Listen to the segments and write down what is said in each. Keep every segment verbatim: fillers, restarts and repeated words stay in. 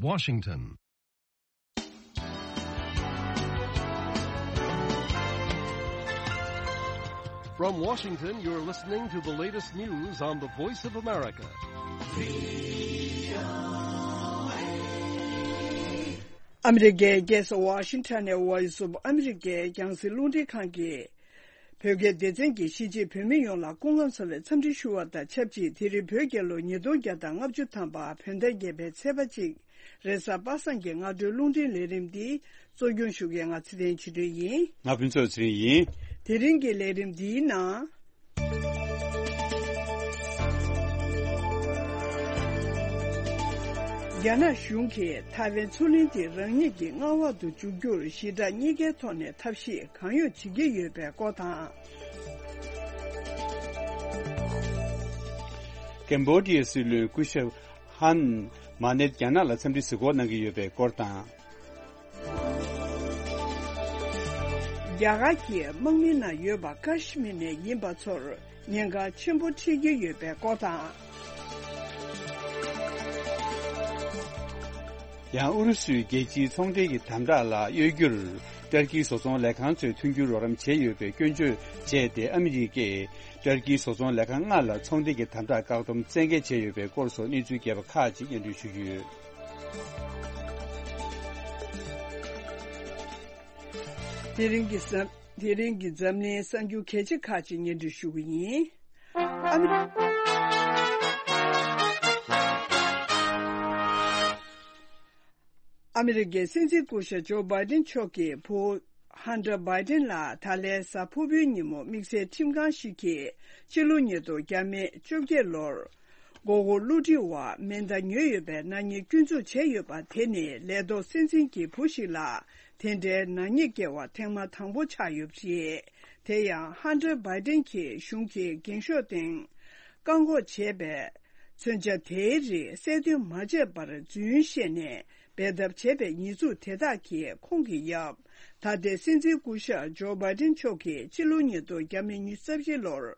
Washington. From Washington, you're listening to the latest news on the Voice of America. ཨ་མི་རི་ཀའི་རྒྱལ་ས་ཝ་ཤིང་ཊོན་ནས་Voice of America་རྒྱང་སྲིང་རླུང་འཕྲིན་ཁང་གིས། བོད་སྐད་སྡེ་ཚན་གྱིས་གཞིས་བྱེས་བོད་མི་ཡོངས་ལ་སྐུ་ཁམས་བཟང་བའི་འཚམས་འདྲི་ཞུ་བ་དང་ཆབས་ཅིག་དེ་རིང་བོད་རྒྱལ་ལོ་ཉིས་སྟོང་བརྒྱ་དང་ལྔ་བཅུ་ཐམ་པ་བོད་ཟླ་བརྒྱད་པའི་ཚེས་པ་གཅིག་རེས་གཟའ་པ་སངས་ཀྱི་སྔ་དྲོའི་རླུང་འཕྲིན་ལས་རིམ་འདི་གཙོ་སྐྱོང་ཞུ་མཁན་ང་ཚེ་བརྟན་ཆོས་སྒྲོན་ཡིན། ང་ཕུན་ཚོགས་ཚེ་རིང་ཡིན། དེ་རིང་གི་ལས་རིམ་འདིའི་ནང་། རྒྱ་ནག་གཞུང་གིས་ཐའེ་ཝན་མཚོ་གླིང་དེ་རང་ཉིད་ཀྱི་མངའ་འོག་ཏུ་འཇུག་རྒྱུར་ཞི་དྲག་གཉིས་ཀའི་ཐོག་ནས་ཐབས་ཤེས་གང་ཡོང་བྱེད་ཀྱི་ཡོད་པའི་སྐོར་དང་། ཀེམ་བྷོ་ཌི་ཡའི་སྲིད་བློན་སྐུ་ཞབས་ཧན་མ་ནེད་རྒྱ་ནག་ལ་འཚམས་འདྲི་གཟིགས་སྐོར་གནང་གི་ཡོད་པའི་སྐོར་དང་། རྒྱ་གར་གྱི་དམག་མིའི་ནང་ཡོད་པ་ཀ་ཤི་མིར་ནས་ཡིན་པ་ཚོར་ཉེན་ཁ་ཆེན་པོ་འཕྲད་ཀྱི་ཡོད་པའི་སྐོར་དང་། ཡང་ཨུ་རུ་སུའི་རྒྱལ་སྤྱིའི་ཚོང་འབྲེལ་གྱི་དམ་དྲག་ལ་གཡོལ་རྒྱུར་ཏུར་ཀིའི་བཟོ་ཚོང་ལས་ཁང་ཚོས་མཐུན་འགྱུར་རོགས་རམ་བྱས་ཡོད་པའི་སྐྱོན་བརྗོད་བྱས་ཏེ། ཨ་མི་རི་ཀས་ཏུར་ཀིའི་བཟོ་ཚོང་ལས་ཁང་ལྔ་ལ་ཚོང་འབྲེལ་གྱི་དམ་དྲག་བཀག་སྡོམ་བཙན་འགེལ་བྱས་ཡོད་པའི་སྐོར་སོགས་གནས་ཚུལ་རྒྱས་པ་ཁག་ཅིག་སྙན་སྒྲོན་ཞུ་རྒྱུ་ཡོད། དེ་རིང་གི་གཟའ། དེ་རིང་གི་འཛམ་གླིང་གསར་འགྱུར་གལ་ཆེ་ཁག་ཅིག་སྙན་སྒྲོན་ཞུ་གི་ཡིན། ཨ་མི་རི་ཀའི་སྲིད་འཛིན་སྐུ་ཞབས་ཇོ་བྷའི་ཏིན་མཆོག་གི་བུ་ཧན་ཏྲ་བྷའི་ཏིན་ལགས་ད་ལན་གཟའ་ཕུར་བུའི་ཉིན་མོ་དམིགས་བསལ་ཁྲིམས་ཁང་ཞིག་གིས་ཕྱི་ལོ་ཉིས་སྟོང་བརྒྱ་མེད་བཅོ་བརྒྱད་ལོར། མགོ་སྐོར་བསླུ་བྲིད་འོག་མེ་མདའ་ཉོས་ཡོད་པའི་ནག་ཉེས་སྐྱོན་འཛུགས་བྱས་ཡོད་པ་དེ་ནི་ལས་ཐོག་སྲིད་འཛིན་གྱི་བུ་ཞིག་ལ་དེ་འདྲའི་ནག་ཉེས་བཀལ་བ་ཐེངས་མ་དང་པོ་ཆགས་ཡོད་པ་རེད། དེ་ཡང་ཧན་ཏྲ་བྷའི་ཏིན་གྱིས་གཞུང་གི་འགེངས་ཤོག་སྟེང་བཀག་འགོག་བྱས་པའི་མཚོན་ཆ་དེའི་རིགས་གསལ་སྟོན་མ་བྱས་པར་རྫུན་བཤད་ནས་འབད་འཐབ་བྱས་པའི་ཉེས་འཛུགས་དེ་དག་གིས་ཁོང་གི་ཡབ། ད་ལྟའི་སྲིད་འཛིན་སྐུ་ཞབས་ཇོ་བྷའི་ཏིན་མཆོག་གིས་ཕྱི་ལོ་ཉིས་སྟོང་བརྒྱ་མེད་ཉི་ཤུ་རྩ་བཞི་ལོར།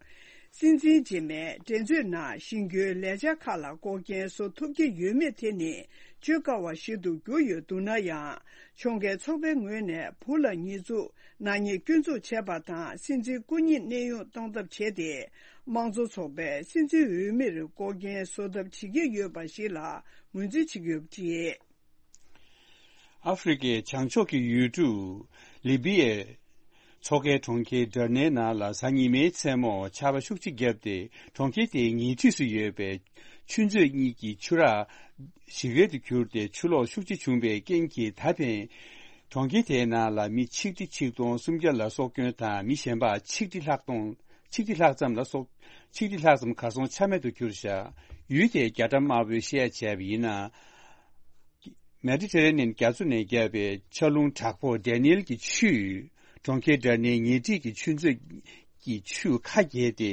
སྲིད་འཛིན་རྗེས་མའི་འགྲན་རྩོད་ནང་གཞེན་སྐུལ་ལས་འཆར་ཁག་ལ་འགོག་རྐྱེན་བཟོ་ཐུབ་ཀྱི་ཡོད་མེད་དེ་ནི་བརྗོད་དཀའ་བ་ཞིག་ཏུ་གྱུར་ཡོད་འདུག་ན་ཡང་། ཕྱོགས་འགལ་ཚོགས་པའི་ངོས་ནས་བུ་ལ་ཉེས་འཛུགས་ནག་ཉེས་སྐྱོན་འཛུགས་བྱས་པ་དང་། སྲིད་འཛིན་སྐུ་ཉིད་གནས་དབྱུང་གཏོང་ཐབས་བྱས་ཏེ། དམངས་གཙོ་ཚོགས་པས་སྲིད་འཛིན་འོས་མིར་འགོག་རྐྱེན་བཟོ་ཐབས་བྱེད་ཀྱི་ཡོད་པ་ཞིག་ལ་ངོས་འཛིན་བྱེད་ཀྱི་ཡོད་པ་རེད། ཨ་ཧྥེ་རི་ཁའི་བྱང་ཕྱོགས་ཀྱི་ཡུལ་གྲུ་ལི་བི་ཡའི་མཚོ་ཁའི་གྲོང་ཁྱེར་ཌར་ནའི་ནང་ལ་གཟའ་ཉི་མའི་མཚན་མོ་ཆར་པ་ཤུགས་ཆེ་བརྒྱབ་སྟེ། གྲོང་ཁྱེར་དེའི་ཉེ་འཁྲིས་སུ་ཡོད་པའི་ཆུ་མཛོད་གཉིས་ཀྱི་ཆུ་རགས་ཞིག་རལ་དུ་གྱུར་ཏེ། ཆུ་ལོག་ཤུགས་ཆེ་བྱུང་བའི་རྐྱེན་གྱིས། ད་ཕན་གྲོང་ཁྱེར་དེའི་ནང་ལ་མི་ཆིག་ཁྲི་ཆིག་སྟོང་སུམ་བརྒྱ་ལ་སྲོག་སྐྱོན་དང་། མི་གཞན་པ་ཆིག་ཁྲི་ལྷག་སྟོང་། ཆིག་ཁྲི་ལྷག་ཙམ་ལ་སྲོག་ཆིག་ཁྲི་ལྷག་ཙམ་གར་སོང་ཆ་མེད་དུ་གྱུར་བཞག་ཡུལ་དེའི་རྒྱ་གྲམ་དམར་པོའི་བཤད་བྱས་པ་ཡིན་ན། མེ་ཌི་ཊེ་རེ་ནེན་རྒྱ་མཚོ་ནས་བརྒྱབ་པའི་ཆར་རླུང་དྲག་པོ་ཌེ་ནིལ་གྱི་ཆུས་གྲོང་ཁྱེར་ཌར་ནའི་ཉེ་འཁྲིས་ཀྱི་ཆུ་མཛོད་ཀྱི་ཆུ་ཁ་བརྒྱལ་ཏེ།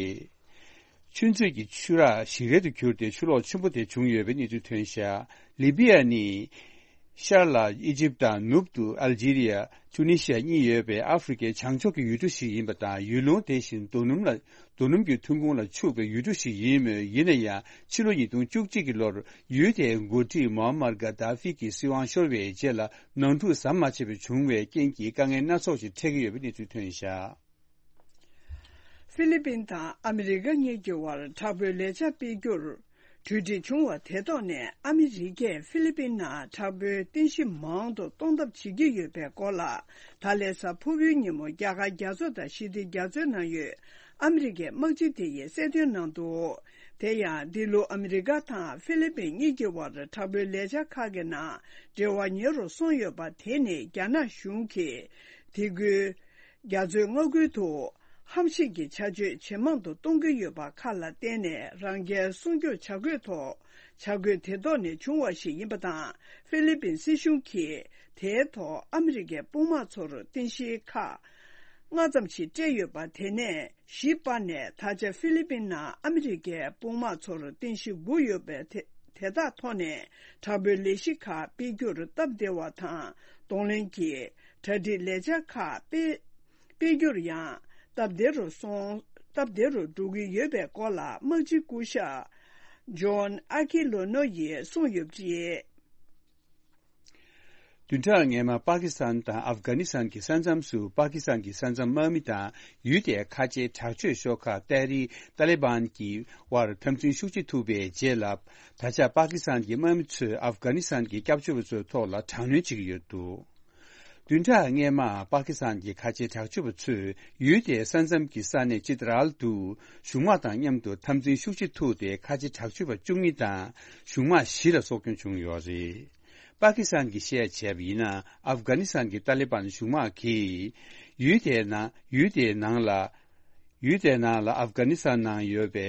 ཆུ་མཛོད་ཀྱི་ཆུ་རགས་ཞིག་རལ་དུ་གྱུར་ཏེ། ཆུ་ལོག་ཆེན་པོ་དེ་བྱུང་ཡོད་པའི་གནས་ཚུལ་ཐོན་བཞག་ལི་བི་ཡ་ནི་ཤར་ལ་ཨི་ཇིབ་དང་། ནུབ་ཏུ་ཨལ་ཇི་རི་ཡ། ཊུ་ནི་ཤི་ཡ་གཉིས་ཡོད་པའི་ཨ་ཧྥེ་རི་ཁའི་བྱང་ཕྱོགས་ཀྱི་ཡུལ་གྲུ་ཞིག་ཡིན་པ་དང་། ཡུལ་ལུང་དེ་བཞིན་རྡོ་སྣུམ་ལ། རྡོ་སྣུམ་གྱི་ཐོན་ཁུངས་ལ་ཕྱུག་པའི་ཡུལ་གྲུ་ཞིག་ཡིན་མོད། ཡིན་ན་ཡང་ཕྱི་ལོ་ཉིས་སྟོང་བཅུ་གཅིག་གི་ལོར་ཡུལ་དེའི་འགོ་ཁྲིད་མོ་ཨམ་མར་གྷ་དཱ་ཧྥི་གྱི་སྲིད་དབང་ཤོར་བའི་རྗེས་ལ། ནང་འཁྲུག་ཟམ་མ་ཆད་པར་བྱུང་བའི་རྐྱེན་གྱིས། དཀའ་ངལ་སྣ་ཚོགས་ཤིག་འཕྲད་ཀྱི་ཡོད་པའི་གནས་ཚུལ་ཐོན་བཞག་ཧྥི་ལི་པིན་དང་ཨ་མི་རི་ཀ་གཉིས་ཀྱི་དབར་དྲག་པོའི་ལས་འཆར་སྤེལ་རྒྱུར་གྲོས་འགྲིག་བྱུང་བ་དེ་ཐོག་ནས། ཨ་མི་རི་ཀས་ཧྥི་ལི་པིན་ནང་དྲག་པོའི་རྟེན་གཞི་མང་དུ་གཏོང་ཐབས་བྱེད་ཀྱི་ཡོད་པའི་སྐོར་ལ། ད་ལན་གཟའ་ཕུར་བུའི་ཉིན་མོ་རྒྱ་གར་རྒྱ་མཚོ་དང་ཞི་བདེ་རྒྱ་མཚོའི་ནང་ཡོད་ཨ་མི་རི་ཀའི་དམག་སྤྱི་དེ་ཡིས་གསལ་སྟོན་གནང་འདུག་དེ་ཡང་འདི་ལོ་ཨ་མི་རི་ཀ་དང་ཧྥི་ལི་པིན་གཉིས་ཀྱི་དབར་དྲག་པོའི་ལས་འཆར་ཁག་གི་ནང་འབྲེལ་བ་ཉེ་རུ་སོང་ཡོད་པ་དེ་ནི་རྒྱ་ནག་གཞུང་གིས་དེ་ཁུལ་རྒྱ་མཚོའི་མངའ་ཁུལ་དུ་ཧམ་བཤད་ཀྱི་བྱ་སྤྱོད་ཇེ་མང་དུ་གཏོང་གི་ཡོད་པ་ཁག་ལ་བརྟེན་ནས། རང་རྒྱལ་སྲུང་སྐྱོབ་བྱ་དགོས་ཐོག་བྱ་དགོས་དེ་ཐོག་ནས་བྱུང་བ་ཞིག་ཡིན་པ་དང་། ཧྥི་ལི་པིན་སྲིད་གཞུང་གིས་དེའི་ཐོག་ཨ་མི་རི་ཀའི་དཔུང་དམག་ཚོར་རྟེན་གཞི་ཁག་ལྔ་ཙམ་ཞིག་སྤྲད་ཡོད་པ་དེ་ནས་གཞི་སྤར་ནས། ད་ཆ་ཧྥི་ལི་པིན་ནང་ཨ་མི་རི་ཀའི་དཔུང་དམག་ཚོར་རྟེན་གཞི་དགུ་ཡོད་པའི་དེ་དེ་དག་ཐོག་ནས་དྲག་པོའི་ལས་གཞི་ཁག་སྤེལ་རྒྱུར་སྟབས་བདེ་བ་དང་། གདོང་ལེན་གྱི་གྲ་སྒྲིག་ལས་འཆར་ཁག་སྤེལ་སྤེལ་རྒྱུར་ཡང་སྟབས་བདེ་རུ་སོང་། སྟབས་བདེ་རུ་འགྲོ་གི་ཡོད་པའི་སྐོར་ལ་དམག་སྤྱི་སྐུ་ཞབས་ཇོན་ཨ་ཁི་ལོ་ནོ་ཡིས་གསུངས་ཡོད་པ་རེད། བདུན་ཕྲག་སྔོན་མ་པ་ཀི་སི་ཐན་དང་ཨབ་གྷ་ནི་སི་ཐན་གྱི་ས་མཚམས་སུ་པ་ཀི་སི་ཐན་གྱི་ས་མཚམས་དམག་མི་དང་ཡུལ་དེའི་ཁ་ཆེའི་དྲག་སྤྱོད་ཤོག་ཁག་ཏེ་རི་ཏཱ་ལི་བན་གྱི་དབར་འཐབ་འཛིང་ཤུགས་ཆེ་ཐུག་པའི་རྗེས་ལ། ད་ཆ་པ་ཀི་སི་ཐན་གྱི་དམག་མི་ཚོས་ཨབ་གྷ་ནི་སི་ཐན་གྱི་སྐྱབས་བཅོལ་བ་ཚོའི་ཐོག་ལ་དྲག་གནོན་བྱེད་ཀྱི་ཡོད་འདུག་བདུན་ཕྲག་སྔོན་མ་པ་ཀི་སི་ཐན་གྱི་ཁ་ཆེའི་དྲག་སྤྱོད་པ་ཚོས་ཡུལ་དེའི་ས་མཚམས་ཀྱི་ས་གནས་ཅི་ཏི་རལ་དུ་གཞུང་དམག་དང་མཉམ་དུ་འཐབ་འཛིང་ཤུགས་ཆེ་ཐུག་སྟེ་ཁ་ཆེ་དྲག་སྤྱོད་པ་བཅུ་གཉིས་དང་གཞུང་དམག་བཞི་ལ་སྲོག་སྐྱོན་བྱུང་ཡོད་རེད། པ་ཀི་སི་ཐན་གྱིས་བཤད་བྱས་པ་ཡིན་ན། ཨབ་གྷ་ནི་སི་ཐན་གྱི་ཏཱ་ལི་བན་གཞུང་དམག་གིས་ཡུལ་དེའི་ནང་ཡུལ་དེའི་ནང་ལ་ཡུལ་དེའི་ནང་ལ་ཨབ་གྷ་ནི་སི་ཐན་ནང་ཡོད་པའི་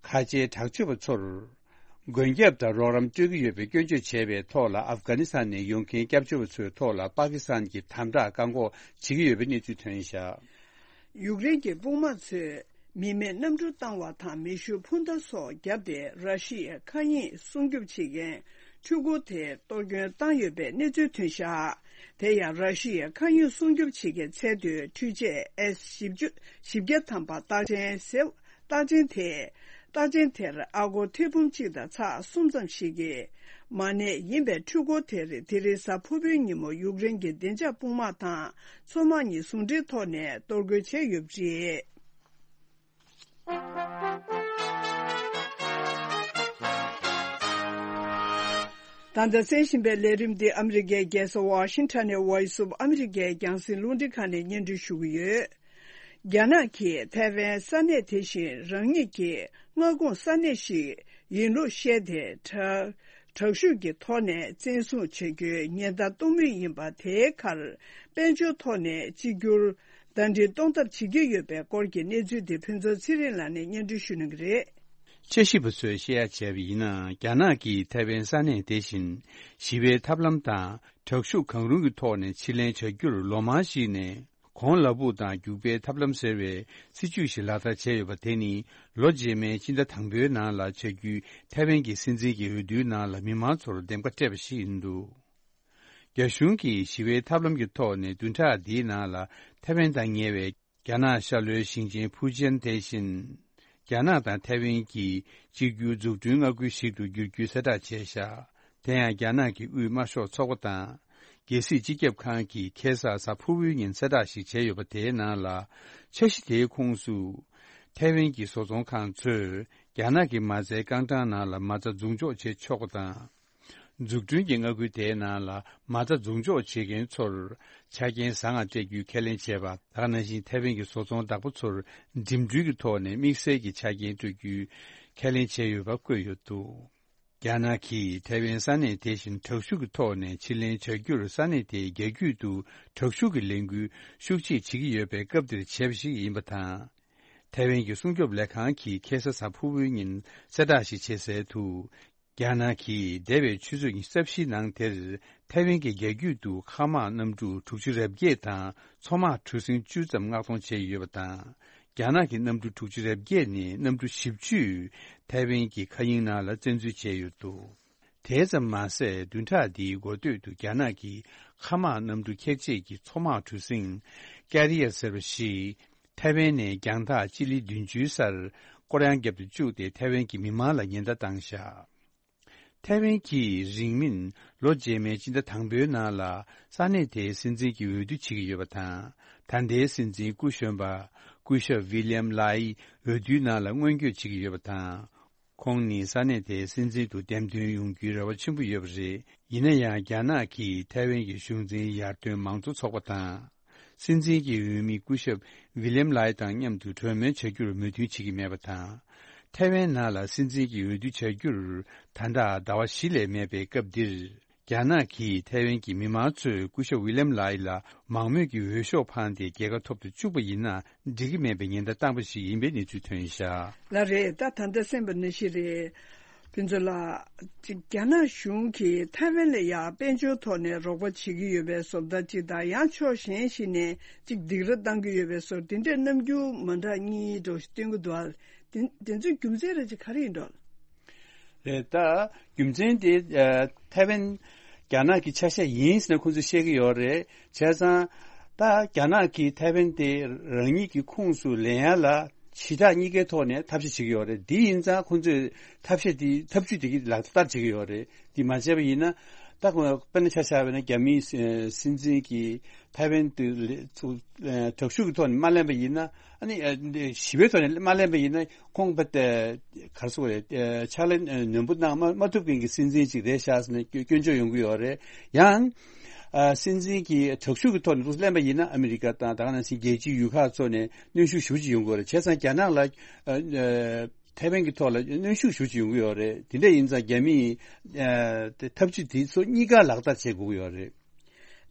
ཁ་ཆེའི་དྲག་སྤྱོད་པ་ཚོར་མགོན་སྐྱབས་དང་རོགས་རམ་སྤྲོད་ཀྱི་ཡོད་པའི་སྐྱོན་བརྗོད་བྱས་པའི་ཐོག་ལ། ཨབ་གྷ་ནི་སི་ཐན་ནས་ཡོང་མཁན་སྐྱབས་བཅོལ་བ་ཚོའི་ཐོག་ལ་པ་ཀི་སི་ཐན་གྱིས་དམ་དྲག་བཀག་འགོག་བྱེད་ཀྱི་ཡོད་པའི་གནས་ཚུལ་ཐོན་བཞག་ཡུཀ་རེན་གྱི་དཔུང་དམག་ཚོས་མི་མེད་གནམ་གྲུ་བཏང་བ་དང་མེ་ཤུགས་འཕུར་མདའ་སོགས་བརྒྱབ་སྟེ་ར་ཤི་ཡའི་མཁའ་དབྱིངས་སྲུང་སྐྱོབ་བྱེད་མཁན་འཕྲུལ་འཁོར་དེར་གཏོར་སྐྱོན་བཏང་ཡོད་པའི་གནས་ཚུལ་ཐོན་བཞག་དེ་ཡང་ར་ཤི་ཡའི་མཁའ་དབྱིངས་སྲུང་སྐྱོབ་བྱེད་མཁན་ཚད་མཐོའི་འཕྲུལ་ཆས་ཨེས་བཞི་བཅུ་བཞི་བརྒྱ་ཐམ་པ་རྟགས་ཅན་ཟེར། རྟགས་ཅན་དེས་རྟགས་ཅན་དེར་ཨ་སྒོར་ཐེར་འབུམ་གཅིག་དང་ཚེག་གསུམ་ཙམ་ཞིག་གི་མ་གནས་ཡིན་པའི་འཕྲུལ་འཁོར་དེར་དེ་རིང་གཟའ་ཕུར་བུའི་ཉིན་མོ་ཡུཀ་རེན་གྱི་བདེ་འཇགས་དཔུང་དམག་དང་མཚོ་དམག་གཉིས་ཟུང་འབྲེལ་ཐོག་ནས་གཏོར་རྒོལ་བྱས་ཡོད་པ་རེད། ད་ལྟ་གསན་བཞིན་པའི་ལས་རིམ་འདི་ཨ་མི་རི་ཀའི་རྒྱལ་ས་ཝ་ཤིང་ཊོན་ནས་Voice of America རྒྱང་སྲིང་རླུང་འཕྲིན་ཁང་ནས་སྙན་སྒྲོན་ཞུ་གི་ཡོད། རྒྱ་ནག་གིས་ཐའེ་ཝན་ས་གནས་དེ་བཞིན་རང་ཉིད་ཀྱི་མངའ་ཁོངས་ས་གནས་ཤིག་ཡིན་ལུགས་བཤད་དེ། དྲག་དྲག་ཤུགས་ཀྱི་ཐོག་ནས་བཙན་བཟུང་བྱ་རྒྱུའི་ཉེན་བརྡ་གཏོང་མུས་ཡིན་པ་དེའི་ཁར། དཔལ་འབྱོར་ཐོག་ནས་གཅིག་གྱུར་ཟླ་སྒྲིལ་གཏོང་ཐབས་བྱེད་ཀྱི་ཡོད་པའི་སྐོར་གྱི་གནས་ཚུལ་དེ་ཕུན་ཚོགས་ཚེ་རིང་ལགས་ནས་སྙན་སྒྲོན་ཞུ་གནང་གི་རེད། དཔྱད་ཞིབ་པ་ཚོས་བཤད་ཡ་བྱས་པ་ཡིན་ན། རྒྱ་ནག་གིས་ཐའེ་ཝན་ས་གནས་དེ་བཞིན་ཞི་བའི་ཐབས་ལམ་དང་དྲག་ཤུགས་གང་རུང་གི་ཐོག་ནས་ཕྱིར་ལེན་བྱ་རྒྱུར་ལོ་མང་ཞིག་ནས། གོང་ལ་སྦུག་དང་རྒྱུག་པའི་ཐབས་ལམ་ཟེར་བའི་སྲིད་ཇུས་ཤིག་ལག་བསྟར་བྱས་ཡོད་པ་དེ་ནི། ལོ་རྗེས་མའི་ཕྱི་ཟླ་དང་པོའི་ནང་ལ་བྱ་རྒྱུའི་ཐའེ་ཝན་གྱི་སྲིད་འཛིན་གྱི་འོས་བསྡུའི་ནང་ལ་མི་མང་ཚོར་འདེམས་ཀ་སྤྲད་པ་ཞིག་ཡིན་འདུག་རྒྱ་གཞུང་གིས་ཞི་བའི་ཐབས་ལམ་གྱི་ཐོག་ནས་བདུན་ཕྲག་འདིའི་ནང་ལ་ཐའེ་ཝན་དང་ཉེ་བའི་རྒྱ་ནག་ཤར་ལྷོའི་ཞིང་ཆེན་ཕུའུ་ཅན་དེ་བཞིན། རྒྱ་ནག་དང་ཐའེ་ཝན་གྱི་གཅིག་གྱུར་འཛུགས་སྐྲུན་མངའ་ཁུལ་ཞིག་ཏུ་འགྱུར་རྒྱུའི་གསལ་བསྒྲགས་བྱས་བཞག་དེ་ཡང་རྒྱ་ནག་གི་དབུས་དམར་ཤོག་ཚོགས་པ་དང་། རྒྱལ་སྲིད་སྤྱི་ཁྱབ་ཁང་གིས་ཁ་སང་གཟའ་ཕུར་བུའི་ཉིན་གསལ་བསྒྲགས་ཤིག་བྱས་ཡོད་པ། དེའི་ནང་ལ། འཆར་གཞི་དེའི་ཁོངས་སུ། ཐའེ་ཝན་གྱི་བཟོ་ཚོང་ཁང་ཚོས་རྒྱ་ནག་གི་མ་རྩའི་རྐང་གྲངས་ནང་ལ་མ་རྩ་འཛུགས་འཇོག་བྱེད་ཆོག་པ་དང་། འཛུགས་སྐྲུན་གྱི་མངའ་ཁུལ་དེའི་ནང་ལ་མ་རྩ་འཛུགས་འཇོག་བྱེད་མཁན་ཚོར་ཆ་རྐྱེན་བཟང་ང་སྤྲད་རྒྱུའི་ཁས་ལེན་བྱས་པ། ད་ག་ནང་བཞིན་ཐའེ་ཝན་གྱི་བཟོ་ཚོང་བདག་པོ་ཚོར་འགྲིམ་འགྲུལ་གྱི་ཐོག་ནས་དམིགས་བསལ་གྱི་ཆ་རྐྱེན་སྤྲོད་རྒྱུའི་ཁས་ལེན་བྱས་ཡོད་པ་བཀོད་ཡོད་འདུག་རྒྱ་ནག་གིས་ཐའེ་ཝན་ས་གནས་དེ་བཞིན་དྲག་ཤུགས་ཀྱི་ཐོག་ནས་ཕྱིར་ལེན་བྱ་རྒྱུར་ས་གནས་དེའི་རྒྱ་རྒྱུད་དུ་དྲག་ཤུགས་ཀྱི་ལས་འགུལ་ཤུགས་ཆེ་བྱེད་ཀྱི་ཡོད་པའི་སྐབས་འདིར་བྱས་པ་ཞིག་ཡིན་པ་དང་། ཐའེ་ཝན་གྱི་སྲུང་སྐྱོབ་ལས་ཁང་གིས་ཁ་སང་གཟའ་ཕུར་བུའི་ཉིན་གསལ་བསྒྲགས་ཤིག་བྱས་གསལ་དུ། རྒྱ་ནག་གིས་འདས་པའི་ཆུ་ཚོད་ཉི་ཤུ་རྩ་བཞིའི་ནང་དེར་ཐའེ་ཝན་གྱི་རྒྱ་རྒྱུད་དུ་མཁའ་དམག་གནམ་གྲུ་དྲུག་ཅུ་རེ་བརྒྱད་དང་མཚོ་དམག་གྲུ་གཟིངས་བཅུ་ཙམ་མངགས་གཏོང་བྱས་ཡོད་པ་དང་། རྒྱ་ནག་གི་གནམ་གྲུ་དྲུག་ཅུ་རེ་བརྒྱད་ནས་གནམ་གྲུ་བཞི་བཅུས་ཐའེ་ཝན་གྱི་མཁའ་དབྱིངས་ནང་ལ་བཙན་འཛུལ་བྱས་ཡོད་འདུག་དེ་ཙམ་མ་ཟད། བདུན་ཕྲག་འདིའི་འགོ་སྟོད་དུ་རྒྱ་ནག་གི་མཁའ་དམག་གནམ་གྲུ་འཁྱེར་བྱེད་ཀྱི་མཚོ་དམག་གྲུ་གཟིངས་ཀེ་རི་ཡར་ཟེར་བ་ཞིག་ཐའེ་ཝན་ནས་རྒྱང་ཐག་སྤྱི་ལེ་བདུན་ཅུའི་སར་སྐོར་གཡང་བརྒྱབ་ཏུ་བཅུག་སྟེ་ཐའེ་ཝན་གྱི་མི་མང་ལ་ཉེན་བརྡ་བཏང་བཞག་ཐའེ་ཝན་གྱིས་རིང་མིན་ལོ་རྗེས་མའི་སྤྱི་ཟླ་དང་པོའི་ནང་ལ་ས་གནས་དེའི་སྲིད་འཛིན་གྱི་འོས་བསྡུ་བྱེད་ཀྱི་ཡོད་པ་དང་། ད་ལྟའི་སྲིད་འཛིན་སྐུ་གཞོན་པ་སྐུ་ཞབས་ཝི་ལི་ཡམ་ལའི་འོས་བསྡུའི་ནང་ལ་སྔོན་སྐྱོད་བྱེད་ཀྱི་ཡོད་པ་དང་། ཁོང་ནི་ས་གནས་དེའི་སྲིད་འཛིན་དུ་འདེམས་ཐོན་ཡོང་རྒྱུའི་རེ་བ་ཆེན་པོ་ཡོད་པ་རེད། ཡིན་ན་ཡང་རྒྱ་ནག་གིས་ཐའེ་ཝན་གྱི་གཞུང་འཛིན་ཡར་ཐོན་མང་གཙོ་ཚོགས་པ་དང་། སྲིད་འཛིན་གྱི་འོས་མི་སྐུ་ཞབས་ཝི་ལི་ཡམ་ལའི་དང་མཉམ་དུ་གྲོས་མོལ་བྱ་རྒྱུར་མོས་མཐུན་བྱེད་ཀྱི་མེད་པ་དང་། ཐའེ་ཝན་ནང་ལ་སྲིད་འཛིན་གྱི་འོས་བསྡུ་བྱ་རྒྱུར་ད་ལྟ་ཟླ་བ་བཞི་ལས་མེད་པའི་སྐབས་འདིར། རྒྱ་ནག་གིས་ཐའེ་ཝན་གྱི་མི་མང་ཚོས་སྐུ་ཞབས་ཝི་ལི་ཡམ་ལའི་ལ་མང་མོས་ཀྱི་འོས་ཤོག་འཕངས་ཏེ་རྒྱལ་ཁ་ཐོབ་ཏུ་བཅུག་པ་ཡིན་ན་འགྲིག་གི་མེད་པའི་ཉེན་བརྡ་བཏང་པ་ཞིག་ཡིན་པའི་གནས་ཚུལ་ཐོན་བཞག་ལགས་རེད། ད་ད་ལྟ་གསན་པ་ནང་བཞིན་རེད། ཕུན་ཚོགས་ལགས། ཅིག་རྒྱ་ནག་གཞུང་གིས་ཐའེ་ཝན་ལ་ཡང་དཔལ་འབྱོར་ཐོག་ནས་རོགས་པ་བྱེད་ཀྱི་ཡོད་པའི་བཟོ་ལྟ་ཅིག་དང་། ཡང་ཕྱོགས་གཞན་ཞིག་ནས་ཅིག་སྡིགས་ར་བཏང་གི་ཡོད་པའི་བཟོ། དེ་འདྲའི་རྣམ་འགྱུར་མ་འདྲ་གཉིས་འདྲ་བོ་ཞིག་སྟོན་གྱི་འདུག་ཨ། དེ་དེ་ཚོའི་རྒྱུ་མཚན་རེ་ཅིག་ག་རེ་ཡིན་འགྲོ། རེད། ད་རྒྱུ་མཚན་དེ་ཨ་ཐའེ་ཝན་རྒྱ་ནག་གི་ཆ་ཤས་ཡིན་ཟེར་ནས་ཁོང་ཚོས་བཤད་ཀྱི་ཡོད་རེད། བྱས་ཙང་ད་རྒྱ་ནག་གིས་ཐའེ་ཝན་དེ་རང་ཉིད་ཀྱི་ཁོངས་སུ་ལེན་ཡ་ལ་ཞི་དྲག་གཉིས་ཀའི་ཐོག་ནས་ཐབས་ཤེས་བྱེད་ཀྱི་ཡོད་རེད། དེ་ཡིན་ཙང་ཁོང་ཚོས་ཐབས་ཤེས་དེ་ཐབས་ཇུས་དེ་གི་ལག་བསྟར་བྱེད་ཀྱི་ཡོད་རེད། དེ་མ་བྱས་པ་ཡིན་ན་ ད་དཔེར་ན་ཆ་བཞག་པ་ན་རྒྱ་མིའི་སྲིད་འཛིན་གྱིས་ཐའེ་ཝན་དུ་དྲག་ཤུགས་ཀྱི་ཐོག་ནས་མ་ལེན་པ་ཡིན་ན། ཨ་ནི་ཞི་བའི་ཐོག་ནས་མ་ལེན་པ་ཡིན་ན། ཁོང་པ་ཏེ་ག་རེ་ཟེར་དགོས་རེད། ཕྱག་ལས་ནན་པོ་གནང་མ་མ་ཐུབ་མཁན་གྱི་སྲིད་འཛིན་ཅིག་རེད་ཤག་ཟེར་ནས་སྐྱོན་བརྗོད་ཡོང་གི་ཡོད་རེད། ཡང་སྲིད་འཛིན་གྱིས་དྲག་ཤུགས་ཀྱི་ཐོག་ནས་ལེན་པ་ཡིན་ན། ཨ་མི་རི་ཀ་དང་ད་ག་ནང་བཞིན་རྒྱལ་སྤྱིའི་ཡུལ་ཁག་ཚོ་ནས་གནོན་ཤུགས་ཞེ་པོ་ཅིག་ཡོང་གི་ཡོད་རེད། བྱས་ཙང་རྒྱ་ནག་ལ་ཐའེ་ཝན་གྱི་ཐོག་ལ་གནོན་ཤུགས་ཞེ་པོ་ཅིག་ཡོང་གི་ཡོད་རེད། དེ་འདྲ་ཡིན་ཙང་རྒྱ་མིས་ཐབས་ཇུས་དེ་ཚོ་གཉིས་ཀ་ལག་བསྟར་བྱེད་དགོས་ཀྱི་ཡོད་རེད།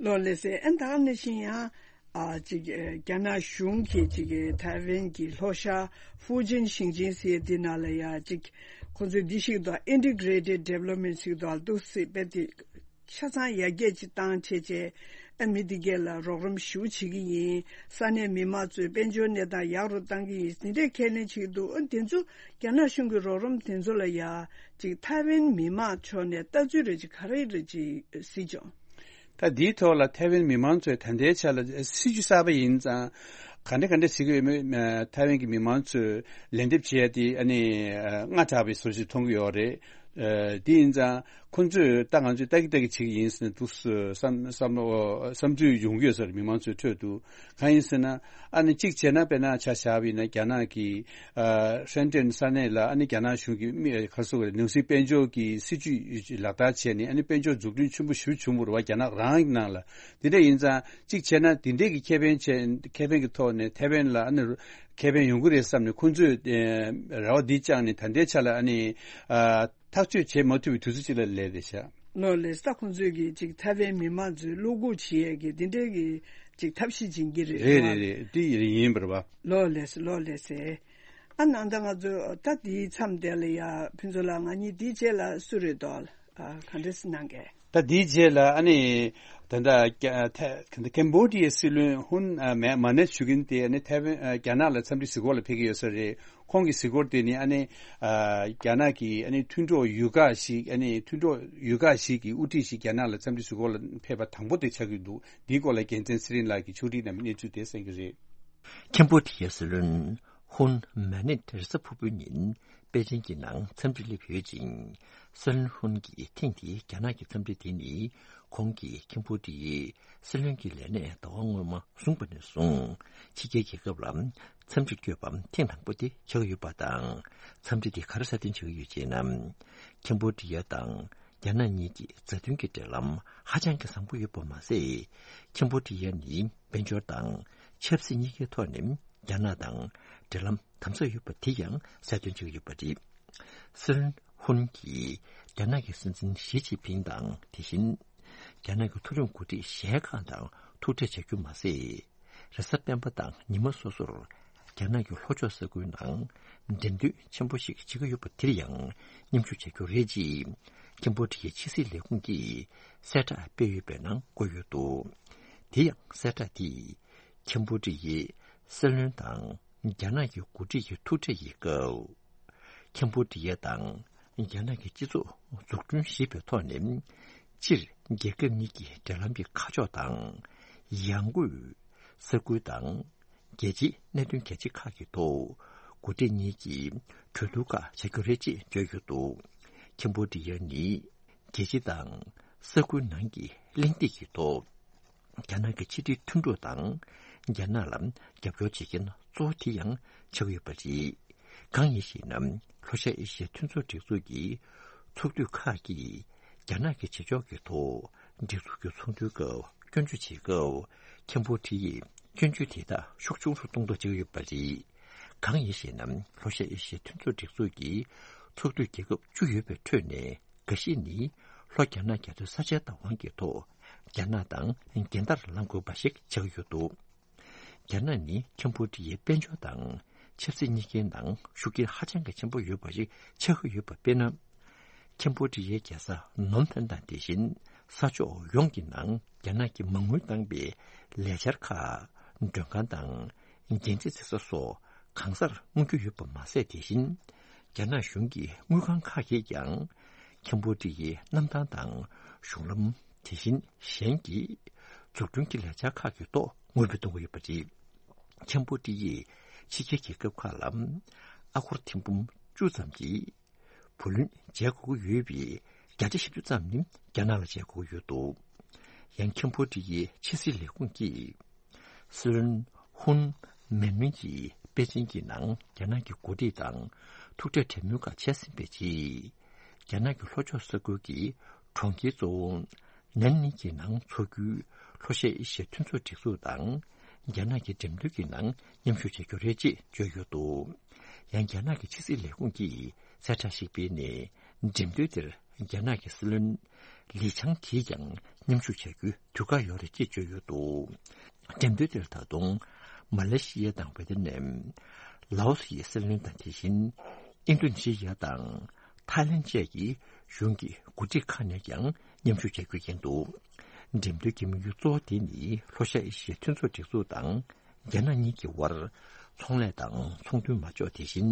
ལགས་ལགས་སེ། ཨ་ནི་ད་ག་ནང་བཞིན་ཡང་ཨ་ཅིག་རྒྱ་ནག་གཞུང་གིས་ཅིག་ཐའེ་ཝན་གྱི་ལྷོ་ཤར་ཧྥུ་ཅན་ཞིང་ཆེན་ཟེར་ཡ་འདི་ནང་ལ་ཡ་ཅིག་ཁོང་ཚོས་འདི་ཞིག་འདུག Integrated Development་ཞིག་འདུག་འདུག་སེ་དཔེ་དེ་ཆ་ཚང་ཡར་རྒྱས་ཅིག་བཏང་བྱས་བྱས། ཨ་མི་འདི་གས་ལ་རོགས་རམ་ཞུ་བྱེད་ཀྱི་ཡིན། ས་གནས་མི་མང་ཚོའི་དཔལ་འབྱོར་གནས་སྟངས་ཡག་རུ་བཏང་གི་ཡིན། འདི་འདྲའི་ཁས་ལེན་བྱེད་ཀྱི་འདུག་ཨ་དེ་ཚོ་རྒྱ་ནག་གཞུང་གི་རོགས་རམ་དེ་ཚོ་ལ་ཡ་ཅིག་ཐའེ་ཝན་མི་མང་ཕྱོགས་ནས་ལྟ་ཚུལ་རེ་ཅིག་ག་རེ་རེ་ཅིག་གཟིགས་བྱུང་། ད་འདིའི་ཐོག་ལ་ཐའེ་ཝན་མི་མང་ཚོས་ད་ལྟའི་ཆ་ལ་སྲིད་ཇུས་གསར་པ་ཡིན་ཙང་ག་འདྲ་ག་འདྲ་བྱེད་ཀྱི་ཡོད་མེད། ཐའེ་ཝན་གྱི་མི་མང་ཚོས་ལན་འདེབས་བྱེད་ཡ་དེ་ཨ་ནི་སྔ་དྲགས་པའི་བཟོ་ཞིག་མཐོང་གི་ཡོད་རེད། དེ་ཡིན་ཙང་ཁོང་ཚོས་ད་ང་ཚོས་ལྟ་གི་ལྟ་གི་བྱེད་ཀྱི་ཡིན་ཟེར་ནས་འདུག་བསམ་བསམ་བློ་བསམ་ཚུལ་ཡོང་གི་ཡོད་ས་རེད། མི་མང་ཚོའི་ཁྲོད་དུ། གང་ཡིན་ཟེར་ན། ཨ་ནི་གཅིག་བྱས་ན། དཔེར་ན་ཆ་བཞག་པ་ཡིན་ན་རྒྱ་ནག་གི་ཨ་ཧྲེན་ཀྲེན་ས་གནས་ལ་ཨ་ནི་རྒྱ་ནག་གཞུང་གིས་མི་ག་རེ་ཟེར་དགོས་རེད། ནང་སྲིད་དཔལ་འབྱོར་གྱི་སྲིད་ཇུས་ལག་བསྟར་བྱས་ནས། ཨ་ནི་དཔལ་འབྱོར་འཛུགས་སྐྲུན་ཆེན་པོ་ཞེ་པོ་བྱུང་བ་རེད་བ། རྒྱ་ནག་རང་གི་ནང་ལ། དེ་འདྲ་ཡིན་ཙང་གཅིག་བྱས་ན་དེ་འདྲས་ཀྱི་ཁེ་ཕན་བྱས། ཁེ་ཕན་གྱི་ཐོག་ནས་ཐའེ་ཝན་ལ་ཨ་ནི་ཁེ་ཕན་ཡོང་གི་རེད་བསམ་ནས་ཁོང་ཚོས་ཨ་རེ་བ་འདི་བཅངས་ནས་ད་ལྟའི་ཆ་ལ་ཨ་ནི་ཨ། ཐག་གཅོད་བྱེད་མ་ཐུབ་པའི་དུས་ཚོད་ཅིག་ལ་སླེབས་རེད་ཤག་ལགས་ལགས་སེ། ད་ཁོང་ཚོས་ཀྱིས་ཅིག་ཐའེ་ཝན་མི་མང་ཚོས་བློ་འགུག་བྱེད་ཡས་ཀྱི་འདི་འདྲའི་གི་ཅིག་ཐབས་ཤེས་བྱེད་ཀྱི་རེད། རེད་རེད་རེད། འདི་ཡིན་པ་རེད་པ། ལགས་ལགས་སེ། ལགས་ལགས་སེ། ཨ་ནང་ད་ང་ཚོ་ད་འདིའི་མཚམས་དེ་ལ་ཡ་ཕུན་ཚོགས་ལགས། ང་གཉིས་འདིའི་རྗེས་ལ་སུ་རེད་འདུག་ཨ་ག་འདྲ་སེ་གནང་གས། ད་འདིའི་རྗེས་ལ་ཨ་ནི་ད་ལྟ་ཀེ་ཐ་ཀེམ་བོ་ཌི་ཡའི་སྲིད་བློན་ཧུན་ཨ་མ་མ་ནེ་ཞུ་མཁན་དེ་ཨ་ནི་ཐའེ་ཝན་ཨ་རྒྱ་ནག་ལ་འཚམས་འདྲི་གཟིགས་སྐོར་ལ་ཕེབས་ཀྱི་ཡོད་ས་རེད། ཁོང་གི་གཟིགས་སྐོར་དེ་ནི་ཨ་ནི་ཨ་རྒྱ་ནག་གི་ཨ་ནི་མཐུན་གྲོགས་ཡུལ་ཁག་ཞིག་ཨ་ནི་མཐུན་གྲོགས་ཡུལ་ཁག་ཞིག་གི་དབུ་ཁྲིད་ཞིག་རྒྱ་ནག་ལ་འཚམས་འདྲི་གཟིགས་སྐོར་ལ་ཕེབས་པ་དང་པོ་དེ་ཆགས་ཀྱི་འདུག་འདིའི་སྐོར་ལ་རྒྱལ་མཚན་ཚེ་རིང་ལགས་ཀྱིས་ཕྱོགས་སྒྲིག་གནང་བའི་གནས་ཚུལ་དེ་གསན་གྱི་རེད། ཁེམ་བྷོ་ཌི་ཡའི་སྲིད་བློན་ཧུན་མ་ནེད་རེས་གཟའ་ཕུར་བུའི་ཉིན་པེ་ཅིང་གི་ནང་འཚམས་འདྲི་སླེབས་ཡོད་ཅིང་། སྲིད་བློན་ཧུན་གྱིས་ཐེངས་འདིའི་རྒྱ་ནག་གི་འཚམས་འདྲི་དེ་ནི་ཁོང་གིས་ཁེམ་བྷོ་ཌི་ཡའི་སྲིད་བློན་གྱི་ལས་གནས་ཟླ་བ་སྔོན་མ་བཟུང་བ་ནས་བཟུང་ཕྱི་རྒྱལ་རྒྱལ་ཁབ་ལ་འཚམས་འདྲིར་བསྐྱོད་པ་ཐེངས་དང་པོ་དེ་ཆགས་ཡོད་པ་དང་། འཚམས་འདྲི་དེ་ག་རེ་སྲ་བརྟན་བྱུང་ཡོད་ཅེ་ན། ཁེམ་བྷོ་ཌི་ཡ་དང་རྒྱ་ནག་གཉིས་ཀྱི་མཛའ་མཐུན་གྱི་འབྲེལ་ལམ་ཧ་ཅང་གི་བཟང་པོ་ཡོད་པ་མ་ཟད། ཁེམ་བྷོ་ཌི་ཡ་ནི་དཔལ་འབྱོར་དང་ཆབ་སྲིད་གཉིས་ཀའི་ཐོག་ནས་རྒྱ་ནག་དང་འབྲེལ་ལམ་དམ་ཟབ་ཡོད་པ་དེ་ཡང་གསལ་སྟོན་བྱུང་ཡོད་པ་རེད། སྲིད་བློན་ཧུན་གྱིས་རྒྱ་ནག་གི་སྲིད་འཛིན་ཞི་ཅིན་ཕིང་དང་། དེ་བཞིན་རྒྱ་ནག་གི་མཐོ་རིམ་འགོ་ཁྲིད་གཞན་ཁག་དང་ཐུག་འཕྲད་བྱ་རྒྱུ་མ་ཟད། རེས་གཟའ་སྤེན་པ་དང་ཉི་མ་སོ་སོར་རྒྱ་ནག་གི་ལྷོ་ཕྱོགས་ས་ཁུལ་ནང་འགྲེམས་སྟོན་ཆེན་པོ་ཞིག་བྱེད་ཀྱི་ཡོད་པ་དེར་ཡང་མཉམ་ཞུགས་བྱ་རྒྱུ་རེད་ཅེས་ཁེམ་བྷོ་ཌི་ཡའི་ཕྱི་སྲིད་ལས་ཁུངས་ཀྱིས་གསལ་བསྒྲགས་སྤེལ་ཡོད་པའི་ནང་བཀོད་ཡོད་འདུག་དེ་ཡང་གསལ་བསྒྲགས་དེས་ཁེམ་བྷོ་ཌི་ཡའི་སྲིད་བློན་དང་རྒྱ་ནག་གི་འགོ་ཁྲིད་ཀྱི་ཐུག་འཕྲད་ཀྱི་སྐབས། ཁེམ་བྷོ་ཌི་ཡ་དང་རྒྱ་ནག་གི་སྤྱི་ཚོགས་འཛུགས་སྐྲུན་ཞེས་པའི་ཐོག་ནས་སྤྱིར་རྒྱལ་ཁབ་གཉིས་ཀྱི་འབྲེལ་ལམ་གྱི་ཁ་ཕྱོགས་དང་ཡང་སྒོས་ས་ཁུལ་དང་རྒྱལ་སྤྱིའི་གནད་དོན་རྒྱ་ཆེ་ཁག་གི་ཐོག་འགོ་ཁྲིད་གཉིས་ཀྱིས་གྲོས་བསྡུར་ཁག་བྱ་རྒྱུ་རེད་ཅེས་བརྗོད་ཡོད་འདུག་ཁེམ་བྷོ་ཌི་ཡ་ནི་རྒྱལ་སྤྱི་དང་ས་ཁུལ་ནང་གི་གླེང་སྟེགས་ཀྱི་ཐོག་རྒྱ་ནག་གི་ཕྱི་འབྲེལ་མཐུན་གྲོགས་དང་རྒྱ་ནག་ལ་རྒྱབ་སྐྱོར་བྱེད་མཁན་གཙོ་བོ་དེ་ཡང་ཆགས་ཡོད་པ་རེད། གང་ཡིན་ཞེ་ན། ལྷོ་ཤར་ཨེ་ཤི་ཡའི་མཐུན་ཚོགས་སྒྲིག་འཛུགས་ཀྱི་ཚོགས་འདུ་ཁག་གིས་རྒྱ་ནག་གི་བྱེད་ཕྱོགས་ཀྱི་ཐོག་སྒྲིག་འཛུགས་ཀྱི་ཚོགས་འདུའི་སྐབས་སྐྱོན་བརྗོད་བྱེད་སྐབས་ཁེམ་བྷོ་ཌི་ཡས་སྐྱོན་བརྗོད་དེ་དག་ཤུགས་ཆུང་རུ་གཏོང་ཐབས་བྱེད་ཀྱི་ཡོད་པ་རེད། གང་ཡིན་ཞེ་ན། ལྷོ་ཤར་ཨེ་ཤི་ཡའི་མཐུན་ཚོགས་སྒྲིག་འཛུགས་ཀྱི་ཚོགས་འདུའི་རྒྱལ་ཁབ་བཅུ་ཡོད་པའི་ཁྲོད་ནས། འགའ་ཞིག་ནི་ལྷོ་རྒྱ་ནག་རྒྱ་མཚོའི་ས་ཆའི་བདག་དབང་གི་ཐོག་རྒྱ་ནག་དང་རྒྱལ་དར་བསླང་དགོས་པ་ཞིག་ཆགས་ཡོད་འདུག་རྒྱ་ནག་ནི་ཁེམ་བྷོ་ཌི་ཡའི་དཔལ་འབྱོར་དང་ཆབ་སྲིད་གཉིས་ཀའི་ནང་ཤུགས་རྐྱེན་ཧ་ཅང་གི་ཆེན་པོ་ཡོད་པ་ཞིག་ཆགས་ཀྱི་ཡོད་པ་དཔེར་ན། ཁེམ་བྷོ་ཌི་ཡའི་རྒྱལ་ས་ནོམ་ཕན་དང་དེ་བཞིན་ས་ཕྱོགས་ཡོངས་ཀྱི་ནང་རྒྱ་ནག་གིས་མ་དངུལ་བཏང་པའི་ལས་འཆར་ཁག་མགྲོན་ཁང་དང་། འགན་འཛིན་རྩིས་ས་སོགས་གང་སར་མངོན་རྒྱུ་ཡོད་པ་མ་ཟད། དེ་བཞིན་རྒྱ་ནག་གཞུང་གི་དངུལ་ཁང་ཁག་གིས་ཀྱང་ཁེམ་བྷོ་ཌི་ཡའི་གནམ་ཐང་དང་གཞུང་ལམ། དེ་བཞིན་གཞན་གྱི་འཛུགས་སྐྲུན་གྱི་ལས་འཆར་ཁག་གི་ཐོག་དངུལ་འབུལ་གཏོང་གི་ཡོད་པ་རེད། ཁེམ་བྷོ་ཌི་ཡས་ཕྱི་རྒྱལ་རྒྱལ་ཁབ་ཁག་ལ་ཨ་སྒོར་ཐེར་འབུམ་བཅུ་ཙམ་གྱི་བུ་ལོན་འཇལ་དགོས་ཀྱི་ཡོད་པའི་ བརྒྱ་ཆ་བཞི་བཅུ་ཙམ་ནི་རྒྱ་ནག་ལ་བྱེད་དགོས་ཀྱི་ཡོད་འདུག་ཡང་ཁེམ་བྷོ་ཌི་ཡའི་ཕྱི་སྲིད་ལས་ཁུངས་ཀྱིས་སྲིད་བློན་ཧུན་མན་མིན་གྱིས་པེ་ཅིན་གྱི་ནང་རྒྱ་ནག་གི་འགོ་ཁྲིད་དང་ཐུག་འཕྲད་གྲོས་མོལ་ཁག་བྱས་ཟིན་པའི་རྗེས། རྒྱ་ནག་གི་ལྷོ་ཕྱོགས་ས་ཁུལ་གྱི་གྲོང་ཁྱེར་གཙོ་བོ་ནན་ནིང་གི་ནང་འཚོགས་རྒྱུའི་ལྷོ་ཤར་ཨེ་ཤི་ཡའི་མཐུན་ཚོགས་སྒྲིག་འཛུགས་དང་རྒྱ་ནག་གི་འགྲེམས་སྟོན་གྱི་ནང་མཉམ་ཞུགས་བྱ་རྒྱུ་རེད་ཅེས་བརྗོད་ཡོད་འདུག་ཡང་རྒྱ་ནག་གི་ཕྱི་སྲིད་ལས་ཁུངས་ཀྱིས་གསལ་བསྒྲགས་ཤིག་སྤེལ་ནས། འགྲེམས་སྟོན་དེར་རྒྱ་ནག་གི་སྲིད་བློན་ལི་ཆང་གིས་ཀྱང་མཉམ་ཞུགས་བྱ་རྒྱུའི་དུས་བཀག་ཡོད་རེད་ཅེས་བརྗོད་ཡོད་འདུག་འགྲེམས་སྟོན་དེར་ད་དུང་མ་ལེ་ཤི་ཡ་དང་ཝེ་ཏི་ནམ། ལའོ་སི་ཡི་སྲིད་བློན་དང་། དེ་བཞིན་ཨིན་རྡུ་ནི་ཤི་ཡ་དང་ཐའི་ལེན་བཅས་ཀྱི་གཞུང་གི་འགོ་ཁྲིད་ཁག་ནས་ཀྱང་མཉམ་ཞུགས་བྱ་རྒྱུ་ཡིན་འདུག་འགྲེམས་སྟོན་གྱི་དམིགས་ཡུལ་གཙོ་བོ་དེ་ནི་ལྷོ་ཤར་ཨེ་ཤི་ཡའི་མཐུན་ཚོགས་སྒྲིག་འཛུགས་དང་། རྒྱ་ནག་གཉིས་ཀྱི་དབར་ཚོང་ལས་དང་ཚོང་དོན་མ་འཇོག་དེ་བཞིན་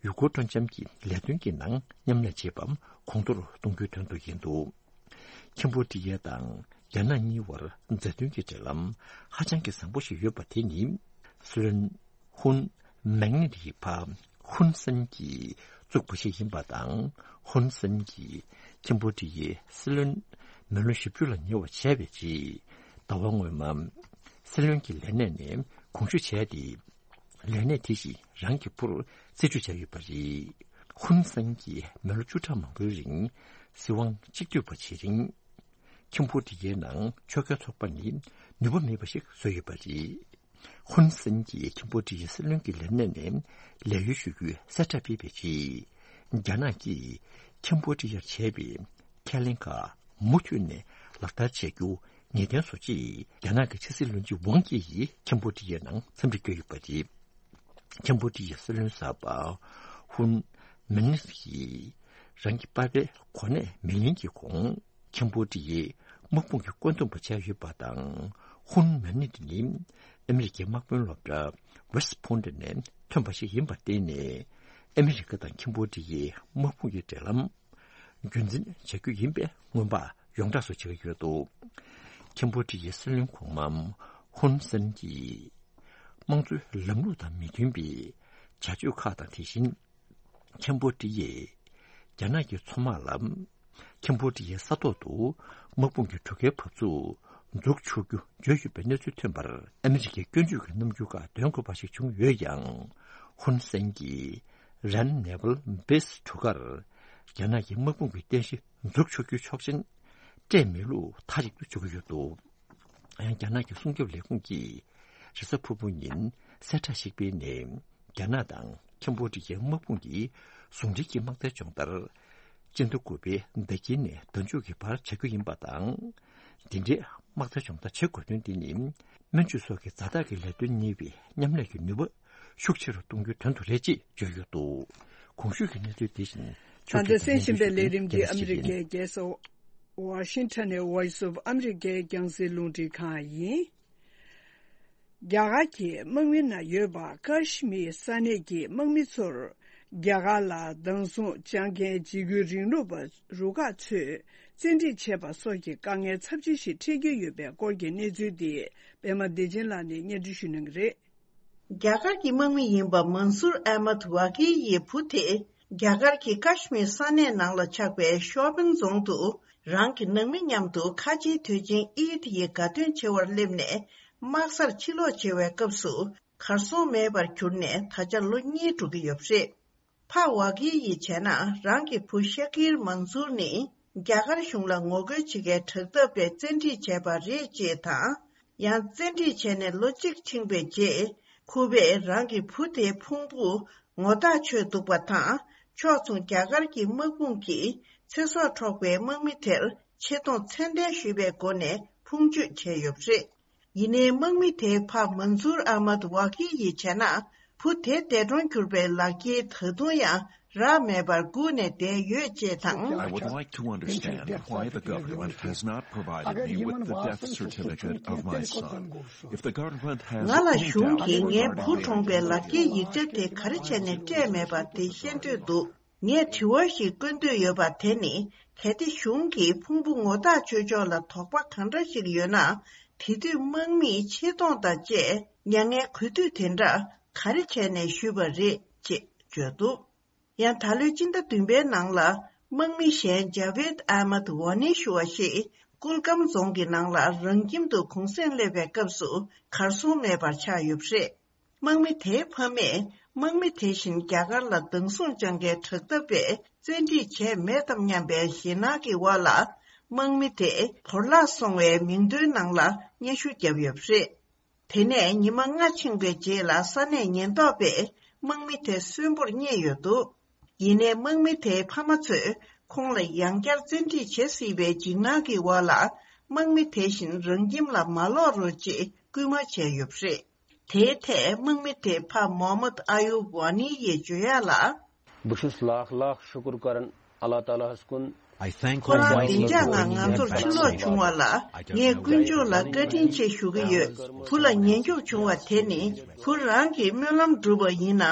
ཡུལ་སྐོར་སྤྲོ་འཆམ་གྱི་ལས་དོན་གྱི་ནང་མཉམ་ལས་བྱེད་པ་གོང་མཐོར་གཏོང་རྒྱུའི་དོན་དུ་ཡིན་འདུག་ཁེམ་བྷོ་ཌི་ཡ་དང་རྒྱ་ནག་གཉིས་དབར་མཛའ་མཐུན་གྱི་འབྲེལ་ལམ་ཧ་ཅང་གི་བཟང་པོ་ཞིག་ཡོད་པ་དེ་ནི་སྲིད་བློན་ཧུན་མེང་ནི་ཡི་ཕ་ཧུན་སན་གྱིས་བཙུགས་པ་ཞིག་ཡིན་པ་དང་། ཧུན་སན་གྱིས་ཁེམ་བྷོ་ཌི་ཡའི་སྲིད་བློན་མི་ལོ་བཞི་བཅུ་ལ་ཉེ་བ་བྱས་པའི་རྗེས། ཟླ་བ་སྔོན་མ་སྲིད་བློན་གྱི་ལས་གནས་ནས་དགོངས་ཞུ་བྱས་ཏེ། ལས་གནས་དེ་བཞིན་རང་གི་བུར་རྩིས་སྤྲོད་བྱས་ཡོད་པ་རེད། ཧུན་སན་གྱིས་མི་ལོ་བཅུ་ཕྲག་མང་པོའི་རིང་སྲིད་དབང་གཅིག་སྡུད་པ་བྱེད་རིང་། ཁེམ་བྷོ་ཌི་ཡའི་ནང་ཆོལ་ཁའི་ཚོགས་པ་ནི་ནུས་པ་མེད་པ་ཞིག་བཟོས་ཡོད་པ་རེད། ཧུན་སན་གྱིས་ཁེམ་བྷོ་ཌི་ཡའི་སྲིད་བློན་གྱི་ལས་གནས་ནས་ལས་གཡོལ་ཞུ་རྒྱུའི་གསལ་བསྒྲགས་སྤེལ་བའི་རྗེས། རྒྱ་ནག་གིས་ཁེམ་བྷོ་ཌི་ཡར་བྱས་པའི་ཁས་ལེན་ཁག་མུ་མཐུད་ནས་ལག་བསྟར་བྱེད་རྒྱུ་ངེས་གཏན་བཟོ་ཆེད། རྒྱ་ནག་གི་ཕྱི་སྲིད་བློན་ཆེན་ཝང་ཡི་ཡིས་ཁེམ་བྷོ་ཌི་ཡའི་ནང་འཚམས་འདྲི་བསྐྱོན་ཡོད་པ་རེད། ཁེམ་བྷོ་ཌི་ཡའི་སྲིད་བློན་གསར་པ་ཧུན་མན་ནི་ཡིས་རང་གི་པ་ཕའི་གོ་གནས་མེ་ལེན་གྱི་གོང་ཁེམ་བྷོ་ཌི་ཡའི་དམག་དཔུང་གི་བཀོད་འདོམས་པ་བྱས་ཡོད་པ་དང་། ཧུན་མན་ནི་ནི་ཨ་མི་རི་ཀའི་དམག་དཔོན་སློབ་གྲྭ་West Point ནས་ཐོན་པ་ཞིག་ཡིན་པར་བརྟེན་ནས། ཨ་མི་རི་ཀ་དང་ཁེམ་བྷོ་ཌི་ཡའི་དམག་དཔུང་གི་འབྲེལ་ལམ་རྒྱུན་འཛིན་བྱ་རྒྱུ་ཡིན་པའི་སྔོན་དཔག་ཡོངས་གྲགས་སུ་བྱེད་ཀྱི་ཡོད་འདུག་ཁེམ་བྷོ་ཌི་ཡའི་སྲིད་བློན་གོང་མ་ཧུན་སན་གྱིས་དམངས་གཙོའི་ལམ་ལུགས་དང་མི་མཐུན་པའི་བྱ་སྤྱོད་ཁག་དང་། དེ་བཞིན་ཁེམ་བྷོ་ཌི་ཡས་རྒྱ་ནག་གི་མཚོ་དམག་ལ་ཁེམ་བྷོ་ཌི་ཡའི་ས་ཐོག་ཏུ་དམག་དཔུང་གི་གྲུ་ཁའི་བབས་ཚུགས་འཛུགས་ཆོག་རྒྱུ་བརྗོད་ཡོད་པའི་གནས་ཚུལ་ཐོན་པར། ཨ་མི་རི་ཀའི་སྐྱོན་བརྗོད་ཀྱི་རྣམ་འགྱུར་ཁག་འདོན་དགོས་པ་ཞིག་བྱུང་ཡོད་ཀྱང་། ཧུན་སན་གྱིས་རན་ནེ་ཝལ་བེ་སི་གྲུ་ཁར་རྒྱ་ནག་གི་དམག་དཔུང་གི་རྟེན་གཞི་འཛུགས་ཆོག་རྒྱུའི་ཆོག་མཆན་སྤྲད་མེད་ལུགས་མཐའ་གཅིག་ཏུ་འཇོག་གི་ཡོད་འདུག་ཡང་རྒྱ་ནག་གི་སྲུང་སྐྱོབ་ལས་ཁུངས་ཀྱིས་རེས་གཟའ་ཕུར་བུ་ཉིན་གསལ་བསྒྲགས་ཤིག་སྤེལ་ནས། རྒྱ་ནག་དང་ཁེམ་བྷོ་ཌི་ཡའི་དམག་དཔུང་གིས་ཟུང་འབྲེལ་གྱི་དམག་རྩལ་སྦྱོང་བརྡར་སྤྱི་ཟླ་དགུ་པའི་ཟླ་དཀྱིལ་ནས་ཟླ་མཇུག་གི་བར་བྱ་རྒྱུ་ཡིན་པ་དང་། འདི་འདྲའི་དམག་རྩལ་སྦྱོང་བརྡར་བྱེད་དགོས་དོན་འདི་ནི་སྨན་བཅོས་སོགས་ཀྱི་ཛ་དྲག་གི་ལས་དོན་གཉེར་བའི་མཉམ་ལས་ཀྱི་ནུས་པ་ཤུགས་ཆེ་རུ་གཏོང་རྒྱུའི་དོན་དུ་རེད་ཅེས་བརྗོད་ཡོད་འདུག་གོང་ཞུས་ཀྱི་གནས་ཚུལ་འདི་བཞིན། ད་ལྟ་གསན་བཞིན་པའི་ལས་རིམ་འདི་ཨ་མི་རི་ཀའི་རྒྱལ་ས་ཝ་ཤིང་ཊོན་ནས་Voice of America རྒྱང་སྲིང་རླུང་འཕྲིན་ཁང་ཡིན། རྒྱ་གར་གྱི་དམག་མི་ནང་ཡོད་པ་ཀ་ཤི་མིར་ས་གནས་ཀྱི་དམག་མི་ཚོར་རྒྱ་གར་ལ་སྡང་ཟུང་བཅང་མཁན་འཇིགས་སྐུལ་རིང་ལུགས་པ་རུ་ཁག་ཚོས་བཙན་ཁྲིད་བྱས་པ་སོགས་ཀྱི་དཀའ་ངལ་ཚབས་ཆེན་ཞིག་འཕྲད་ཀྱི་ཡོད་པའི་སྐོར་གྱི་གནས་ཚུལ་འདི་པད་མ་བདེ་ཆེན་ལགས་ནས་སྙན་སྒྲོན་ཞུ་གནང་གི་རེད། རྒྱ་གར་གྱི་དམག་མི་ཡིན་པ་མན་སུར་ཨ་མད་ཝ་གི་ཡི་བུ་དེ། རྒྱ་གར་གྱི་ཀ་ཤི་མིར་ས་གནས་ནང་ལ་ཆགས་པའི་ཤོ་པིན་རྫོང་དུ། རང་གི་ནང་མི་མཉམ་དུ་ཁ་ཆེའི་དུས་ཆེན་ཨིད་ཡི་དགའ་སྟོན་བྱེད་པར་སླེབས་ནས། དམག་སར་ཕྱིར་ལོག་བྱེད་པའི་སྐབས་སུ། གར་སོང་མེད་པར་གྱུར་ནས་ད་ཆ་ལོ་གཉིས་འགྲོ་གི་ཡོད་པ་རེད། ཕ་ཝ་གི་ཡིས་བྱས་ན། རང་གི་བུ་ཤ་ཀིར་མན་སུར་ནི་རྒྱ་གར་གཞུང་ལ་ངོ་རྒོལ་བྱེད་མཁན་དྲག་འཐབ་པས་བཙན་ཁྲིད་བྱས་པ་རེད་ཅེས་དང་། ཡང་བཙན་ཁྲིད་བྱས་ནས་ལོ་གཅིག་ཕྱིན་པའི་རྗེས། ཁོ་པས་རང་གི་བུ་དེའི་ཕུང་པོ་ངོ་ཐག་ཆོད་འདུག་པ་དང་། ཕྱོགས་མཚུངས་རྒྱ་གར་གྱི་དམག་དཔུང་གིས་ཚེ་སྲོག་འཕྲོག་པའི་དམག་མི་དེར་ཆེ་མཐོང་ཚད་ལྡན་ཞུས་པའི་སྒོ་ནས་ཕུང་མཆོད་བྱས་ཡོད་པ་རེད། ཡིན་ནའི་དམག་མི་དེའི་ཕ་མན་སུར་ཨ་མད་ཝ་ཀི་ཡིས་བྱས་ན། བུ་དེ་འདས་གྲོངས་གྱུར་པའི་ལག་འཁྱེར་ད་དུང་ཡང་རག་མེད་པར་སྒུག་ནས་བསྡད་ཡོད་ཅེས་དང་། I would like to understand why the government has not provided me with the death certificate of my son. If the government has any doubt regarding the identity of my son, ང་ལ་གཞུང་གིས་ངའི་བུ་གྲོངས་པའི་ལག་འཁྱེར་ཡིག་ཆ་དེ་ག་རེ་བྱས་ནས་སྤྲད་མེད་པ་དེ་ཤེས་འདོད་འདུག་ངས་དྲི་བ་ཞིག་བཀོད་འདོད་ཡོད་པ་དེ་ནི། གལ་ཏེ་གཞུང་གིས་ཕུང་པོ་ངོ་ཐག་ཆོད་ཕྱོགས་ལ་དོགས་པ་གང་འདྲ་ཞིག་ཡོད་ན། དེ་དུས་དམག་མིས་ཆེ་མཐོང་དང་བཅས་མྱ་ངན་གུས་འདུད་དེ་འདྲ་ག་རེ་བྱས་ནས་ཞུས་པ་རེད་ཅེས་བརྗོད་འདུག་ཡང་ད་ལོའི་སྤྱི་ཟླ་བདུན་པའི་ནང་ལ་ དམག་མི་གཞན་ཇ་བེད་ཨ་མད་ཝ་ནི་ཞུ་བ་ཞིག་ཀུལ་ཀམ་རྫོང་གི་ནང་ལ་རང་ཁྱིམ་དུ་གུང་སེང་སླེབས་པའི་སྐབས་སུ་གར་སོང་མེད་པར་ཆགས་ཡོད་པ་རེད། དམག་མི་དེའི་ཕ་མས་དམག་མི་དེ་བཞིན་རྒྱ་གར་ལ་སྡང་ཟུག་བཅངས་མཁན་དྲག་འཐབ་པས་བཙན་ཁྲིད་བྱས་མེད་དམ་སྙམ་པའི་ཞེད་སྣང་གི་འོག་ལ། དམག་མི་དེ་བོར་བརླག་སོང་བའི་མིང་ཐོའི་ནང་ལ་སྙན་ཞུ་བརྒྱབ་ཡོད་པ་རེད། དེ་ནས་ཉི་མ་ལྔ་ཕྱིན་པའི་རྗེས་ལ་ས་གནས་ཉེན་རྟོག་པས་དམག་མི་དེ་གསོན་པོར་རྙེད་ཡོད་འདུག་ཡིན་ནའི་དམག་མི་དེའི་ཕ་མ་ཚོས་ཁོང་ལ་ཡང་བསྐྱར་བཙན་ཁྲིད་བྱེད་སྲིད་པའི་འཇིགས་སྣང་གི་འོག་ལ། དམག་མི་དེ་བཞིན་རང་ཁྱིམ་ལ་མ་ལོག་རོགས་ཅེས་སྐུལ་མ་བྱས་ཡོད་པ་རེད། དེའི་ཐད་དམག་མི་དེའི་ཕ་མོ་ཧམ་མད་ཨ་ཡུབ་ཝ་ནི་ཡིས་བརྗོད་ཡག་ལ། بہٕ چھُس لاکھ لاکھ شُکُر کران اللہ تعالیٰ ہس کُن۔ I thank ཁོ་རང་བདེ་འཇགས་ངང་ང་ཚོར་ཕྱིར་ལོག་བྱུང་བ་ལ་ངས་དཀོན་མཆོག་ལ་བཀའ་དྲིན་ཆེ་ཞུ་གི་ཡོད། བུ་ལ་ཉེན་སྐྱོབ་བྱུང་བ་དེ་ནི་བུ་རང་གི་སྨོན་ལམ་བསྒྲུབས་པ་ཡིན་ན།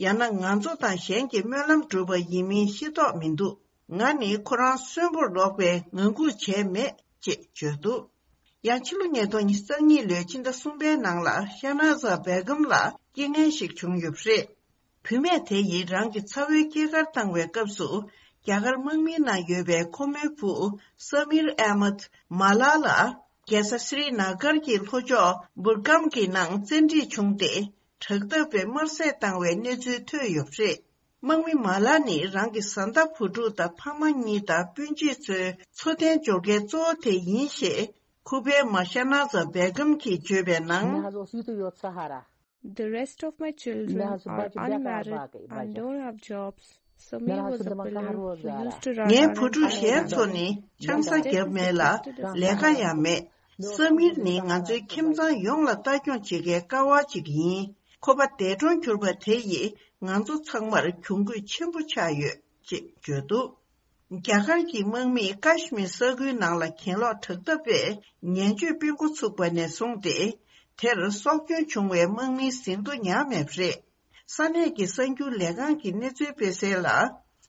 ཡང་ན་ང་ཚོ་དང་གཞན་གྱི་སྨོན་ལམ་བསྒྲུབས་པ་ཡིན་མིན་ཤེས་རྟོགས་མི་འདུག་ང་ནི་ཁོ་རང་གསོན་པོར་ལོག་པའི་ངང་སྒུག་བྱས་མེད་ཅེས་བརྗོད་འདུག་ཡང་ཕྱི་ལོ་ཉིས་སྟོང་ཉི་ཤུ་རྩ་གཉིས་ལོའི་ཕྱི་ཟླ་གསུམ་པའི་ནང་ལ་ཤ་ན་ཛ་བེ་གམ་ལ་རྐྱེན་ངན་ཞིག་བྱུང་ཡོད་པ་རེད། བུད་མེད་དེ་ཡིས་རང་གི་ཚ་བོའི་སྐྱེས་སྐར་བཏང་བའི་སྐབས་སུ། རྒྱ་གར་དམག་མིའི་ནང་ཡོད་པའི་ཁོ་མོའི་བུ་ས་མིར་ཨེ་མད་མ་ལ་ལ་རྒྱལ་ས་སི་རི་ན་གར་གྱི་ལྷོ་ཕྱོགས་འབུར་གམ་གྱི་ནང་བཙན་ཁྲིད་བྱུང་སྟེ། དྲག་འཐབ་པས་དམར་བསད་བཏང་བའི་གནས་ཚུལ་ཐོན་ཡོད་པ་རེད། དམག་མི་མ་ལ་ནི་རང་གི་བཟའ་ཟླ་བུ་ཕྲུག་དང་ཕ་མ་གཉིས་དང་སྤུན་མཆེད་ཚོའི་འཚོ་རྟེན་འབྱོར་མཁན་གཙོ་བོ་དེ་ཡིན་ཞེས། ཁུ་པའི་མ་ཤ་ན་ཛ་བེ་གམ་གྱིས་བརྗོད་པའི་ནང་། The rest of my children are unmarried and don't have jobs. Samir was a pillar who used to run ངའི་བུ་ཕྲུག་གཞན་ཚོ་ནི་ཆང་ས་བརྒྱབ་མེད་ལ་ལས་ཀ་ཡང་མེད། ས་མིར་ནི་ང་ཚོའི་ཁྱིམ་ཚང་ཡོངས་ལ་ལྟ་སྐྱོང་བྱེད་མཁན་ཀ་བ་ཅིག་ཡིན། ཁོ་པ་འདས་གྲོངས་གྱུར་པ་དེ་ཡིས་ང་ཚོ་ཚང་མར་གྱོང་གུད་ཆེན་པོ་ཆགས་ཡོད་ཅེས་བརྗོད་འདུག་རྒྱ་གར་གྱི་དམག་མིས་ཀ་ཤི་མིར་ས་ཁུལ་ནང་ལ་གྱེན་ལོག་དྲག་འཐབ་པས་ཉེན་བཅོས་སྤེལ་འགོ་ཚུགས་པ་ནས་བཟུང་སྟེ། དེར་སྲོག་སྐྱོན་བྱུང་བའི་དམག་མིའི་ཟིན་ཐོ་ཉར་མེད་པ་རེད། ས་གནས་ཀྱི་གསར་འགྱུར་ལས་ཁང་གིས་གནས་ཚུལ་སྤེལ་གསལ་ལ།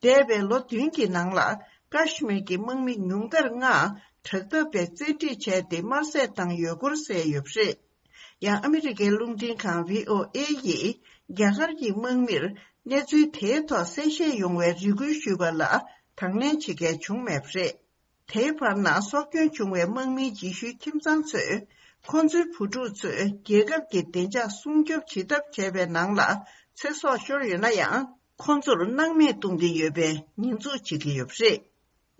འདས་པའི་ལོ་བདུན་གྱི་ནང་ལ་ཀ་ཤི་མིར་གྱི་དམག་མི་ཉུང་མཐར་ལྔ་དྲག་འཐབ་པས་བཙན་ཁྲིད་བྱས་ཏེ་དམར་བསད་བཏང་ཡོད་སྐོར་གསལ་ཡོད་པ་རེད། ཡང་ཨ་མི་རི་ཀའི་རླུང་འཕྲིན་ཁང་བྷི་ཨོ་ཨེ་ཡིས་རྒྱ་གར་གྱི་དམག་མིར་གནས་ཚུལ་དེའི་ཐོག་གསལ་བཤད་ཡོང་བའི་རེ་སྐུལ་ཞུས་པ་ལ་དང་ལེན་བྱེད་མཁན་བྱུང་མེད་པ་རེད། དེའི་བར་ན་སྲོག་སྐྱོན་བྱུང་བའི་དམག་མིའི་རྗེས་ཤུལ་ཁྱིམ་ཚང་ཚོས་ཁོང་ཚོའི་བུ་ཕྲུག་ཚོས་རྒྱལ་ཁབ་ཀྱི་བདེ་འཇགས་སྲུང་སྐྱོབ་བྱེད་ཐབས་བྱས་པའི་ནང་ལ་ཚེ་སྲོག་ཤོར་ཡོད་ན་ཡང་། ཁོང་ཚོར་སྣང་མེད་གཏོང་གི་ཡོད་པའི་ཉེས་འཛུགས་བྱེད་ཀྱི་ཡོད་པ་རེད།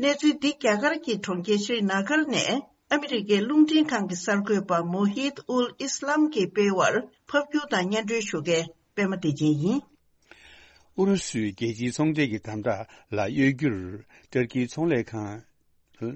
གནས་ཚུལ་འདི་རྒྱ་གར་གྱི་གྲོང་ཁྱེར་ཤྲི་ན་གར་ནས་ཨ་མི་རི་ཀའི་རླུང་འཕྲིན་ཁང་གི་གསར་འགོད་པ་མོ་ཧིད་ཨུལ་ཨིས་ལམ་གྱིས་སྤེལ་བར་ཕབ་སྒྱུར་དང་སྙན་སྒྲོན་ཞུ་མཁན་པད་མ་བདེ་ཆེན་ཡིན། ཨུ་རུ་སུས་རྒྱལ་སྤྱིའི་ཚོང་འབྲེལ་གྱི་དམ་དྲག་ལ་གཡོལ་རྒྱུར་ཏུར་ཀིའི་ཚོང་ལས་ཁང་། ཏུར་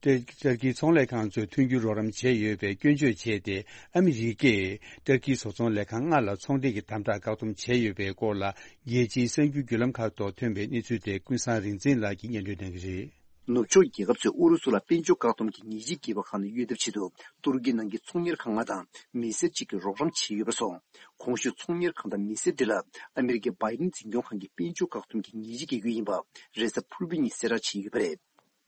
ཏུར་ཀིའི་ཚོང་ལས་ཁང་ཚོས་མཐུན་འགྱུར་རོགས་རམ་བྱས་ཡོད་པའི་སྐྱོན་བརྗོད་བྱས་ཏེ། ཨ་མི་རི་ཀས་ཏུར་ཀིའི་བཟོ་ཚོང་ལས་ཁང་ལྔ་ལ་ཚོང་འབྲེལ་གྱི་དམ་དྲག་བཀག་སྡོམ་བྱས་ཡོད་པའི་སྐོར་ལ། རྒྱལ་སྤྱིའི་གསར་འགྱུར་བརྒྱུད་ལམ་ཁག་ཐོག་ཐོན་པའི་གནས་ཚུལ་དེ་ཀུན་བཟང་རིག་འཛིན་ལགས་ཀྱིས་སྙན་སྒྲོན་གནང་གི་རེད། ནུབ་ཕྱོགས་རྒྱལ་ཁབ་ཚོས་ཨུ་རུ་སུ་ལ་དཔལ་འབྱོར་བཀག་སྡོམ་གྱི་ཉེས་ཆད་བཀལ་བའི་ཁ་ནས་གཡོལ་ཐབས་ཆེད་དུ། ཏུར་ཀི་ནང་གི་ཚོང་གཉེར་ཁང་ལྔ་དང་མི་སེར་གཅིག་གིས་རོགས་རམ་བྱས་ཡོད་པ་སོགས། གོང་ཞུས་ཚོང་གཉེར་ཁང་དང་མི་སེར་དེ་ལ་ཨ་མི་རི་ཀའི་བྷའི་ཌེན་འཛིན་སྐྱོང་ཁང་གིས་དཔལ་འབྱོར་བཀག་སྡོམ་གྱི་ཉེས་ཆད་བཀལ་རྒྱུ་ཡིན་པ། རེས་གཟའ་ཕུར་བུ་ཉིན་གསལ་བསྒྲགས་བྱས་ཡོད་པ་རེད།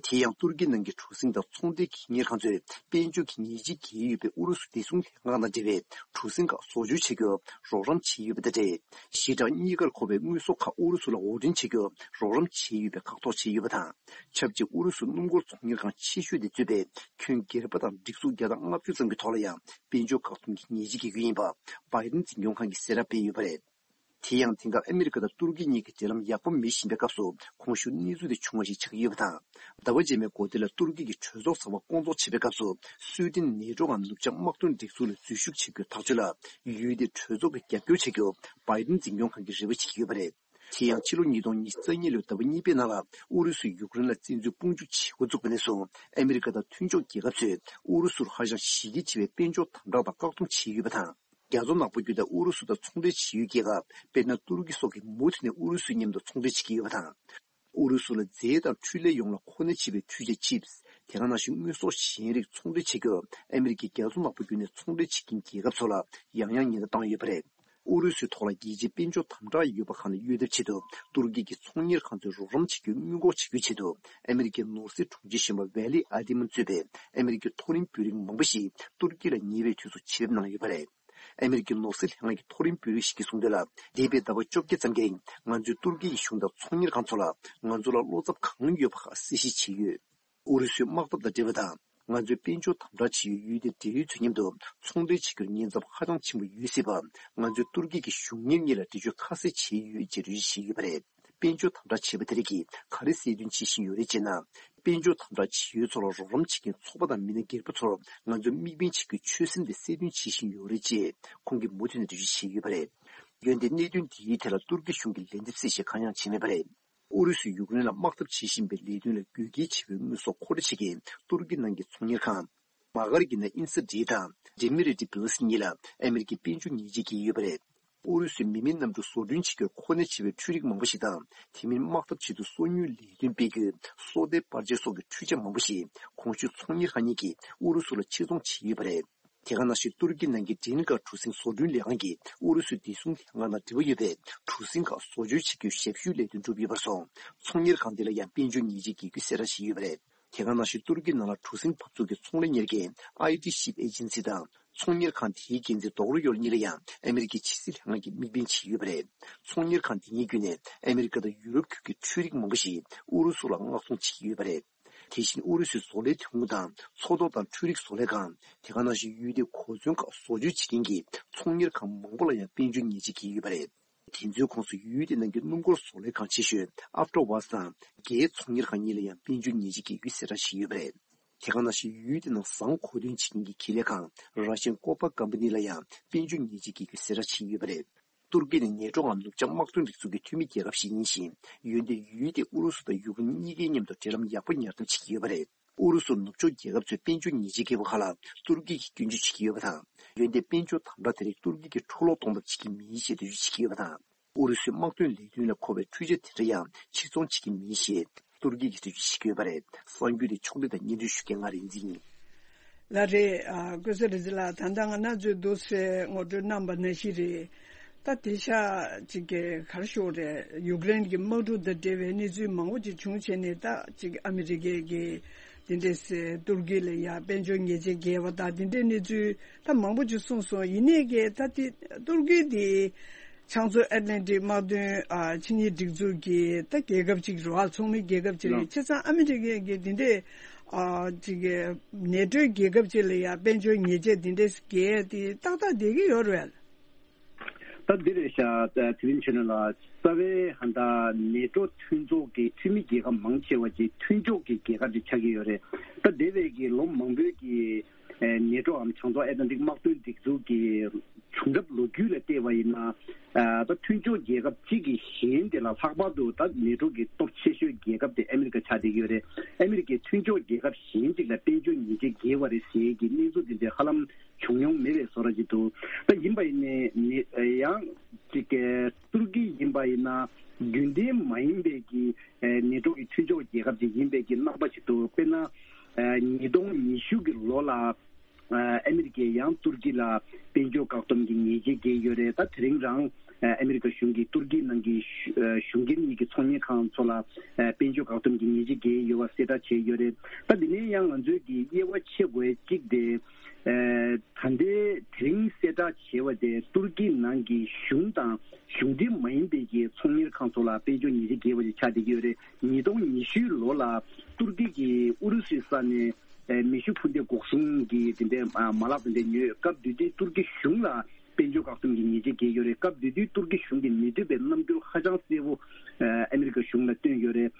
དེ་ཡང་ཏུར་ཀི་ནང་གི་གྲུ་གཟིངས་དང་ཚོང་སྡེ་གཉེར་ཁང་ཚོས་དཔལ་འབྱོར་གྱི་ཉེས་ཆད་བཀལ་ཡོད་པའི་ཨུ་རུ་སུ་བདེ་སྲུང་ལྷན་ཁང་དང་འབྲེལ་བའི་གྲུ་གཟིངས་ཁག་བཟོ་བཅོས་བྱེད་རྒྱུར་རོགས་རམ་བྱས་ཡོད་པ་དང་འབྲེལ། ཞི་དྲག་གཉིས་ཀར་མཁོ་བའི་དངོས་ཟོག་ཁག་ཨུ་རུ་སུ་ལ་དབོར་འདྲེན་བྱེད་རྒྱུར་རོགས་རམ་བྱས་ཡོད་པའི་ཁག་ཐེག་བྱས་ཡོད་པ་དང་། ཆབས་ཅིག་ཨུ་རུ་སུ་སྣུམ་འཁོར་ཚོང་གཉེར་ཁང་ཆེ་ཤོས་དེ་གཙོས་པའི་ཁྱོན་སྒེར་པ་དང་སྒྲིག་འཛུགས་བརྒྱ་དང་ལྔ་བཅུ་ཙམ་གྱི་ཐོག་ལ་ཡང་དཔལ་འབྱོར་བཀག་སྡོམ་གྱི་ཉེས་ཆད་འགེལ་རྒྱུ་ཡིན་པ། བྷའི་ཌེན་འཛིན་སྐྱོང་ཁང་གིས་གསལ་བསྒྲགས་སྤེལ་ཡོད་པ་རེད། དེ་ཡང་དེང་སྐབས་ཨ་མི་རི་ཀ་དང་ཏུར་ཀི་གཉིས་ཀྱི་འབྲེལ་ལམ་ཡག་པོ་མེད་བཞིན་པའི་སྐབས་སུ། གོང་ཞུས་གནས་ཚུལ་དེ་བྱུང་བ་ཞིག་ཆགས་ཀྱི་ཡོད་པ་དང་། ཟླ་བ་རྗེས་མའི་འགོ་སྟོད་ལ་ཏུར་ཀི་གི་གྲོས་ཚོགས་ཚོགས་པ་སྐོང་ཚོགས་བྱེད་པའི་སྐབས་སུ། སུའེ་ཏེན་ནེ་ཊོ་ངམ་ནུབ་བྱང་དམག་དོན་སྒྲིག་འཛུགས་ལ་འཛུལ་ཞུགས་བྱེད་རྒྱུའི་ཐག་གཅོད་ལ། ཡུལ་དེའི་གྲོས་ཚོགས་ཀྱིས་རྒྱབ་སྐྱོར་བྱེད་རྒྱུར་བྷའི་ཌེན་འཛིན་སྐྱོང་ཁང་གིས་རེ་བ་བྱེད་ཀྱི་ཡོད་པ་རེད། དེ་ཡང་ཕྱི་ལོ་ཉིས་སྟོང་ཉི་ཤུ་རྩ་གཉིས་ལོའི་ཟླ་བ་གཉིས་པའི་ནང་ལ་ཨུ་རུ་སུས་ཡུཀ་རེན་ལ་བཙན་འཛུལ་དཔུང་འཇུག་བྱེད་འགོ་བཙུགས་པ་ནས་བཟུང་ཨ་མི་རི་ཀ་དང་མཐུན་ཕྱོགས་རྒྱལ་ཁབ་ཚོས་ཨུ་རུ་སུར་ཧ་ཅང་གཞི་རྒྱ་ཆེ་བའི་དཔལ་འབྱོར་དམ་དྲག་དང་བཀག་སྡོམ་བྱས་ཡོད་པ་དང་། རྒྱ་མཚོ་ནག་པོ་བརྒྱུད་དེ་ཨུ་རུ་སུ་དང་ཚོང་འབྲེལ་བྱེད་ཡུལ་རྒྱལ་ཁབ་དཔེར་ན་ཏུར་ཀི་སོགས་ཀྱིས་མུ་མཐུད་ནས་ཨུ་རུ་སུའི་མཉམ་དུ་ཚོང་འབྲེལ་བྱེད་ཀྱི་ཡོད་པ་དང་། ཨུ་རུ་སུ་ལ་རྫས་དང་འཕྲུལ་ལས་ཡོངས་ལ་མཁོ་གནད་ཆེ་བའི་འཕྲུལ་ཆས་ཆིབས། དེ་ག་ནང་བཞིན་དངོས་ཟོག་གཞན་རིགས་ཚོང་འབྲེལ་བྱེད་རྒྱུར་ཨ་མི་རི་ཀས་རྒྱ་མཚོ་ནག་པོ་བརྒྱུད་ནས་ཚོང་འབྲེལ་བྱེད་མཁན་རྒྱལ་ཁབ་ཚོ་ལ་ཡང་ཡང་ཉེན་བརྡ་བཏང་ཡོད་པ་རེད། ཨུ་རུ་སུའི་ཐོག་ལ་རྒྱལ་སྤྱིའི་དཔལ་འབྱོར་དམ་དྲག་ཡོད་པ་ཁག་ནས་གཡོལ་ཐབས་ཆེད་དུ་ཏུར་ཀི་གི་ཚོང་གཉེར་ཁང་ཚོས་རོགས་རམ་བྱེད་རྒྱུར་སྔོན་འགོག་བྱེད་རྒྱུའི་ཆེད་དུ་ཨ་མི་རི་ཀའི་ནོར་སྲིད་དྲུང་ཆེ་གཞོན་པ་ཝེ་ལི་ཨ་ཏི་མན་གཙོས་པའི་ཨ་མི་རི་ཀའི་མཐོ་རིམ་དཔོན་རིགས་མང་པོ་ཞིག་ཏུར་ཀི་ལ་ཉེ་བའི་དུས་སུ་ཆེད་ཕེབས་གནང་ཡོད་པ་རེད། ཨ་མི་རི་ཀའི་ནོར་སྲིད་ལྷན་ཁང་གི་མཐོ་རིམ་དཔོན་རིགས་ཤིག་གིས་གསུངས་དོན་ལ། འདས་པའི་ཟླ་བ་བཅོ་བརྒྱད་ཙམ་གྱི་རིང་ང་ཚོས་ཏུར་ཀི་ཡི་གཞུང་དང་ཚོང་གཉེར་ཁང་ཚོ་ལ་ང་ཚོ་ལ་བློ་འཚབ་གང་ཡོད་པ་གསལ་བཤད་བྱས་ཡོད། ཨུ་རུ་སུའི་དམག་འཐབ་དང་འབྲེལ་བ་དང་། ང་ཚོས་དཔལ་འབྱོར་དམ་དྲག་བྱེད་ཡུལ་ཡུལ་དེའི་འབྲེལ་ཡོད་ཚོའི་མཉམ་དུ་ཚོང་འབྲེལ་བྱེད་རྒྱུར་ཉེན་ཚབས་ཧ་ཅང་ཆེན་པོ་ཡོད་སྲིད་པ། ང་ཚོས་ཏུར་ཀི་གི་གཞུང་གཉེར་གཉིས་ལ་འགྲེལ་བརྗོད་ཁ་གསལ་བྱས་ཡོད་ཅེས་འགྲེལ་བརྗོད་བྱས་ཡོད་པ་རེད། དཔལ་འབྱོར་དམ་དྲག་བྱས་པ་དེ་རིགས་ཀྱིས་ག་རེ་གསལ་སྟོན་བྱེད་བཞིན་ཡོད་རེད་ཅེ་ན། དཔལ་འབྱོར་དམ་དྲག་བྱེད་ཡུལ་ཚོར་རོགས་རམ་བྱེད་མཁན་ཚོགས་པ་དང་མི་སྣ་སྒེར་པ་ཚོར་ང་ཚོས་དམིགས་འབེན་བྱེད་རྒྱུའི་ཆོད་སེམས་དེ་གསལ་སྟོན་བྱེད་བཞིན་ཡོད་རེད་ཅེས་ཁོང་གིས་མུ་མཐུད་ནས་འགྲེལ་བརྗོད་བྱས་ཡོད་པ་རེད། འོན་ཏེ་གནད་དོན་འདིའི་ཐད་ལ་ཏུར་ཀི་གཞུང་གིས་ལན་འདེབས་གསལ་བཤད་གང་ཡང་བྱས་མེད་པ་རེད། ཨུ་རུ་སུས་ཡུཀ་རེན་ལ་དམག་འཐབ་བྱེད་བཞིན་པའི་ལས་དོན་ལ་དགོས་གལ་ཆེ་བའི་དངོས་ཟོག་མཁོ་སྤྲོད་བྱེད་མཁན་ཏུར་ཀི་ནང་གི་ཚོང་གཉེར་ཁང་། མ་གྷར་གྱི་ནང་ཨིན་ས་ཌི་དང་ཌེ་མི་རི་ཏི་བྷི་ལི་སི་གཉིས་ལ་ཨ་མི་རི་ཀས་དཔལ་འབྱོར་ཉེས་ཆད་བཀལ་ཡོད་པ་རེད། ཨུ་རུ་སུའི་མི་མེད་གནམ་གྲུ་བཟོ་སྐྲུན་བྱེད་རྒྱུར་མཁོ་གནད་ཆེ་བའི་འཕྲུལ་རིགས་མང་པོ་ཞིག་དང་། དེ་མིན་དམག་འཐབ་ཆེད་དུ་སོ་ཉུལ་ལས་དོན་སྤེལ་རྒྱུའི་སོ་ལྟའི་པར་ཆས་སོགས་ཀྱི་འཕྲུལ་ཆས་མང་པོ་ཞིག་གོང་ཞུས་ཚོང་གཉེར་ཁང་གཉིས་ཀྱིས་ཨུ་རུ་སུ་ལ་ཕྱིར་ཚོང་བྱས་ཡོད་པ་རེད། དེ་ག་ནང་བཞིན་ཏུར་ཀི་ནང་གི་ཌེན་ཀ་གྲུ་གཟིངས་བཟོ་སྐྲུན་ལས་ཁང་གིས་ཨུ་རུ་སུའི་བདེ་སྲུང་ལྷན་ཁང་དང་འབྲེལ་བ་ཡོད་པའི་གྲུ་གཟིངས་ཁག་བཟོ་བཅོས་བྱེད་རྒྱུའི་ཞབས་ཞུའི་ལས་དོན་བསྒྲུབས་ཡོད་པར་སོང་། ཚོང་གཉེར་ཁང་དེ་ལ་ཡང་དཔལ་འབྱོར་ཉེས་ཆད་བཀལ་རྒྱུ་གསལ་བསྒྲགས་བྱས་ཡོད་པ་རེད། དེ་ག་ནང་བཞིན་ཏུར་ཀི་ནང་ལ་གྲུ་གཟིངས་འབབ་ཚུགས་ཀྱི་ཚོང་ལས་གཉེར་མཁན་ཨའི་ཏི་ཤིབ་ཨེ་ཇེན་སི་དང་། ཚོང་གཉེར་ཁང་དེའི་འགན་འཛིན་རྡོག་རོ་ཡོར་གཉིས་ལ་ཡང་ཨ་མི་རི་ཀའི་ཕྱི་སྲིད་ལྷན་ཁང་གིས་དམིགས་འབེན་བྱས་ཡོད་པ་རེད། ཚོང་གཉེར་ཁང་དེ་གཉིས་བརྒྱུད་ནས་ཨ་མི་རི་ཀ་དང་ཡུ་རོབ་ཁུལ་གྱི་འཕྲུལ་རིགས་མང་པོ་ཞིག་ཨུ་རུ་སུ་ལ་མངགས་གཏོང་བྱེད་ཀྱི་ཡོད་པ་རེད། དེ་བཞིན་ཨུ་རུ་སུའི་བཟོ་ལས་ཐོན་ཁུངས་དང་མཚོ་ཐོག་དང་འཕྲུལ་རིག་བཟོ་ལས་ཁང་། དེ་ག་ནང་བཞིན་ཡུལ་དེའི་གོ་མཚོན་ཁག་བཟོ་བཅོས་བྱེད་མཁན་གྱི་ཚོང་གཉེར་ཁང་མང་པོ་ལ་ཡང་དཔལ་འབྱོར་ཉེས་ཆད་བཀལ་ཡོད་པ་རེད། དེ་ཚོའི་ཁོངས་སུ་ཡུལ་དེའི་ནང་གི་སྣུམ་འཁོར་བཟོ་ལས་ཁང་ཆེ་ཤོས་ཨབ་ཊོ་ཝཱས་དང་རྒྱའི་ཚོང་གཉེར་ཁང་གཉིས་ལ་ཡང་དཔལ་འབྱོར་ཉེས་ཆད་བཀལ་རྒྱུའི་གསལ་བསྒྲགས་བྱས་ཡོད་པ་རེད། དེ་ག་ནང་བཞིན་ཡུལ་དེའི་ནང་ཟངས་མཁོ་འདོན་བྱེད་མཁན་གྱི་ཁེ་ལས་ཁང་ར་ཤན་ཀོ་པ་ཀམ་པ་ནི་ལ་ཡང་དཔལ་འབྱོར་ཉེས་ཆད་བཀལ་རྒྱུའི་གསལ་བསྒྲགས་བྱས་ཡོད་པ་རེད། ཏུར་ཀི་ནི་ནེ་ཊོའམ་ནུབ་བྱང་དམག་དོན་སྒྲིག་འཛུགས་ཀྱི་འཐུས་མི་རྒྱལ་ཁབ་ཞིག་ཡིན་ཞིང་། འོན་ཏེ་ཡུལ་དེས་ཨུ་རུ་སུ་དང་ཡུཀ་རེན་གཉིས་ཀའི་མཉམ་དུ་འབྲེལ་ལམ་ཡག་པོ་ཉར་ཐབས་བྱེད་ཀྱི་ཡོད་པ་རེད། ཨུ་རུ་སུར་ནུབ་ཕྱོགས་རྒྱལ་ཁབ་ཚོས་དཔལ་འབྱོར་ཉེས་ཆད་བཀལ་བའི་ཁ་ལ་ཏུར་ཀི་གིས་སྐྱོན་བརྗོད་བྱེད་ཀྱི་ཡོད་པ་དང་། འོན་ཏེ་དཔལ་འབྱོར་དམ་དྲག་དེ་རིགས་ཏུར་ཀི་གིས་འཕྲོ་བརླག་གཏོང་ཐབས་བྱེད་ཀྱི་མིན་ཞེས་འགྲེལ་བརྗོད་བྱེད་ཀྱི་ཡོད་པ་དང་། ཨུ་རུ་སུའི་དམག་དོན་ལས་དོན་ལ་མཁོ་བའི་འཕྲུལ་ཆས་དེ་འདྲ་ཡང་ཕྱིར་ཚོང་བྱེད་ཀྱི་མིན་ཞེས་ཏུར་ཀི་གིས་འགྲེལ་བརྗོད་བྱེད་ཀྱི་ཡོད་པ་རེད། གསར་འགྱུར་དེ་ཕྱོགས་བསྡུས་དང་སྙན་སྒྲོན་ཞུ་མཁན་ང་རིག་འཛིན་ཡིན། ལགས་རེད། ཨ། ཀུན་བཟང་རིག་འཛིན་ལགས། ད་ལྟ་ང་རང་ཚོས་འདུག་སེ་ངོ་སྤྲོད་གནང་བ་ནང་བཞིན་རེད། ད་དེང་སང་ཅིག་གི་ག་རེ་ཞུ་དགོས་རེད། ཡུཀ་རེན་གྱི་དམག་འཁྲུག་དང་འབྲེལ་བའི་གནས་ཚུལ་མང་པོ་ཅིག་བྱུང་བྱས་ནས། ད་ཅིག་ཨ་མི་རི་ཀའི་གི་དེ་འདྲས་སེ་ཏུར་ཀི་ལ་ཡ་དཔལ་འབྱོར་ཉེས་ཆད་བཀལ་བ་དང་དེ་འདྲའི་གནས་ཚུལ་ད་མང་པོ་ཅིག་གསུངས་སོང་། ཡིན་ནའི་གི་ད་དེ་ཏུར་ཀི་དེ་བྱང་མཚོ་ཨེཊ་ལན་ཊིག་དམག་དོན་ཨ་ཕྱི་གཉལ་སྒྲིག་འཛུགས་ཀྱི་ད་རྒྱལ་ཁབ་ཅིག་རེད་བ། ཚོགས་མི་རྒྱལ་ཁབ་ཅིག་རེད། ལགས། བྱས་ཙང་ཨ་མི་རི་ཀའི་གི་དེ་འདྲས་ཨ་ཅིག་གི་ནེ་ཊོའི་རྒྱལ་ཁབ་ཅིག་ལ་ཡ་དཔལ་འབྱོར་ཉེས་ཆད་དེ་འདྲས་བཀལ་དེ་ཏག་ཏག་བསྡད་ཀྱི་ཡོད་རེད། ད་འདི་རེད་ཤག་དེ་རིང་ཆོས་ནོར་ལགས། རྩ་བའི་ཧ་ད་ནེ་ཊོ་མཐུན་ཚོགས་ཀྱི་འཐུས་མི་རྒྱལ་ཁབ་མང་ཆེ་བ་ཅིག་མཐུན་ཕྱོགས་ཀྱི་རྒྱལ་ཁབ་ཅིག་ཆགས་ཀྱི་ཡོད་རེད། ད་འདས་པའི་གི་ལོ་མང་པོའི་གི་ཨེ་ནེ་ཊོའམ་བྱང་མཚོ་ཨེ་ཊ་ལན་ཊིག་དམག་དོན་སྒྲིག་འཛུགས་ཀྱི་བྱུང་རབས་ལོ་རྒྱུས་ལ་བལྟས་པ་ཡིན་ན། ཨ་ད་མཐུན་ཕྱོགས་རྒྱལ་ཁབ་གཅིག་གིས་གཞན་དེ་ལ་ལྷག་པར་དུ་ད་ནེ་ཊོ་གི་སྟོབས་ཆེ་ཤོས་རྒྱལ་ཁབ་དེ་ཨ་མི་རི་ཀ་ཆགས་བསྡད་ཀྱི་ཡོད་རེད། ཨ་མི་རི་ཀས་མཐུན་ཕྱོགས་རྒྱལ་ཁབ་གཞན་གཅིག་ལ་དཔལ་འབྱོར་ཉེས་ཆད་བཀལ་བ་རེད་ཟེར་གྱི་གནས་ཚུལ་དེ་འདྲ་ཧ་ལམ་བྱུང་མྱོང་མེད་པའི་བཟོ་འདྲ་ཅིག་འདུག་ད་ཡིན་པ་ཡིན་ནའི་ནི་ཡང་ཅིག་ཏུར་ཀི་ཡིན་པ་ཡིན་ན་རྒྱུན་ལྡན་མ་ཡིན་པའི་གི་ནེ་ཊོ་གི་མཐུན་ཕྱོགས་རྒྱལ་ཁབ་ཅིག་ཡིན་པའི་གི་རྣམ་པ་ཞིག་འདུག་དཔེར་ན། ཉིས་སྟོང་ཉི་ཤུ་གི་ལོ་ལ་ཨ་མི་རི་ཀས་ཡང་ཏུར་ཀི་ལ་དཔལ་འབྱོར་བཀག་སྡོམ་གྱི་ཉེས་ཆད་བཀལ་ཡོད་རེད། ད་དེ་རིང་རང་ཨ་མི་རི་ཀ་གཞུང་གིས་ཏུར་ཀིའི་ནང་གི་གཞུང་འགན་གཉིས་ཀྱི་ཚོང་གཉེར་ཁང་ཚོ་ལ་དཔལ་འབྱོར་བཀག་སྡོམ་གྱི་ཉེས་ཆད་བཀལ་ཡོད་པ་གསལ་བསྒྲགས་བྱས་ཡོད་རེད། ད་དེ་ནས་ཡང་ང་ཚོས་ཀྱི་དབྱེ་བ་ཕྱེ་དགོས་གཅིག་དེ། ད་ལྟའི་དེ་རིང་གསལ་བསྒྲགས་བྱས་པ་དེ་ཏུར་ཀིའི་ནང་གི་གཞུང་དང་གཞུང་འབྲེལ་མ་ཡིན་པའི་གི་ཚོང་གཉེར་ཁང་ཚོ་ལ་དཔལ་འབྱོར་ཉེས་ཆད་བཀལ་བ་ཞིག་ཆགས་བསྡད་ཀྱི་ཡོད་རེད། ཉིས་སྟོང་ཉི་ཤུའི་ལོ་ལ་ཏུར་ཀི་གིས་ཨུ་རུ་སུའི་ས་ནས་མེ་ཤུགས་འཕུར་མདེལ་འགོག་སྲུང་གི་དེ་འདྲའི་མ་ལག་དེ་འདྲ་ཉོས། སྐབས་དེ་དུས་ཏུར་ཀི་གཞུང་ལ་དཔལ་འབྱོར་བཀག་སྡོམ་གྱི་ཉེས་ཆད་བཀལ་ཡོད་རེད། སྐབས་དེ་དུས་ཏུར་ཀི་གཞུང་གིས་མི་འདོད་པའི་རྣམ་འགྱུར་ཧ་ཅང་གསལ་པོ་ཨ་མི་རི་ཀ་གཞུང་ལ་བསྟན་ཡོད་རེད།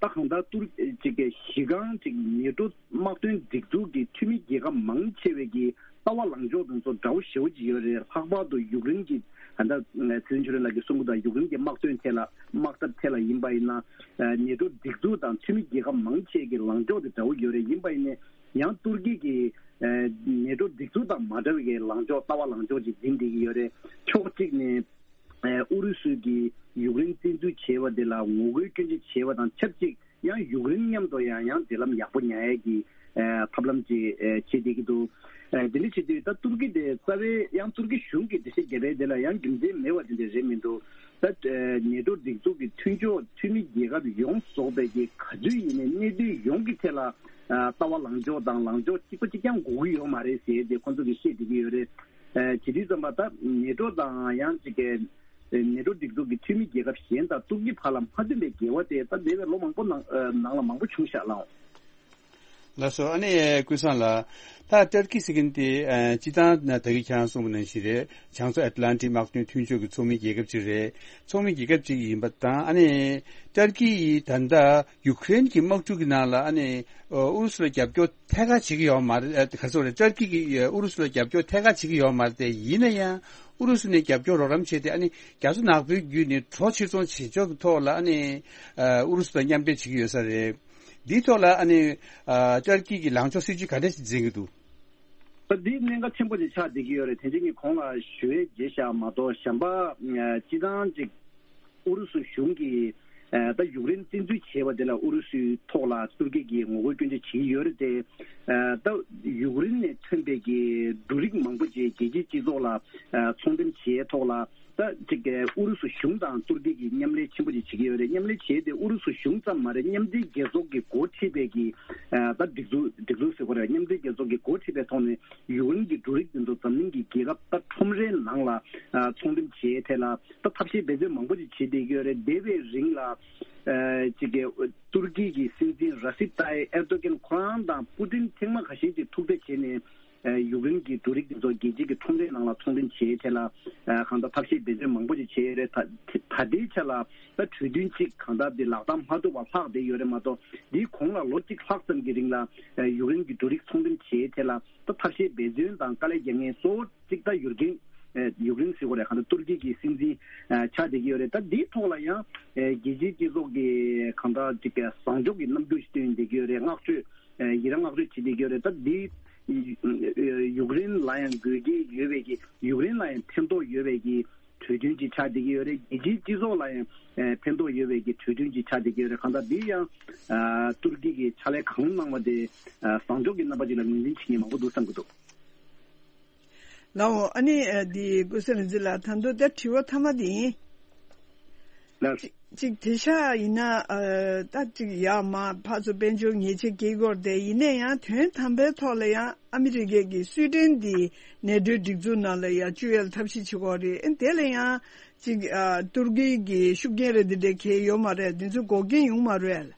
ད་གང་ལྟར་ཏུར་ཅིག་གི་གཞི་རྐང་ཅིག་ནེ་ཊོ་དམག་དོན་སྒྲིག་འཛུགས་ཀྱི་འཐུས་མི་རྒྱལ་ཁབ་མང་ཆེ་བས་ཀྱི་ལྟ་བ་ལངས་ཕྱོགས་དེ་ཚོ་འདྲ་བོ་ཞེ་པོ་ཅིག་ཡོད་རེད། ལྷག་པར་དུ་ཡུཀ་རེན་གྱི་ད་ལྟ་ཚེ་རིང་ཆོས་སྒྲོན་ལགས་ཀྱིས་གསུང་གི་འདུག་ཡུཀ་རེན་གྱི་དམག་དོན་ཐད་ལ་དམག་འཐབ་ཐད་ལ་ཡིན་པ་ཡིན་ན་ནེ་ཊོ་སྒྲིག་འཛུགས་དང་འཐུས་མི་རྒྱལ་ཁབ་མང་ཆེ་གི་ལངས་ཕྱོགས་དེ་འདྲ་བོ་ཡོད་རེད། ཡིན་པ་ཡིན་ནའི་ཡང་ཏུར་ཀི་གིས་ནེ་ཊོ་སྒྲིག་འཛུགས་དང་མ་འདྲ་བའི་ལངས་ཕྱོགས་ལྟ་བ་ལངས་ཕྱོགས་ཅིག་འཛིན་བསྡད་ཀྱི་ཡོད་རེད། ཕྱོགས་གཅིག་ནས་ཨུ་རུ་སུས་ཀྱིས་ཡུཀ་རེན་བཙན་འཛུལ་བྱས་པ་དེ་ལ་ངོ་རྒོལ་སྐྱོན་བརྗོད་བྱས་པ་དང་ཆབས་ཅིག་ཡང་ཡུཀ་རེན་མཉམ་དུ་ཡང་ཡང་འབྲེལ་ལམ་ཡག་པོ་ཉར་ཡས་ཀྱི་ཨ་ཐབས་ལམ་ཅིག་ཨ་བྱེད་བསྡད་ཀྱི་འདུག་ཨ་དེ་འདྲ་བྱེད་དུས་ད་ཏུར་ཀི་དེ་རྩ་བའི་ཡང་ཏུར་ཀི་གཞུང་གིས་འགྲེལ་བཤད་བརྒྱབ་པའི་དེ་ལ་ཡང་རྒྱུ་མཚན་མེད་པ་དེ་འདྲ་རེད་མི་འདུག་ད་ཨ་ནེ་ཊོ་སྒྲིག་འཛུགས་ཀྱི་མཐུན་ཕྱོགས་འཐུས་མི་རྒྱལ་ཁབ་ཡོངས་རྫོགས་པའི་གི་ག་དུས་ཡིན་ནའི་གནད་དོན་ཡོངས་ཀྱི་ཐད་ལ་ཨ་ལྟ་བ་ལངས་ཕྱོགས་དང་ལངས་ཕྱོགས་གཅིག་པ་གཅིག་རྐྱང་དགོས་ཀྱི་ཡོད་མ་རེད་ཟེར་ཏེ་ཁོང་ཚོ་གིས་བཤད་བསྡད་ཀྱི་ཡོད་རེད། ཨ་བྱེད་དུས་ཙམ་པ་ད་ནེ་ཊོ་དང་ཡང་ཅིག་གི་ནེ་ཊོ་སྒྲིག་འཛུགས་ཀྱི་འཐུས་མི་རྒྱལ་ཁབ་གཞན་དང་ཏུར་ཀི་བར་ལ་མ་མཐུན་པའི་འགལ་བ་དེ་ད་འདས་པའི་ལོ་མང་པོ་ནང་ཨ་ནང་ལ་མང་པོ་བྱུང་ཤག་ལགས། ལགས་སོ། ཨ་ནི་ཀུན་བཟང་ལགས། ད་ཏུར་ཀི་ཟེར་མཁན་དེ་ཨ་སྤྱིར་བཏང་ད་གིན་ཁྱེད་རང་གསུངས་པ་ནང་བཞིན་རེད། བྱང་མཚོ་ཨེཊ་ལན་ཊིག་དམག་དོན་མཐུན་ཕྱོགས་ཀྱི་ཚོགས་མི་རྒྱལ་ཁབ་ཅིག་རེད། ཚོགས་མི་རྒྱལ་ཁབ་ཅིག་ཡིན་པ་དང་ཨ་ནི་ཏུར་ཀི་ཡིས་ད་ལྟ་ཡུཀ་རེན་གྱི་དམག་འཁྲུག་གི་ནང་ལ་ཨ་ནི་ཨུ་རུ་སུ་ལ་རྒྱབ་སྐྱོར་ཐད་ཀར་བྱེད་ཀྱི་ཡོད་མ་རེད། ཨ་ག་རེ་ཟེར་དགོས་རེད། ཏུར་ཀི་གིས་ཨུ་རུ་སུ་ལ་རྒྱབ་སྐྱོར་ཐད་ཀར་བྱེད་ཀྱི་ཡོད་མ་རེད་དེ། ཡིན་ན་ཡང་ཨུ་རུ་སུ་ནས་རྒྱབ་སྐྱོར་རོགས་རམ་བྱས་ཏེ་ཨ་ནི་རྒྱ་མཚོ་ནག་པོའི་བརྒྱུད་ནས་གྲོ་ཕྱིར་ཚོང་བྱེད་ཕྱོགས་ཀྱི་ཐོག་ལ་ཨ་ནི་ཨུ་རུ་སུ་དང་མཉམ་འབྲེལ་བྱེད་ཀྱི་ཡོད་ས་རེད། འདིའི་ཐོག་ལ་ཨ་ནི་ཨ་ཏུར་ཀི་གི་ལངས་ཕྱོགས་སྲིད་ཇུས་ག་འདྲ་ཞིག་འཛིན་གྱི་འདུག་ད་འདི་གནད་འགག་ཆེན་པོ་ཅིག་ཆགས་བསྡད་ཀྱི་ཡོད་རེད། དེ་རྗེས་ངས་གོང་ལ་ཞུ་ཡས་བརྗེད་བཞག་མ་གཏོགས་གཞན་པ་ཨ་སྤྱི་བཏང་ཅིག་ཨུ་རུ་སུ་གཞུང་གིས་ཨ་ད་ཡུཀ་རེན་བཙན་འཛུལ་བྱས་པ་དེ་ལ་ཨུ་རུ་སུའི་ཐོག་ལ་ཏུར་ཀི་གིས་ངོ་རྒོལ་སྐྱོན་བརྗོད་བྱེད་ཀྱི་ཡོད་རེད་དེ། ཨ་ད་ཡུཀ་རེན་ནས་ཐོན་པའི་གི་འབྲུ་རིགས་མང་པོ་ཅིག་རྒྱལ་སྤྱིའི་སྤྱི་ཚོགས་ལ་ཨ་ཚོང་འགྲེམས་བྱས་ཐོག་ལ། ད་ཅིག་ཨུ་རུ་སུ་གཞུང་དང་ཏུར་ཀི་གིས་མཉམ་ལས་ཆེན་པོ་ཅིག་བྱེད་ཀྱི་ཡོད་རེད། མཉམ་ལས་བྱས་ཏེ་ཨུ་རུ་སུ་གཞུང་ཙམ་མ་རེད། མཉམ་འབྲེལ་རྒྱལ་ཚོགས་ཀྱི་འགོ་ཁྲིད་པའི་གི་ཨ་ད་སྒྲིག་འཛུགས་སྒྲིག་འཛུགས་ཟེར་དགོས་རེད། མཉམ་འབྲེལ་རྒྱལ་ཚོགས་ཀྱི་འགོ་ཁྲིད་པའི་ཐོག་ནས་ཡུཀ་རེན་གྱི་འབྲུ་རིགས་འདི་ཚོ་འཛམ་གླིང་གི་རྒྱལ་ཁབ་ད་ཁྲོམ་རའི་ནང་ལ་ཨ་ཚོང་འགྲེམས་བྱེད་ཐད་ལ་ད་ཐབས་ཤེས་འབད་བརྩོན་མང་པོ་ཅིག་བྱེད་བསྡད་ཀྱི་ཡོད་རེད། འདས་པའི་རིང་ལ་ཨ་ཅིག་གི་ཏུར་ཀི་གི་སྲིད་འཛིན་ར་སིབ་ཏཱ་ཡིབ་ཨེར་དོ་གྷན་ཁོ་རང་དང་པུ་ཏིན་ཐེངས་མ་ཁ་ཤས་ཅིག་ཐུག་འཕྲད་བྱས་ནས། ཨ་ཡུཀ་རེན་གྱི་འབྲུ་རིགས་དེ་ཚོ་རྒྱལ་སྤྱིའི་གི་ཁྲོམ་རའི་ནང་ལ་ཚོང་འགྲེམས་བྱེད་ཆེད་ལ་ཨ་གང་ལྟར་ཐབས་ཤེས་འབད་བརྩོན་མང་པོ་ཅིག་བྱས་ཡོད་རེད། ད་ད་ལྟའི་ཆ་ལ་ད་གྲོས་མཐུན་གཅིག་གང་ལྟར་དེ་ལག་བསྟར་མ་ཐུབ་པ་ལྷག་བསྡད་ཡོད་རེད་མ་གཏོགས། འདིའི་གོང་ལ་ལོ་གཅིག་ལྷག་ཙམ་གྱི་རིང་ལ་ཨ་ཡུཀ་རེན་གྱི་འབྲུ་རིགས་ཚོང་འགྲེམས་བྱེད་ཆེད་ལ་ད་ཐབས་ཤེས་འབད་བརྩོན་དང་དཀའ་ལས་རྒྱག་མཁན་གཙོ་བོ་གཅིག་ད་ཡུཀ་རེན་ཨ་ཡུཀ་རེན་ཟེར་དགོས་རེད། གང་ལྟར་ཏུར་ཀི་གི་སྲིད་འཛིན་ཨ་ཆགས་བསྡད་ཀྱི་ཡོད་རེད། ད་འདིའི་ཐོག་ལ་ཡང་ཨ་རྒྱལ་སྤྱིའི་སྤྱི་ཚོགས་ཀྱི་གང་ལྟར་གཅིག་བཟང་ཕྱོགས་ཀྱི་རྣམ་འགྱུར་ཞིག་སྟོན་བསྡད་ཀྱི་ཡོད་རེད། བསྔགས་བརྗོད་ཨ་ཡི་རང་བསྔགས་བརྗོད་བྱེད་བསྡད་ཀྱི་ཡོད་རེད། ད་འདི་ཡུཀ་རེན་ལ་ཡང་དགོས་ཀྱི་ཡོད་པའི་གི་ཡུཀ་རེན་ལ་ཡང་ཕན་ཐོགས་ཡོད་པའི་གི་གྲོས་མཐུན་ཅིག་ཆགས་བསྡད་ཀྱི་ཡོད་རེད། རྒྱལ་སྤྱིའི་སྤྱི་ཚོགས་ལ་ཡང་ཨ་ཕན་ཐོགས་ཡོད་པའི་གི་གྲོས་མཐུན་ཅིག་ཆགས་བསྡད་ཀྱི་ཡོད་རེད། གང་ལྟར་འདི་ཡང་ཨ་ཏུར་ཀི་གིས་ཕྱག་ལས་གང་གནང་བ་དེ་ཨ་བཟང་ཕྱོགས་ཀྱི་རྣམ་པ་ཅིག་ལ་ངོས་འཛིན་བྱེད་མཁན་མང་པོ་འདུག་བསམ་གྱི་འདུག་ལའོ། ཨ་ནི་ཨ་འདི་ཀུན་བཟང་རིག་འཛིན་ལགས། ད་དུང་ད་དྲི་བ་མཐའ་མ་འདི་ཡིན། ལགས། གཅིག་གཅིག་དེ་ཤ་ཡིན་ན་ཨ་ད་གཅིག་ཡ་མ་ཕར་ཚུར་དཔལ་འབྱོར་ཉེས་ཆད་འགེལ་དགོས་རེད་དེ། ཡིན་ན་ཡང་དོན་དམ་པའི་ཐོག་ལ་ཡང་ཨ་མི་རི་ཀའི་གི་སུའི་ཏན་འདི་ནེ་ཊོའི་སྒྲིག་འཛུགས་ནང་ལ་ཡང་བཅུག་ཡས་ལ་ཐབས་ཤེས་བྱེད་དགོས་རེད། ཨ་དེ་ལ་ཡང་གཅིག་ཨ་ཏུར་ཀི་གི་ཤུགས་རྐྱེན་རེ་འདི་འདྲ་གང་ཡོད་མ་རེད། འདི་ཚོ་འགོག་རྐྱེན་ཡོང་མ་རེད།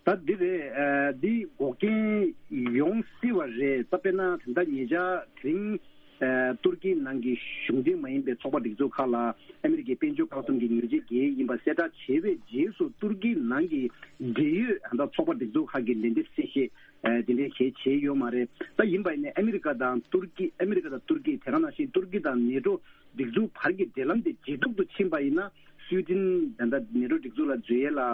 ད་འདི་རེད། ཨ་འདི་འགོག་རྐྱེན་ཡོང་སྲིད་པ་རེད། ད་དཔེར་ན་ད་ལྟ་ཉེ་ཆར་དེ་རིང་ཨ་ཏུར་ཀི་ནང་གི་གཞུང་འབྲེལ་མ་ཡིན་པའི་ཚོགས་པ་སྒྲིག་འཛུགས་ཁག་ལ་ཨ་མི་རི་ཀའི་དཔལ་འབྱོར་བཀག་སྡོམ་གྱི་ཉེས་ཆད་འགེལ་ཡིན་པ་གསལ་བསྒྲགས་བྱས་པའི་རྗེས་སུ་ཏུར་ཀི་ནང་གི་འབྲེལ་ཡོད་ད་ལྟ་ཚོགས་པ་སྒྲིག་འཛུགས་ཁག་གིས་ལན་འདེབས་གསལ་བཤད་ཨ་དེ་འདྲའི་གང་ཡང་བྱས་ཡོད་མ་རེད། ད་ཡིན་པ་ཡིན་ནའི་ཨ་མི་རི་ཀ་དང་ཏུར་ཀི་ཨ་མི་རི་ཀ་དང་ཏུར་ཀི་དེ་ག་ནང་བཞིན་ཏུར་ཀི་དང་ནེ་ཊོ་སྒྲིག་འཛུགས་བར་གྱི་འབྲེལ་ལམ་དེ་ཇེ་སྡུག་ཏུ་ཕྱིན་པ་ཡིན་ན། སུའི་ཏན་ད་ལྟ་ནེ་ཊོ་སྒྲིག་འཛུགས་ལ་འཛུལ་ཡས་ལ་ཨ་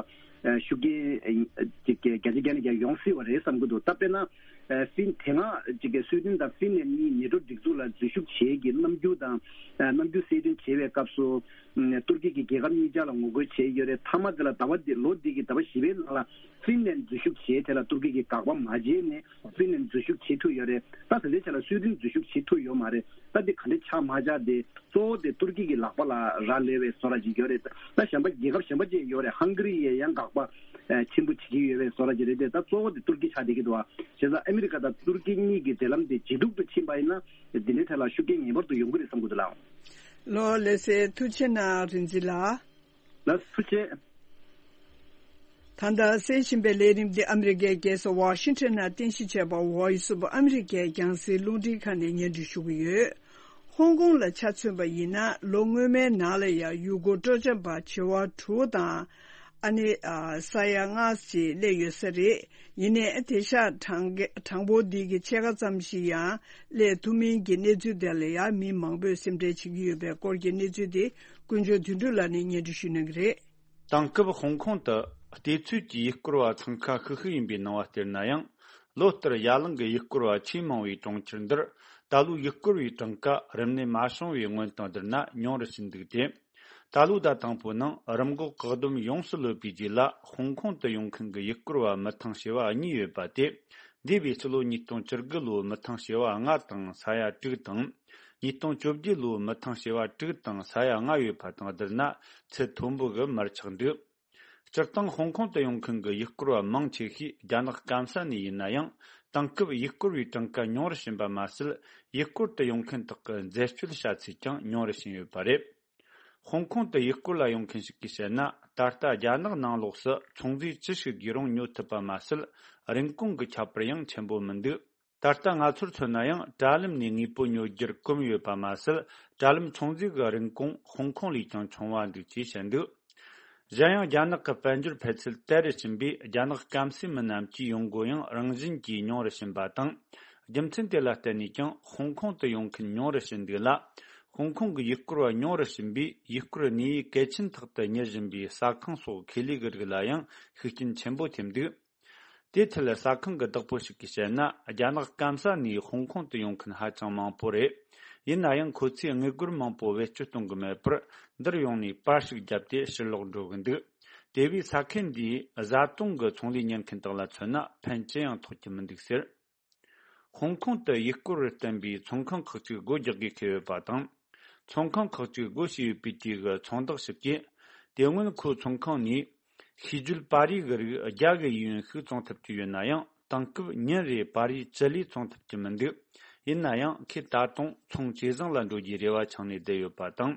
ཤུགས་རྐྱེན་ཨ་ཅིག་བརྒྱ་ཆ་བརྒྱ་ནས་བརྒྱ་ཡོང་སྲིད་པ་རེད་བསམ་གྱི་འདུག་ད་དཔེར་ན་ཨ་ཧྥིན་དེ་སྔ་ཅིག་གི་སུའི་ཏན་དང་ཧྥིན་ལན་གཉིས་ནེ་ཊོ་སྒྲིག་འཛུགས་ལ་འཛུལ་ཞུགས་བྱེད་ཀྱི་རྣམ་འགྱུར་དང་ཨ་རྣམ་འགྱུར་གསལ་སྟོན་བྱེད་པའི་སྐབས་སུ་ཨ་ཏུར་ཀི་གི་རྒྱལ་ཁབ་གཉིས་ཆ་ལ་ངོ་རྒོལ་བྱས་ཡོད་རེད། མཐའ་མ་དེ་ལ་ཟླ་བ་འདི་ལོ་འདི་གི་ཟླ་བ་བཞི་པའི་ནང་ལ་ཧྥིན་ལན་འཛུལ་ཞུགས་བྱེད་དེ་ལ་ཏུར་ཀི་གིས་དགག་པ་མ་བྱས་ནས་ཧྥིན་ལན་འཛུལ་ཞུགས་བྱེད་ཐུབ་ཡོད་རེད། ད་ད་ལྟའི་ཆ་ལ་སུའི་ཏན་འཛུལ་ཞུགས་བྱེད་ཐུབ་ཡོད་མ་རེད། ད་འདི་ག་འདྲ་ཆགས་མ་ཆགས་དེ་གཙོ་བོ་དེ་ཏུར་ཀི་གི་ལག་པ་ལ་རག་ལས་པའི་བཟོ་འདྲ་ཅིག་ཡོད་རེད། ད་གཞན་པ་རྒྱལ་ཁབ་གཞན་པ་ཅིག་ཡོད་རེད། ཧང་ག་རི་ཡས་ཡང་དགག་པ་ཨ་ཆེན་པོ་བྱེད་ཀྱི་ཡོད་པའི་བཟོ་འདྲ་ཅིག་རེད་དེ། ད་གཙོ་བོ་དེ་ཏུར་ཀི་ཆགས་བསྡད་ཀྱི་འདུག་ཨ། བྱས་ཙང་ཨ་མི་རི་ཀ་དང་ཏུར་ཀི་གཉིས་ཀྱི་འབྲེལ་ལམ་དེ་ཇེ་སྡུག་ཏུ་ཕྱིན་པ་ཡིན་ན་འདི་འདྲའི་ཐད་ལ་ཤུགས་རྐྱེན་ངེས་པར་དུ་ཡོང་གི་རེད་བསམ་གྱི་འདུག་ལགས། ལགས་ལགས་སེ། ཐུགས་རྗེ་གནང་རིག་འཛིན་ལགས། ལགས་ཐུགས་རྗེ་ཆེ། ད་ལྟ་གསན་བཞིན་པའི་ལས་རིམ་འདི་ཨ་མི་རི་ཀའི་རྒྱལ་ས་ཝ་ཤིང་ཊོན་ནང་རྟེན་གཞི་བྱས་པ་Voice of America་རྒྱང་སྲིང་རླུང་འཕྲིན་ཁང་ནས་སྙན་སྒྲོན་ཞུ་གི་ཡོད། ཧོང་ཀོང་ལ་ཆ་མཚོན་པ་ཡིན་ན་ལོ་སྔོན་མའི་ནང་ལ་ཡང་ཡུལ་སྐོར་སྤྲོ་འཆམ་པ་བྱེ་བ་དྲུག་དང་ཨ་ནི་ཨ་ས་ཡ་ལྔ་ཞིག་སླེབས་ཡོད་ས་རེད། ཡིན་ནའི་དེང་སང་གྲངས་གྲངས་འབོར་འདི་གི་ཕྱེད་ཀ་ཙམ་ཞིག་ཡང་སླེབས་ཐུབ་མིན་གྱི་གནས་ཚུལ་དེ་ལ་ཡང་མི་མང་པོས་སེམས་ཁྲལ་བྱེད་ཀྱི་ཡོད་པའི་སྐོར་གྱི་གནས་ཚུལ་དེ་ཀུན་མཆོག་དོན་གྲུབ་ལགས་ནས་སྙན་སྒྲོན་ཞུ་གནང་གི་རེད། དེང་སྐབས་ཧོང་ཀོང་དུ་བལྟས་ཚོད་ཀྱི་ཡུལ་སྐོར་བ་འཚང་ཁ་ཤིག་ཤིག་ཡིན་པའི་སྣང་བ་སྟེར་ན་ཡང་། ལོ་ལྟར་ཡ་ལང་གི་ཡུལ་སྐོར་བ་ཆེས་མང་བའི་གྲོང་ཁྱེར་འདིར་ད་ལོའི་ཡུལ་སྐོར་བའི་གྲངས་ཀ་རིམས་ནད་མ་བྱུང་བའི་སྔོན་དང་བསྡུར་ན་ཉུང་རུ་ཕྱིན་འདུག་སྟེ། ད་ལོའི་ཟླ་དང་པོའི་ནང་རིམས་འགོག་བཀག་སྡོམ་ཡོངས་སུ་ལོབས་པའི་རྗེས་ལ་ཧོང་ཀོང་དུ་ཡོང་མཁན་གྱི་ཡུལ་སྐོར་བ་མི་ཐང་བྱེ་བ་གཉིས་ཡོད་པ་སྟེ། འདས་པའི་ཕྱི་ལོ་ཉིས་སྟོང་བཅུ་དགུ་ལོའི་མི་ཐང་བྱེ་བ་ལྔ་དང་ས་ཡ་དྲུག་དང་། ཉིས་སྟོང་བཅོ་བརྒྱད་ལོའི་མི་ཐང་བྱེ་བ་དྲུག་དང་ས་ཡ་ལྔ་ཡོད་པ་དང་བསྡུར་ན་ཚད་མཐོན་པོ་གི་མར་ཆག་འདུག་སྤྱིར་བཏང་ཧོང་ཀོང་དུ་ཡོང་མཁན་གྱི་ཡུལ་སྐོར་བ་མང་ཆེ་ཤོས་རྒྱ་ནག་སྐམ་ས་ནས་ཡིན་ན་ཡང་ དེང་སྐབས་ཡུལ་སྐོར་བའི་གྲངས་ཀ་ཉུང་རུ་ཕྱིན་པ་མ་ཟད། ཡུལ་སྐོར་དུ་ཡོང་མཁན་དག་གི་འཛད་སྤྱོད་བྱ་ཚད་ཀྱང་ཉུང་རུ་ཕྱིན་ཡོད་པ་རེད། ཧོང་ཀོང་དུ་ཡུལ་སྐོར་ལ་ཡོང་མཁན་ཞིག་གིས་བཤད་ན། ད་ལྟ་རྒྱ་ནག་ནང་ལོགས་སུ་ཚོང་རྫས་ཅི་ཞིག་བརྒྱུད་རུང་ཉོ་ཐུབ་པ་མ་ཟད། རིན་གོང་གི་ཁྱད་པར་ཡང་ཆེན་པོ་མི་འདུག་ད་ལྟ་ང་ཚོར་མཚོན་ན་ཡང་། དྲ་ལམ་ནས་དངོས་པོ་ཉོ་རྒྱུར་གོམས་ཡོད་པ་མ་ཟད། དྲ་ལམ་ཚོང་རྫས་ཀྱི་རིན་གོང་ཧོང་ཀོང་ལས་ཀྱང་ཆུང་བ་འདུག་ཅེས་བཤད་འདུག་གཞན་ཡང་། རྒྱ་ནག་གི་དཔལ་འབྱོར་འཕེལ་ཚད་དལ་རུ་ཕྱིན་པས། རྒྱ་ནག་སྐམ་སའི་མི་རྣམས་ཀྱིས་ཡོང་སྒོ་ཡང་རང་བཞིན་གྱིས་ཉུང་རུ་ཕྱིན་པ་དང་། རྒྱུ་མཚན་དེ་ལ་བརྟེན་ནས་ཀྱང་ཧོང་ཀོང་དུ་ཡོང་མཁན་ཉུང་རུ་ཕྱིན་འདུག་ལ། ཧོང་ཀོང་གི་ཡུལ་སྐོར་བ་ཉུང་རུ་ཕྱིན་པས། ཡུལ་སྐོར་གནས་ཡུལ་གལ་ཆེན་ཐོག་ཏུ་གཉེར་བཞིན་པའི་ཟ་ཁང་སོགས་ཁེ་ལས་ཀྱི་རིགས་ལ་ཡང་ཤུགས་རྐྱེན་ཆེན་པོ་ཐེབས་འདུག་དེའི་ཐད་ཟ་ཁང་གི་བདག་པོ་ཞིག་གིས་བཤད་ན། རྒྱ་ནག་སྐམ་ས་ནས་ཧོང་ཀོང་དུ་ཡོང་མཁན་ཧ་ཅང་མང་པོ་རེད། ཡིན་ན་ཡང་། ཁོ་ཚོས་དངུལ་སྒོར་མང་པོ་བེད་སྤྱོད་གཏོང་གི་མེད་པར། འདིར་ཡོང་ནས་པར་ཞིག་བརྒྱབ་སྟེ་ཕྱིར་ལོག་འགྲོ་གི་འདུག་དེ་བས་ཟ་ཁང་འདིའི་བཟའ་བཏུང་གི་ཚོང་ལས་གཉེར་མཁན་དག་ལ་མཚོན་ན། ཕན་ཅི་ཡང་ཐོགས་ཀྱི་མི་འདུག་ཟེར། ཧོང་ཀོང་དུ་ཡུལ་སྐོར་བར་བསྟན་པའི་ཚོང་ཁང་ཁག་ཅིག་སྒོ་རྒྱག་དགོས་ཁེལ་ཡོད་པ་དང་། ཚོང་ཁང་ཁག་ཅིག་སྒོ་ཕྱེ་ཡོད་པའི་དུས་ཀྱི་ཚོང་བདག་ཞིག་གིས། དེ་སྔོན་ཁོའི་ཚོང་ཁང་ནས་ཤིས་བརྗོད་པར་རིས་ཀྱི་རིགས་བརྒྱ་གི་ཡན་ཞིག་བཙོང་ཐུབ་ཀྱི་ཡོད་ན་ཡང་། དེང་སྐབས་ཉིན་རེར་པར་རིས་བཅུ་ལས་བཙོང་ཐུབ་ཀྱི་མི་འདུག་ཡིན་ན་ཡང་། ཁོས་ད་དུང་ཚོང་ཇེ་བཟང་ལ་འགྲོ་རྒྱུའི་རེ་བ་འཆང་ནས་བསྡད་ཡོད་པ་དང་།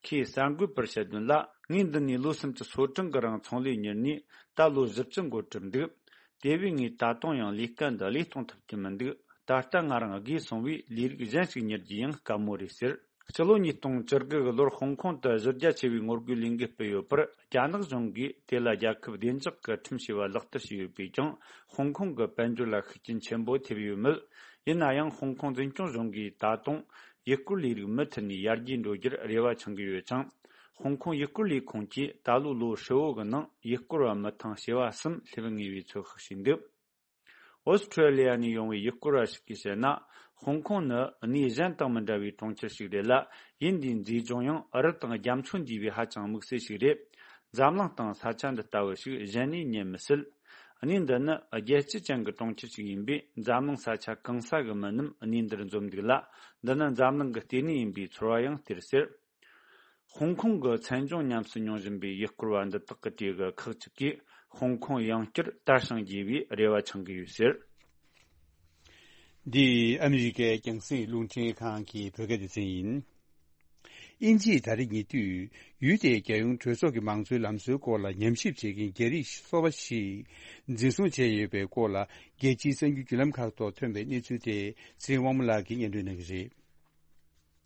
ཁོས་གསར་འགོད་པར་བཤད་དོན་ལ། ངས་འདི་ནས་ལོ་སུམ་ཅུ་སོ་གྲངས་ཀྱི་རིང་ཚོང་ལས་གཉེར་ནས་ད་ལོ་བཞི་བཅུ་འགོར་གྲབས་འདུག་དེ་བས་ངས་ད་དུང་ཡང་ལས་ཀ་འདི་ལས་གཏོང་ཐུབ་ཀྱི་མི་འདུག་ད་ལྟ་ང་རང་རྒས་སོང་བས། ལས་རིགས་གཞན་ཞིག་གཉེར་རྒྱུ་ཡང་དཀའ་མོ་རེད་ཟེར། སྤྱི་ལོ་ཉིས་སྟོང་བཅུ་དགུ་གི་ལོར་ཧོང་ཀོང་དུ་གཞི་རྒྱ་ཆེ་བའི་ངོ་རྒོལ་ལས་འགུལ་སྤེལ་ཡོད་པར། རྒྱ་ནག་གཞུང་གིས་དེ་ལ་རྒྱལ་ཁབ་བདེ་འཇགས་ཀྱི་ཁྲིམས་ཞེས་པ་ལག་བསྟར་བྱས་ཡོད་པས་ཀྱང་། ཧོང་ཀོང་གི་དཔལ་འབྱོར་ལ་ཤུགས་རྐྱེན་ཆེན་པོ་ཐེབས་ཡོད་མོད། ཡིན་ན་ཡང་། ཧོང་ཀོང་འཛིན་སྐྱོང་གཞུང་གིས་ད་དུང་ཡུལ་སྐོར་ལས་རིགས་མུ་མཐུད་ནས་ཡར་རྒྱས་འགྲོ་རྒྱུར་རེ་བ་འཆང་གི་ཡོད་ཅིང་། ཧོང་ཀོང་ཡུལ་སྐོར་ལས་ཁུངས་ཀྱིས་ད་ལོའི་ལོ་ཧྲིལ་བོ་གི་ནང་ཡུལ་སྐོར་བ་མི་ཐང་བྱེ་བ་གསུམ་སླེབས་ངེས་པའི་ཚོད་དཔག་བྱས་འདུག་ཨོ་སི་ཁྲུ་ལི་ཡ་ནས་ཡོང་བའི་ཡུལ་སྐོར་བ་ཞིག་གིས་བཤད་ན། ཧོང་ཀོང་ནི་གནས་གཞན་དང་མི་འདྲ་བའི་གྲོང་ཁྱེར་ཞིག་རེད་ལ། ཡུལ་འདིའི་མཛེས་ལྗོངས་ཡང་རི་དང་རྒྱ་མཚོ་འདུས་པའི་ཧ་ཅང་དམིགས་བསལ་ཞིག་རེད། འཛམ་གླིང་སྟེང་ས་ཆ་འདི་ལྟ་བུ་ཞིག་གཞན་ནས་རྙེད་མི་སྲིད། གནས་འདི་ནི་རྒྱལ་སྤྱི་ཅན་གྱི་གྲོང་ཁྱེར་ཞིག་ཡིན་པས། འཛམ་གླིང་ས་ཆ་གང་ས་གི་མི་རྣམས་གནས་འདིར་འཛོམས་འདུག་ལ། འདི་ནི་འཛམ་གླིང་གི་ལྟེ་གནས་ཡིན་པའི་ཚོར་བ་ཡང་སྟེར་ཟེར། ཧོང་ཀོང་གི་མཚན་ལྗོངས་ཉམས་སུ་མྱོང་བཞིན་པའི་ཡུལ་སྐོར་བ་འདི་དག་གི་གྲས་ཀྱི་ཁག་ཅིག་གིས། ཧོང་ཀོང་ཡང་བསྐྱར་དར་ཞིང་རྒྱས་པའི་རེ་བ་འཆང་གི་ཡོད་ཟེར། འདི་ཨ་མི་རི་ཀའི་རྒྱང་སྲིང་རླུང་འཕྲིན་ཁང་གི་བོད་སྐད་སྡེ་ཚན་ཡིན། དབྱིན་ཇིས་ད་རེས་ཉེ་དུས་ཡུལ་དེའི་རྒྱལ་ཡོངས་གྲོས་ཚོགས་ཀྱི་མང་གཙོའི་ལམ་སྲོལ་སྐོར་ལ་ཉམས་ཞིབ་བྱེད་མཁན་རྒྱ་རིགས་སོ་པ་ཞིག་འཛིན་བཟུང་བྱས་ཡོད་པའི་སྐོར་ལ། རྒྱལ་སྤྱིའི་གསར་འགྱུར་བརྒྱུད་ལམ་ཁག་ཐོག་ཐོན་པའི་གནས་ཚུལ་དེ་ཚེ་རིང་དབང་མོ་ལགས་ཀྱིས་སྙན་སྒྲོན་གནང་གི་རེད།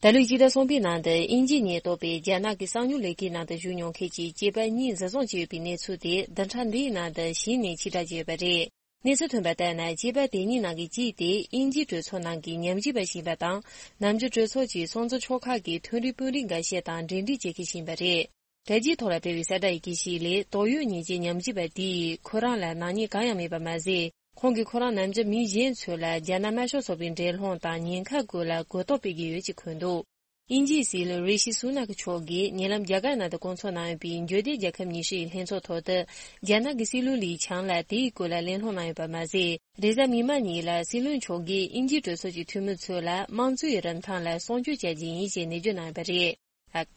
ད་ལོའི་ཕྱི་ཟླ་གསུམ་པའི་ནང་དུ་དབྱིན་ཇིའི་ཉེན་རྟོག་པས་རྒྱ་ནག་གི་གསང་མྱུལ་ལས་ཀའི་ནང་དུ་ཞུགས་མྱོང་མཁན་གྱི་སྐྱེས་པ་གཉིས་འཛིན་བཟུང་བྱས་ཡོད་པའི་གནས་ཚུལ་དེ་བདུན་ཕྲག་འདིའི་ནང་དུ་གཞི་ནས་ཕྱིར་བསྒྲགས་བྱས་ཡོད་པ་རེད། གནས་ཚུལ་ཐོན་པ་ལྟར་ན། སྐྱེས་པ་དེ་གཉིས་ནང་གི་གཅིག་དེ་དབྱིན་ཇིའི་གྲོས་ཚོགས་ནང་གི་ཉམས་ཞིབ་པ་ཞིག་ཡིན་པ་དང་། ནམ་རྒྱུན་གྲོས་ཚོགས་ཀྱི་སྲུང་བརྩི་ཆོག་ཁག་གི་མཐོ་རིམ་དཔོན་རིགས་འགའ་ཤས་དང་འབྲེལ་འདྲིས་བྱེད་མཁན་ཞིག་ཡིན་པ་རེད། དྲ་རྒྱའི་ཐོག་ལ་སྤེལ་བའི་གསལ་བསྒྲགས་ཡི་གེ་ཞིག་ལས། དོགས་ཡོད་ཉེས་ཅན་ཉམས་ཞིབ་པ་དེས་ཁོ་རང་ལ་ནག་ཉེས་གང་ཡང་མེད་པ་མ་ཟད། ཁོང་གིས་ཁོ་རང་ནམ་རྒྱུན་མི་གཞན་ཚོ་ལ་རྒྱ་ནག་དམར་ཤོག་ཚོགས་པའི་འགྲན་སློང་དང་ཉེན་ཁ་སྐོར་ལ་གོ་རྟོགས་སྤེལ་གྱི་ཡོད་ཅེས་འཁོད་འདུག་དབྱིན་ཇིའི་སྲིད་བློན་རི་ཤི་སུ་ནག་མཆོག་གིས་ཉེ་ལམ་རྒྱ་གར་ནང་དུ་སྐོང་ཚོགས་གནང་ཡོད་པའི་འབྱོར་ལྡན་རྒྱལ་ཁབ་ཉི་ཤུ་ཡི་ལྷན་ཚོགས་ཐོག་ཏུ། རྒྱ་ནག་གི་སྲིད་བློན་ལི་ཆང་ལ་དེའི་སྐོར་ལ་གླེང་སློང་གནང་ཡོད་པ་མ་ཟད། རེས་གཟའ་མིག་དམར་ཉིན་ལ་སྲིད་བློན་མཆོག་གིས་དབྱིན་ཇིའི་གྲོས་ཚོགས་ཀྱི་འཐུས་མི་ཚོ་ལ་དམངས་གཙོའི་རིན་ཐང་ལ་སྲུང་སྐྱོབ་བྱ་རྒྱུ་ཡིན་ཞེས་ནན་བརྗོད་གནང་ཡོད་པ་རེད། ཨཀ་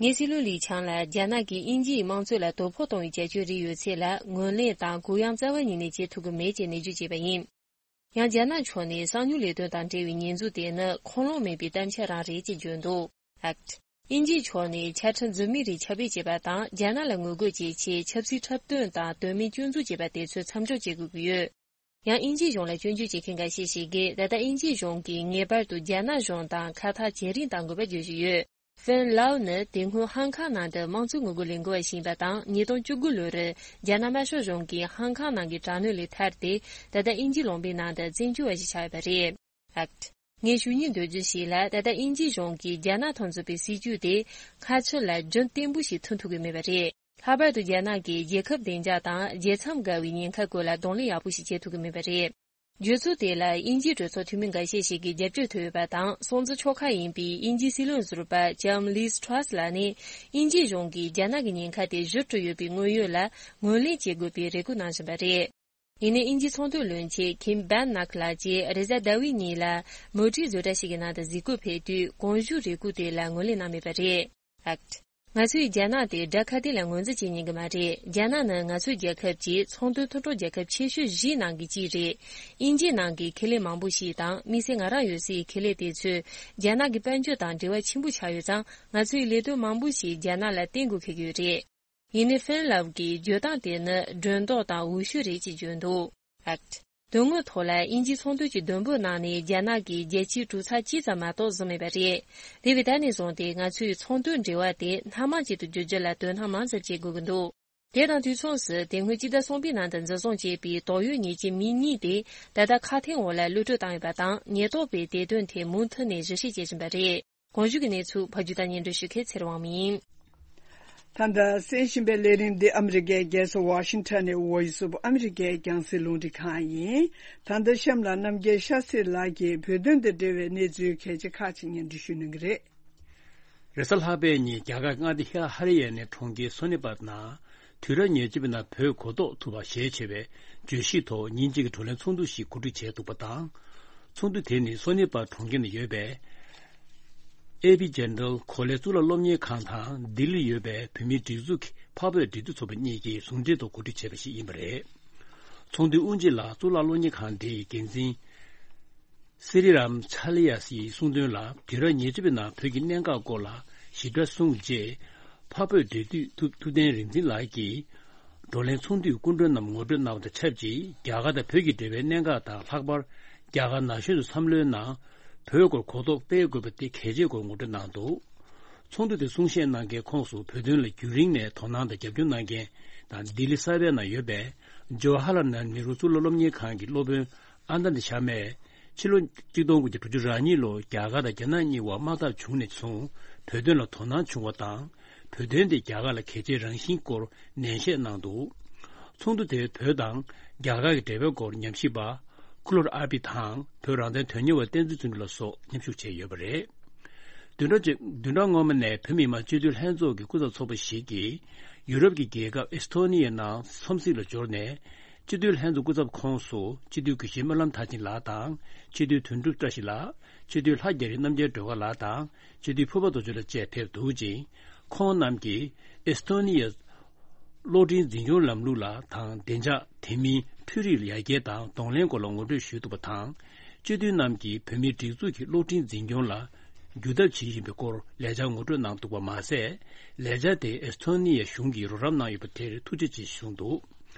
ངས་སྲིད་བློན་ལི་ཆང་ལ་རྒྱ་ནག་གིས་དབྱིན་ཇིའི་དམངས་གཙོ་ལ་དོ་ཕོག་གཏོང་བའི་བྱ་སྤྱོད་རིགས་ཡོད་ཚད་ལ་ངོས་ལེན་དང་གུ་ཡངས་རྩ་བ་ཉིད་ནས་བྱེད་ཐུབ་ཀྱི་མེད་ཅེས་ནན་བརྗོད་བྱས་པ་ཡིན། ཡང་རྒྱ་ནག་ཕྱོགས་ནས་གསང་མྱུལ་ལས་དོན་དང་འབྲེལ་བའི་ཉེས་འཛུགས་དེ་ནི་འཁོར་ལོ་མེད་པའི་གཏམ་འཆལ་རང་རེད་ཅེས་བརྗོད་འདུག་ཨཀ་དབྱིན་ཇིའི་ཕྱོགས་ནས་ཆ་འཕྲིན་རྫུན་མའི་རིགས་ཁྱབ་སྤེལ་བྱས་པ་དང་། རྒྱ་ནག་ལ་ངོ་རྒོལ་བྱེད་ཆེད་ཆབ་སྲིད་འཁྲབ་སྟོན་དང་དོན་མེད་སྐྱོན་འཛུགས་བྱས་པ་དེ་ཚོའི་མཚམས་འཇོག་བྱེད་དགོས་ཀྱི་ཡོད། ཡང་དབྱིན་ཇིའི་གཞུང་ལ་སྐྱོན་བརྗོད་བྱེད་མཁན་འགའ་ཤས་ཤིག་གིས། ད་ལྟ་དབྱིན་ཇིའི་གཞུང་གིས་ངེས་པར་དུ་རྒྱ་ནག་གཞུང་དང་ཁ་ཐག་ཇེ་རིང་གཏང་དགོས་པ་བརྗོད་བཞིན་ཡོད། ཧྥིན་ལའོ་ནི་དེ་སྔོན་ཧང་ཁང་ནང་དུ་དམངས་གཙོའི་ངོ་རྒོལ་ལས་འགུལ་བ་ཞིག་ཡིན་པ་དང་། ཉིས་སྟོང་བཅུ་དགུ་ལོར་རྒྱ་ནག་དམར་ཤོག་གཞུང་གིས་ཧང་ཁང་ནང་གི་དྲག་གནོན་ལས་ཐར་ཏེ། ད་ལྟ་དབྱིན་ཇིའི་ལུང་པའི་ནང་དུ་བཙན་བྱོལ་བ་ཞིག་ཆགས་ཡོད་པ་རེད། ཨཀ་ངས་ཞུ་སྙིང་འདོད་རྒྱུ་ཞིག་ལ། ད་ལྟ་དབྱིན་ཇིའི་གཞུང་གིས་རྒྱ་ནག་དང་མཛད་པའི་སྲིད་ཇུས་དེ་མཁའ་ཁྱོན་ལ་རྒྱུན་བརྟན་པོ་ཞིག་མཐུན་ཐུབ་ཀྱི་མེད་པ་རེད། ལྷག་པར་དུ་རྒྱ་ནག་གིས་རྒྱལ་ཁབ་བདེ་འཇགས་དང་རྒྱལ་མཚམས་བརྒལ་བའི་ཉེན་ཁ་སྐོར་ལ་གདོང་ལེན་ཡག་པོ་ཞིག་བྱེད་ཐུབ་ཀྱི་མེད་པ་རེད། བརྗོད་ཚུལ་དེ་ལ་དབྱིན་ཇིའི་གྲོས་ཚོགས་འཐུས་མི་འགའ་ཤས་ཤིག་གིས་རྒྱབ་སྐྱོར་ཐོབ་ཡོད་པ་དང་། སྲུང་བརྩི་ཆོག་ཁག་ཡིན་པའི་དབྱིན་ཇིའི་སྲིད་བློན་ཟུར་པ་ལྕམ་ལིས་ཁྲ་སི་ལགས་ནས། དབྱིན་ཇིའི་གཞུང་གིས་རྒྱ་ནག་གི་ཉེན་ཁ་དེ་གཞིར་གྲུབ་ཡོད་པའི་དངོས་ཡོད་ལ་ངོས་ལེན་བྱེད་དགོས་པའི་རེ་སྐུལ་གནང་བཞིན་པ་རེད། ཡིན་ནའི་དབྱིན་ཇིའི་ཚོང་དོན་བློན་ཆེན་ཁིམ་བན་ནག་ལགས་ཀྱིས་རེས་གཟའ་ཟླ་བའི་ཉིན་ལ་མོ་ཊའི་བཟོ་གྲྭ་ཞིག་གི་ནང་དུ་གཟིགས་སྐོར་ཕེབས་དུས། གོང་ཞུས་རེ་སྐུལ་དེ་ལ་ངོས་ལེན་གནང་མེད་པ་རེད། ཨཀ་ང་ཚོས་རྒྱ་ནག་དེ་དགྲ་ཁ་གཏད་ལ་ངོས་འཛིན་བྱེད་ཉན་གི་མ་རེད། རྒྱ་ནག་ནི་ང་ཚོའི་རྒྱལ་ཁབ་ཀྱི་ཚོང་དོན་མཐུན་གྲོགས་རྒྱལ་ཁབ་ཆེ་ཤོས་བཞིའི་ནང་གི་གཅིག་རེད། དབྱིན་ཇིའི་ནང་གི་ཁེ་ལས་མང་པོ་ཞིག་དང་དམིགས་བསལ་ང་རང་ཡོད་སའི་ཁེ་ལས་དེ་ཚོས་རྒྱ་ནག་གི་དཔལ་འབྱོར་དང་འབྲེལ་བ་ཆེན་པོ་ཆགས་ཡོད་ཙང་། ང་ཚོའི་ལས་དོན་མང་པོ་ཞིག་རྒྱ་ནག་ལ་བརྟེན་དགོས་འཁེལ་གྱི་ཡོད་རེད། ཡིན་ནའི་ཧྥིན་ལབ་ཀྱི་བརྗོད་སྟངས་དེ་ནི་སྒྲོ་འདོགས་དང་འོས་ཤོས་རེད་ཅེས་བརྗོད་འདུག། ཨེག་ཊི། དོན་དངོས་ཐོག་ལ་དབྱིན་ཇིའི་ཚོང་དོན་གྱི་བསྡོམས་པོའི་ནང་ནས་རྒྱ་ནག་གིས་རྒྱལ་སྤྱིའི་གྲུ་ཚབ་གཅིག་ཙམ་མ་གཏོགས་བཟུང་མེད་པ་རེད། དེ་བས་ད་ནས་བཟུང་སྟེ་ང་ཚོའི་ཚོང་དོན་འབྲེལ་བ་དེ་སྣ་མང་ཅིག་ཏུ་བསྒྱུར་རྒྱུ་ལ་དོ་སྣང་མང་ཙམ་བྱེད་དགོས་ཀྱི་འདུག། དེ་དང་དུས་མཚུངས་སུ། དེ་སྔོན་སྤྱི་ཟླ་གསུམ་པའི་ནང་དུ་འཛིན་བཟུང་བྱས་པའི་དོགས་ཡོད་ཉེས་ཅན་མི་གཉིས་དེ་ད་ལྟ་ཁ་འཕྲིན་འོག་ལ་གློད་གྲོལ་བཏང་ཡོད་པ་དང་། ཉེན་རྟོག་པས་དེ་དོན་ཐད་མུ་མཐུད་ནས་ཞིབ་བཤེར་བྱེད་བཞིན་པ་རེད། གོང་ཞུས་ཀྱི་གནས་ཚུལ་ཕབ་སྒྱུར་དང་སྙན་སྒྲོན་ཞུ་མཁན་ཚེ་རིང་དབང་མོ་ཡིན། ད་ལྟ་གསན་བཞིན་པའི་ལས་རིམ་འདི་ཨ་མི་རི་ཀའི་རྒྱལ་ས་ཝ་ཤིང་ཊོན་ནས་ཝོ་ཡིས་ཨོཕ་ཨ་མི་རི་ཀའི་རྒྱང་སྲིང་རླུང་འཕྲིན་ཁང་ཡིན། ད་ལྟ་གཤམ་ལ་རྣམ་རྒྱལ་ཤཱ་སྲི་ལགས་ཀྱིས་བོད་དོན་དང་འབྲེལ་བའི་གནས་ཚུལ་གལ་ཆེ་ཁག་ཅིག་སྙན་སྒྲོན་ཞུ་གནང་གི་རེད། རེས་གཟའ་ལྷག་པའི་ཉིན་རྒྱ་གར་མངའ་སྡེ་ཧ་ཧ་རི་ཡ་ནའི་གྲོང་ཁྱེར་སོ་ནི་པར་ནང་དུས་རབས་ཉེར་གཅིག་པའི་ནང་བོད་གོ་རྟོགས་ཐུབ་པ་ཞེས་བྱ་བའི་བརྗོད་གཞིའི་ཐོག་ཉིན་གཅིག་གི་བགྲོ་གླེང་ཚོགས་འདུ་ཞིག་གོ་སྒྲིག་བྱས་འདུག་པ་དང་། ཚོགས་འདུ་དེ་ནི་སོ་ནི་པར་གྲོང་ཁྱེར་ནང་ཡོད་པའི་ཨེ་པི་ཇེན་ཊལ་གོ་ལའི་གཙུག་ལག་སློབ་གཉེར་ཁང་དང་ལྡི་ལིར་ཡོད་པའི་བོད་མིའི་སྒྲིག་འཛུགས་ཀྱི་འཕགས་བོད་འབྲེལ་མཐུད་ཚོགས་པ་གཉིས་ཀྱིས་ཟུང་འབྲེལ་ཐོག་གོ་སྒྲིག་བྱས་པ་ཞིག་ཡིན་པ་རེད། ཚོགས་འདུའི་དབུ་འབྱེད་ལ་གཙུག་ལག་སློབ་གཉེར་ཁང་དེའི་འགན་འཛིན་སི་རི་རམ་ཆ་ལི་ཡ་སིའི་གསུངས་དོན་ལ། དུས་རབས་ཉེར་གཅིག་པའི་ནང་བོད་ཀྱི་གནད་འགག་སྐོར་ལ་ཞིབ་ཕྲ་གསུངས་རྗེས། འཕགས་བོད་འབྲེལ་མཐུད་ཐུབ་ཐུབ་བསྟན་རིག་འཛིན་ལགས་ཀྱིས། བགྲོ་གླེང་ཚོགས་འདུའི་སྐུ་མགྲོན་རྣམས་ངོ་སྤྲོད་གནང་བ་དང་ཆབས་ཅིག་རྒྱ་གར་དང་བོད་ཀྱི་འབྲེལ་བའི་གནད་འགག་དང་། ལྷག་པར་རྒྱ་གར་ན་གཞོན་ཚོའི་བསམ་བློའི་ནང་བོད་སྐོར་གོ་རྟོགས་སྤེལ་དགོས་པ་དེ་གལ་ཆེའི་སྐོར་ངོ་སྤྲོད་གནང་འདུག། ཚོགས་འདུ་དེ་གསུང་བཤད་གནང་མཁན་ཁོངས་སུ་བོད་དོན་ལ་རྒྱུན་རིང་ནས་དོ་སྣང་དང་རྒྱབ་སྐྱོར་གནང་མཁན་དང་། ལྡི་ལི་གསར་པའི་ནང་ཡོད་པའི་ཇོ་ཧ་ལ་ནཱལ་ནེ་རུ་གཙུག་ལག་སློབ་གཉེར་ཁང་གི་སློབ་དཔོན་ཨན་ཏ་ནི་ཤར་མས། ཕྱི་ལོ་ཆིག་སྟོང་དགུ་བརྒྱ་དྲུག་ཅུ་རེ་གཉིས་ལོར་རྒྱ་གར་དང་རྒྱ་ནག་གཉིས་དབར་དམག་འཐབ་བྱུང་ནས་བཟུང་བོད་དོན་ལ་དོ་སྣང་བྱུང་བ་དང་། བོད་དོན་དེ་རྒྱ་གར་ལ་གལ་ཆེའི་རང་བཞིན་སྐོར་ནན་བཤད་གནང་འདུག། ཚོགས་འདུ་དེར་བོད་དང་རྒྱ་གར་གྱི་འབྲེལ་བའི་སྐོར་ཉམས་ཞིབ་པ་ཀུ་ལོར་ཨར་པི་དང་། བོད་རང་བཙན་དོན་གཉེར་བ་བསྟན་འཛིན་བརྩོན་འགྲུས་ལགས་སོགས་མཉམ་ཞུགས་བྱས་ཡོད་པ་རེད། བདུན་ཕྲག་བཅུ། བདུན་ཕྲག་སྔོན་མ་ནས་བོད་མི་མང་སྤྱི་འཐུས་ལྷན་ཚོགས་ཀྱི་སྐུ་ཚབ་ཚོགས་པ་ཞིག་གིས་ཡུ་རོབ་ཀྱི་རྒྱལ་ཁབ་ཨེ་སི་ཐོ་ནི་ཡའི་ནང་འཚམས་གཟིགས་ལ་འབྱོར་ནས། སྤྱི་འཐུས་ལྷན་ཚོགས་སྐུ་ཚབ་ཁོངས་སུ་སྤྱི་འཐུས་དགེ་བཤེས་སྨོན་ལམ་མཐར་ཕྱིན་ལགས་དང་། སྤྱི་འཐུས་དོན་གྲུབ་བཀྲ་ཤིས་ལགས། སྤྱི་འཐུས་ལྷ་རྒྱ་རི་རྣམ་རྒྱལ་སྒྲོལ་དཀར་ལགས་དང་། སྤྱི་འཐུས་ཕུར་པ་རྡོ་རྗེ་ལགས་བཅས་ཕེབས་འདུག་ཅིང་། ཁོང་རྣམས་ཀྱིས་ཨེ་སི་ཐོ་ནི་ཡའི་གློག་འཕྲིན་འཛིན་སྐྱོང་ལམ་ལུགས་ལ་དང་། བདེ་འཇགས། དེ་མིན་འཕྲུལ་རིག་ཡར་རྒྱས་དང་གདོང་ལེན་སྐོར་ལ་ངོ་སྤྲོད་ཞུས་འདུག་པ་དང་། སྤྱི་འཐུས་རྣམས་ཀྱིས་བོད་མིའི་སྒྲིག་འཛུགས་ཀྱི་གློག་འཕྲིན་འཛིན་སྐྱོང་ལ་འགྱུར་ཐབས་བྱེད་བཞིན་པའི་སྐོར་ལས་འཆར་ངོ་སྤྲོད་གནང་འདུག་པ་མ་ཟད། ལས་འཆར་དེ་ཨེ་སི་ཐོ་ནི་ཡའི་གཞུང་གིས་རོགས་རམ་གནང་ཡོད་པ་དེར་ཐུགས་རྗེ་ཆེ་ཞུས་འདུག།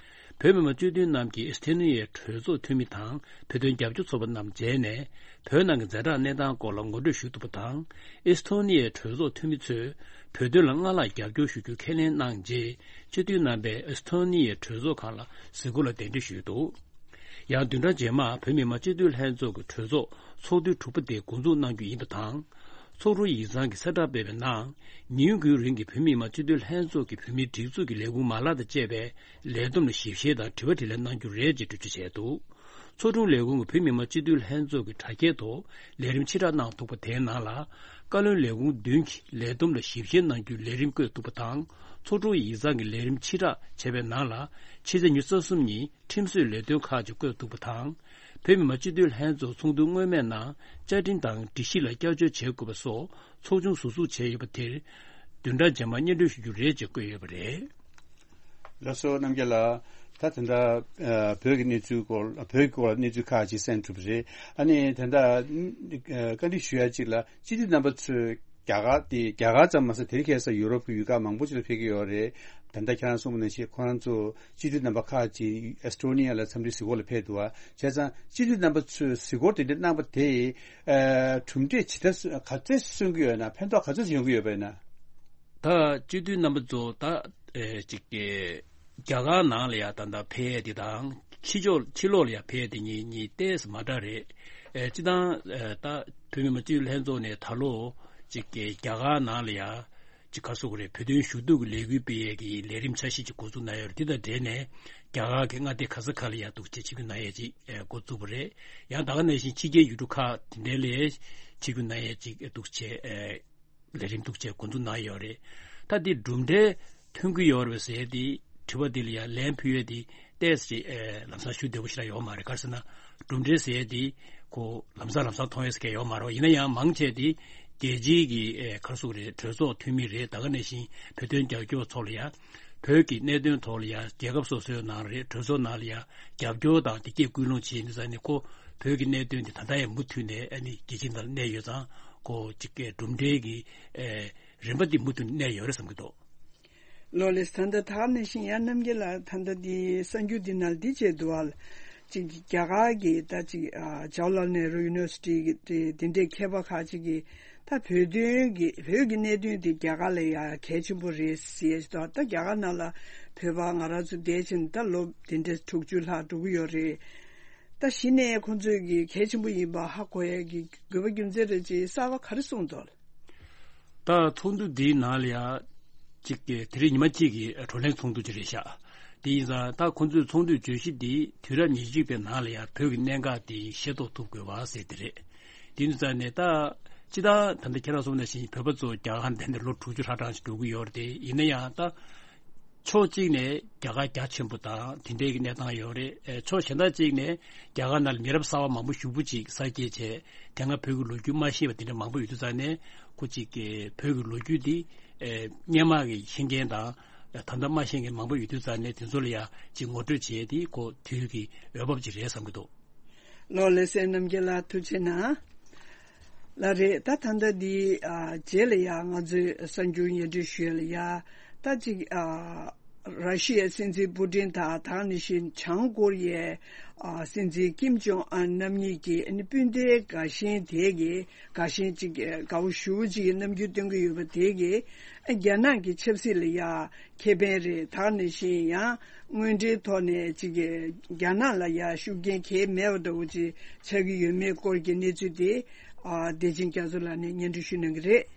བོད་མི་མང་སྤྱི་འཐུས་རྣམས་ཀྱིས་ཨེ་སི་ཐོ་ནི་ཡའི་གྲོས་ཚོགས་འཐུས་མི་དང་བོད་དོན་རྒྱབ་སྐྱོར་ཚོགས་པ་རྣམས་མཇལ་ནས། བོད་ནང་གི་ཛ་དྲག་གནས་སྟངས་སྐོར་ལ་ངོ་སྤྲོད་ཞུས་འདུག་པ་དང་། ཨེ་སི་ཐོ་ནི་ཡའི་གྲོས་ཚོགས་འཐུས་མི་ཚོས་བོད་དོན་ལ་སྔར་ལྷག་རྒྱབ་སྐྱོར་ཞུ་རྒྱུ་ཁས་ལེན་གནང་རྗེས། སྤྱི་འཐུས་རྣམ་པས་ཨེ་སི་ཐོ་ནི་ཡའི་གྲོས་ཚོགས་ཁང་ལ་གཟིགས་སྐོར་ལ་གདན་འདྲེན་ཞུས་འདུག། ཡང་བདུན་ཕྲག་རྗེས་མར་བོད་མི་མང་སྤྱི་འཐུས་ལྷན་ཚོགས་ཀྱི་གྲོས་ཚོགས་ཚོགས་དུས་དྲུག་པ་དེ་འགོ་འཛུགས་གནང་རྒྱུ་ཡིན་པ་དང་། ཚོགས་དྲུང་ཡིག་ཚང་གིས་གསལ་བསྒྲགས་སྤེལ་བའི་ནང་། ཉིན་དགུའི་རིང་གི་བོད་མི་མང་སྤྱི་འཐུས་ལྷན་ཚོགས་ཀྱི་བོད་མིའི་སྒྲིག་འཛུགས་ཀྱི་ལས་ཁུངས་མ་ལག་དང་བཅས་པའི་ལས་བསྡོམས་ལ་ཞིབ་བཤེར་དང་དྲི་བ་དྲིས་ལན་གནང་རྒྱུ་རེད་ཅེས་འགྲེལ་བརྗོད་བྱས་འདུག། ཚོགས་དྲུང་ལས་ཁུངས་ཀྱིས་བོད་མི་མང་སྤྱི་འཐུས་ལྷན་ཚོགས་ཀྱི་དྲ་རྒྱའི་ཐོག་ལས་རིམ་ཕྱིར་བསྒྲགས་གནང་འདུག་པ་དེའི་ནང་ལ། བཀའ་བློན་ལས་ཁུངས་བདུན་གྱིས་ལས་བསྡོམས་ལ་ཞིབ་བཤེར་གནང་རྒྱུའི་ལས་རིམ་བཀོད་འདུག་པ་དང་། ཚོགས་དྲུང་ཡིག་ཚང་གིས་ལས་རིམ་ཕྱིར་བསྒྲགས་བྱས་པའི་ནང་ལ། ཕྱི་ཚེས་ཉི་ཤུ་རྩ་གསུམ་ཉིན་ཁྲིམས་བཟོའི་ལས་དོན་ཁག་ཅིག་བཀོད་འདུག་པ་དང་། བོད་མི་མང་སྤྱི་འཐུས་ལྷན་ཚོགས་ཚོགས་འདུ་སྔོན་མའི་ནང་བཅའ་ཁྲིམས་དང་སྒྲིག་གཞི་ལ་བསྐྱར་བཅོས་བྱེད་དགོས་པ་སོགས་ཚོགས་ཆུང་ཟུར་འཛུགས་བྱས་ཡོད་པ་དེར། བདུན་ཕྲག་རྗེས་མར་སྙན་སྒྲོན་ཞུ་རྒྱུ་རེད་ཅེས་བཀོད་ཡོད་པ་རེད། ལགས་སོ། རྣམ་རྒྱལ་ལགས། ད་དེ་འདྲ་ཨ་བོད་ཀྱི་གནས་ཚུལ་སྐོར། བོད་ཀྱི་སྐོར་ལ་གནས་ཚུལ་ཁག་ཅིག་གསན་གྲུབ་པ་རེད། ཨ་ནི་དེ་འདྲ་ཨ་བཀའ་འདྲི་ཞུ་ཡ་གཅིག་ལ། སྤྱི་འཐུས་རྣམ་པ་ཚོས་རྒྱ་གར་དེ། རྒྱ་གར་ཙམ་མ་ཟད་དེ་རིང་ཁ་སང་ཡུ་རོབ་ཀྱི་ཡུལ་ཁག་མང་པོ་ཅིག་ལ་ཕེབས་ཀྱི་ཡོད་རེད། ད་ལྟ་ཁྱེད་རང་གསུངས་པ་ནང་བཞིན་ཁོ་རང་ཚོ་སྤྱི་འཐུས་རྣམ་པ་ཁག་ཅིག་ཨེ་སི་ཊོ་ནི་ཡ་ལ་འཚམས་འདྲི་གཟིགས་སྐོར་ལ་ཕེབས་འདུག་བ། བྱས་ཙང་སྤྱི་འཐུས་རྣམ་པ་ཚོས་གཟིགས་སྐོར་དེ་འདྲ་གནང་པ་དེ་ཨ་གྲུབ་འབྲས་ཇི་ལྟར་ག་ཚད་སོན་གྱི་ཡོད་ན། ཕན་ཐོགས་ག་ཚད་ཡོང་གི་ཡོད་པ་ཡིན་ན། ད་སྤྱི་འཐུས་རྣམ་པ་ཚོ་ད་ཨེ་ཅིག་གི་རྒྱ་གར་ནང་ལ་ཡ་ད་ལྟ་ཕེབས་ཡས་དེ་དང་ཕྱི་ཕྱོགས་ཕྱི་ལོགས་ལ་ཡ་ཕེབས་ཡས་དེ་གཉིས་གཉིས་ཏོག་ཙམ་མ་འདྲ་རེད། ཨེ་སྤྱི་བཏང་ཨེ་ད་བོད་མི་མང་སྤྱི་འཐུས་ལྷན་ཚོགས་ནས་ད་ལོ་ཅིག་གི་རྒྱ་གར་ནང་ལ་ཡ་ཅིག་ག་སོགས་རེད། བོད་དོན་ཞུ་གཏུག་གི་ལས་འགུལ་སྤེལ་ཡས་ཀྱི་ལས་རིམ་འཆར་གཞི་ཅིག་འགོ་འཛུགས་གནང་ཡོད་རེད། དེ་དང་འབྲེལ་ནས་རྒྱ་གར་གྱི་མངའ་སྡེ་ག་ས་ག་ལ་ཡ་འདུག་ཅེས་ཆིབས་བསྒྱུར་གནང་ཡས་ཅིག་ཨེ་འགོ་བཙུགས་པ་རེད། ཡང་ད་ག་ནང་བཞིན་ཕྱི་རྒྱལ་ཡུལ་གྲུ་ཁག་དེ་འདྲ་ལ་ཆིབས་བསྒྱུར་གནང་ཡས་ཅིག་འདུག་ཅེས་ཨེ་ལས་རིམ་འདུག་ཅེས་འགོ་འཛུགས་གནང་ཡོད་རེད། ད་འདི་གྲུབ་འབྲས་ཐོན་གྱི་ཡོད་རེད་པས་ཟེར་ཏེ་དྲི་བ་འདི་ལ་ཡང་ལན་ཕུལ་ཡས་དེ་ཏོག་ཙམ་ཨེ་ལམ་སང་ཞུ་བདེ་པོ་ཞིག་རང་ཡོད་མ་རེད། ག་རེ་ཟེར་ན་གྲུབ་འབྲས་ཟེར་ཡས་དེ་ ཁོ་ལམ་སང་ལམ་སང་མཐོང་ཡས་ཀྱི་ཡོད་མ་རེད། ཡིན་ན་ཡང་མང་ཆེ་དེ་རྒྱལ་སྤྱིའི་གི་ཨེ་ག་རེ་ཟེར་དགོས་རེད། གྲོས་ཚོགས་འཐུས་མི་རེད། ད་ག་ནང་བཞིན་བོད་དོན་རྒྱབ་སྐྱོར་ཚོགས་ལ་ཡ་བོད་ཀྱི་གནད་དོན་ཐོག་ལ་ཡ་རྒྱལ་ཁབ་སོ་སོའི་ནང་རེད། གྲོས་ཚོགས་ནང་ལ་ཡ་རྒྱབ་སྐྱོར་དང་དེ་སྐད་སྐུལ་སློང་བྱེད་ཡིན་དུས་ཙང་ནས་ཁོ་བོད་ཀྱི་གནད་དོན་དེ་ད་ལྟ་ཡང་མུ་མཐུད་ནས་ཨ་ནི་རྒྱལ་སྤྱིའི་ནང་ལ་གནས་ཡོད་ཙང་ཁོ་ཅིག་གི་གྲུབ་འབྲས་ཀྱི་ཨེ་རིམ་པ་འདི་མུ་མཐུད་ནས་གནས་ཡོད་རེད་བསམ་གྱི་འདུག། ལོ་ལེགས། ད་ལྟ་ད་ག་ནང་བཞིན་ཡང་རྣམ་རྒྱལ་ལགས་ད་ལྟ་འདི་གསར་འགྱུར་འདི་ནང་འདི་བྱས་འདུག་ཨ། ཅིག་རྒྱ་གར་གྱི་ད་ཅིག་ཨ་ཇ་ཝ་ལ་ནེ་རུ་ཡུ་ནི་ཝར་སི་ཊི་གི་དེ་དེ་འདྲའི་མཁས་པ་ཁག་ཅིག་གིས་ད་བོད་དོན་གྱི་བོད་ཀྱི་གནད་དོན་དེ་རྒྱ་གར་ལ་ཡང་གལ་ཆེན་པོ་རེད་ཟེར་ཞིག་འདུག། ད་རྒྱ་གར་ནང་ལ་བོད་པ་ང་རང་ཚོ་བསྡད་བཞིན་ད་ལོ་དེ་འདྲའི་དྲུག་ཅུ་ལྷག་འགྲོ་གི་ཡོད་རེད། ད་གཞི་ནས་ཁོང་ཚོས་ཀྱི་གལ་ཆེན་པོ་ཡིན་པ་ཧ་གོ་ཡ་གི་དགོས་པ་རྒྱུ་མཚན་རེད་ཅེས་གསར་པ་ག་རེ་གསུངས་འདུག། ད་ཚོགས་འདུ་འདིའི་ནང་ལ་ཡ་གཅིག་གི་དེ་རིང་ཉི་མ་གཅིག་གི་བགྲོ་གླེང་ཚོགས་འདུ་ཅིག་རེད་ཤག། དེ་ཡིན་ཙང་ད་ཁོང་ཚོའི་ཚོགས་འདུའི་བརྗོད་གཞི་འདི་དུས་རབས་ཉེར་གཅིག་པའི་ནང་ལ་ཡ་བོད་ཀྱི་གནད་འགག་འདི་ཤེས་རྟོགས་ཐུབ་དགོས་པ་ཟེར་དེ་རེད། དེ་ཡིན་ཙང་ནས་ད་སྤྱི་བཏང་ད་ལྟ་ཁྱེད་རང་གསུངས་ནང་བཞིན་བོད་པ་ཚོ་རྒྱ་གར་འདི་ནས་ལོ་དྲུག་ཅུ་ཧྲག་གྲངས་ཤིག་འགྲོ་གི་ཡོད་རེད་དེ། ཡིན་ན་ཡང་ད་ཕྱོགས་གཅིག་ནས་རྒྱ་གར་རྒྱ་ཆེན་པོ་དང་དེ་འདྲའི་གི་གནས་སྟངས་ཡོད་རེད། ཨེ་ཕྱོགས་གཞན་དག་ཅིག་ནས་རྒྱ་གར་ནང་ལ་མི་རབས་གསར་པ་མང་པོ་ཞེ་པོ་ཅིག་གསར་སྐྱེས་བྱས། དེ་སྔ་བོད་ཀྱི་ལོ་རྒྱུས་མ་ཤེས་པ་དེ་འདྲ་མང་པོ་ཡོད་དུས་ཙང་ནས་ཁོ་གཅིག་གི་བོད་ཀྱི་ལོ་རྒྱུས་འདི་ཨེ་སྔོན་མ་གི་ཤེས་མཁན་དང་ད་ལྟ་མ་ཤེས་མཁན་མང་པོ་ཡོད་དུས་ཙང་ནས་དེ་ཚོ་ལ་ཡ་གཅིག་ངོ་སྤྲོད་བྱས་ཏེ་ཁོ་དུས་ཀྱི་འོས་བབ་ཅིག་རེད་བསམ་གྱི་འདུག། ལོ་ལེགས་སེ་རྣམ་རྒྱལ་ལགས་ཐུགས་རྗེ་གནང་། ལགས་རེད། ད་ད་ལྟ་འདི་ཨ་རྗེས་ལ་ཡ་ང་ཚོས་གསར་འགྱུར་སྙན་སྒྲོན་ཞུ་ཡ་ལ་ཡ་ད་ཅིག་ཨ་ར་ཤི་ཡའི་སྲིད་འཛིན་པུ་ཏིན་དང་ད་ག་ནང་བཞིན་བྱང་ཀོ་རི་ཡའི་ཨ་སྲིད་འཛིན་ཀིམ་ཇོང་ཨན་རྣམ་གཉིས་ཀྱིས་ཨ་ནི་སྤུན་ཟླའི་དགའ་ཞེན་དེ་གི་དགའ་ཞེན་ཅིག་དགའ་བོ་ཞེ་པོ་ཅིག་གི་རྣམ་འགྱུར་སྟོན་གྱི་ཡོད་པ་དེ་གི་ཨ་རྒྱ་ནག་གི་ཆབ་སྲིད་ལ་ཡ་ཁེ་ཕན་རེད། ད་ག་ནང་བཞིན་ཡང་དངོས་འབྲེལ་ཐོག་ནས་ཅིག་གི་རྒྱ་ནག་ལ་ཡ་ཤུགས་རྐྱེན་གང་ཡང་མེད་པ་འདྲ་བོ་ཅིག་ཆགས་ཀྱི་ཡོད་མེད་སྐོར་གྱི་གནས་ཚུལ་དེ་ཨ་བདེ་ཆེན་རྒྱ་མཚོ་ལགས་ནས་སྙན་སྒྲོན་ཞུ་གནང་གི་རེད།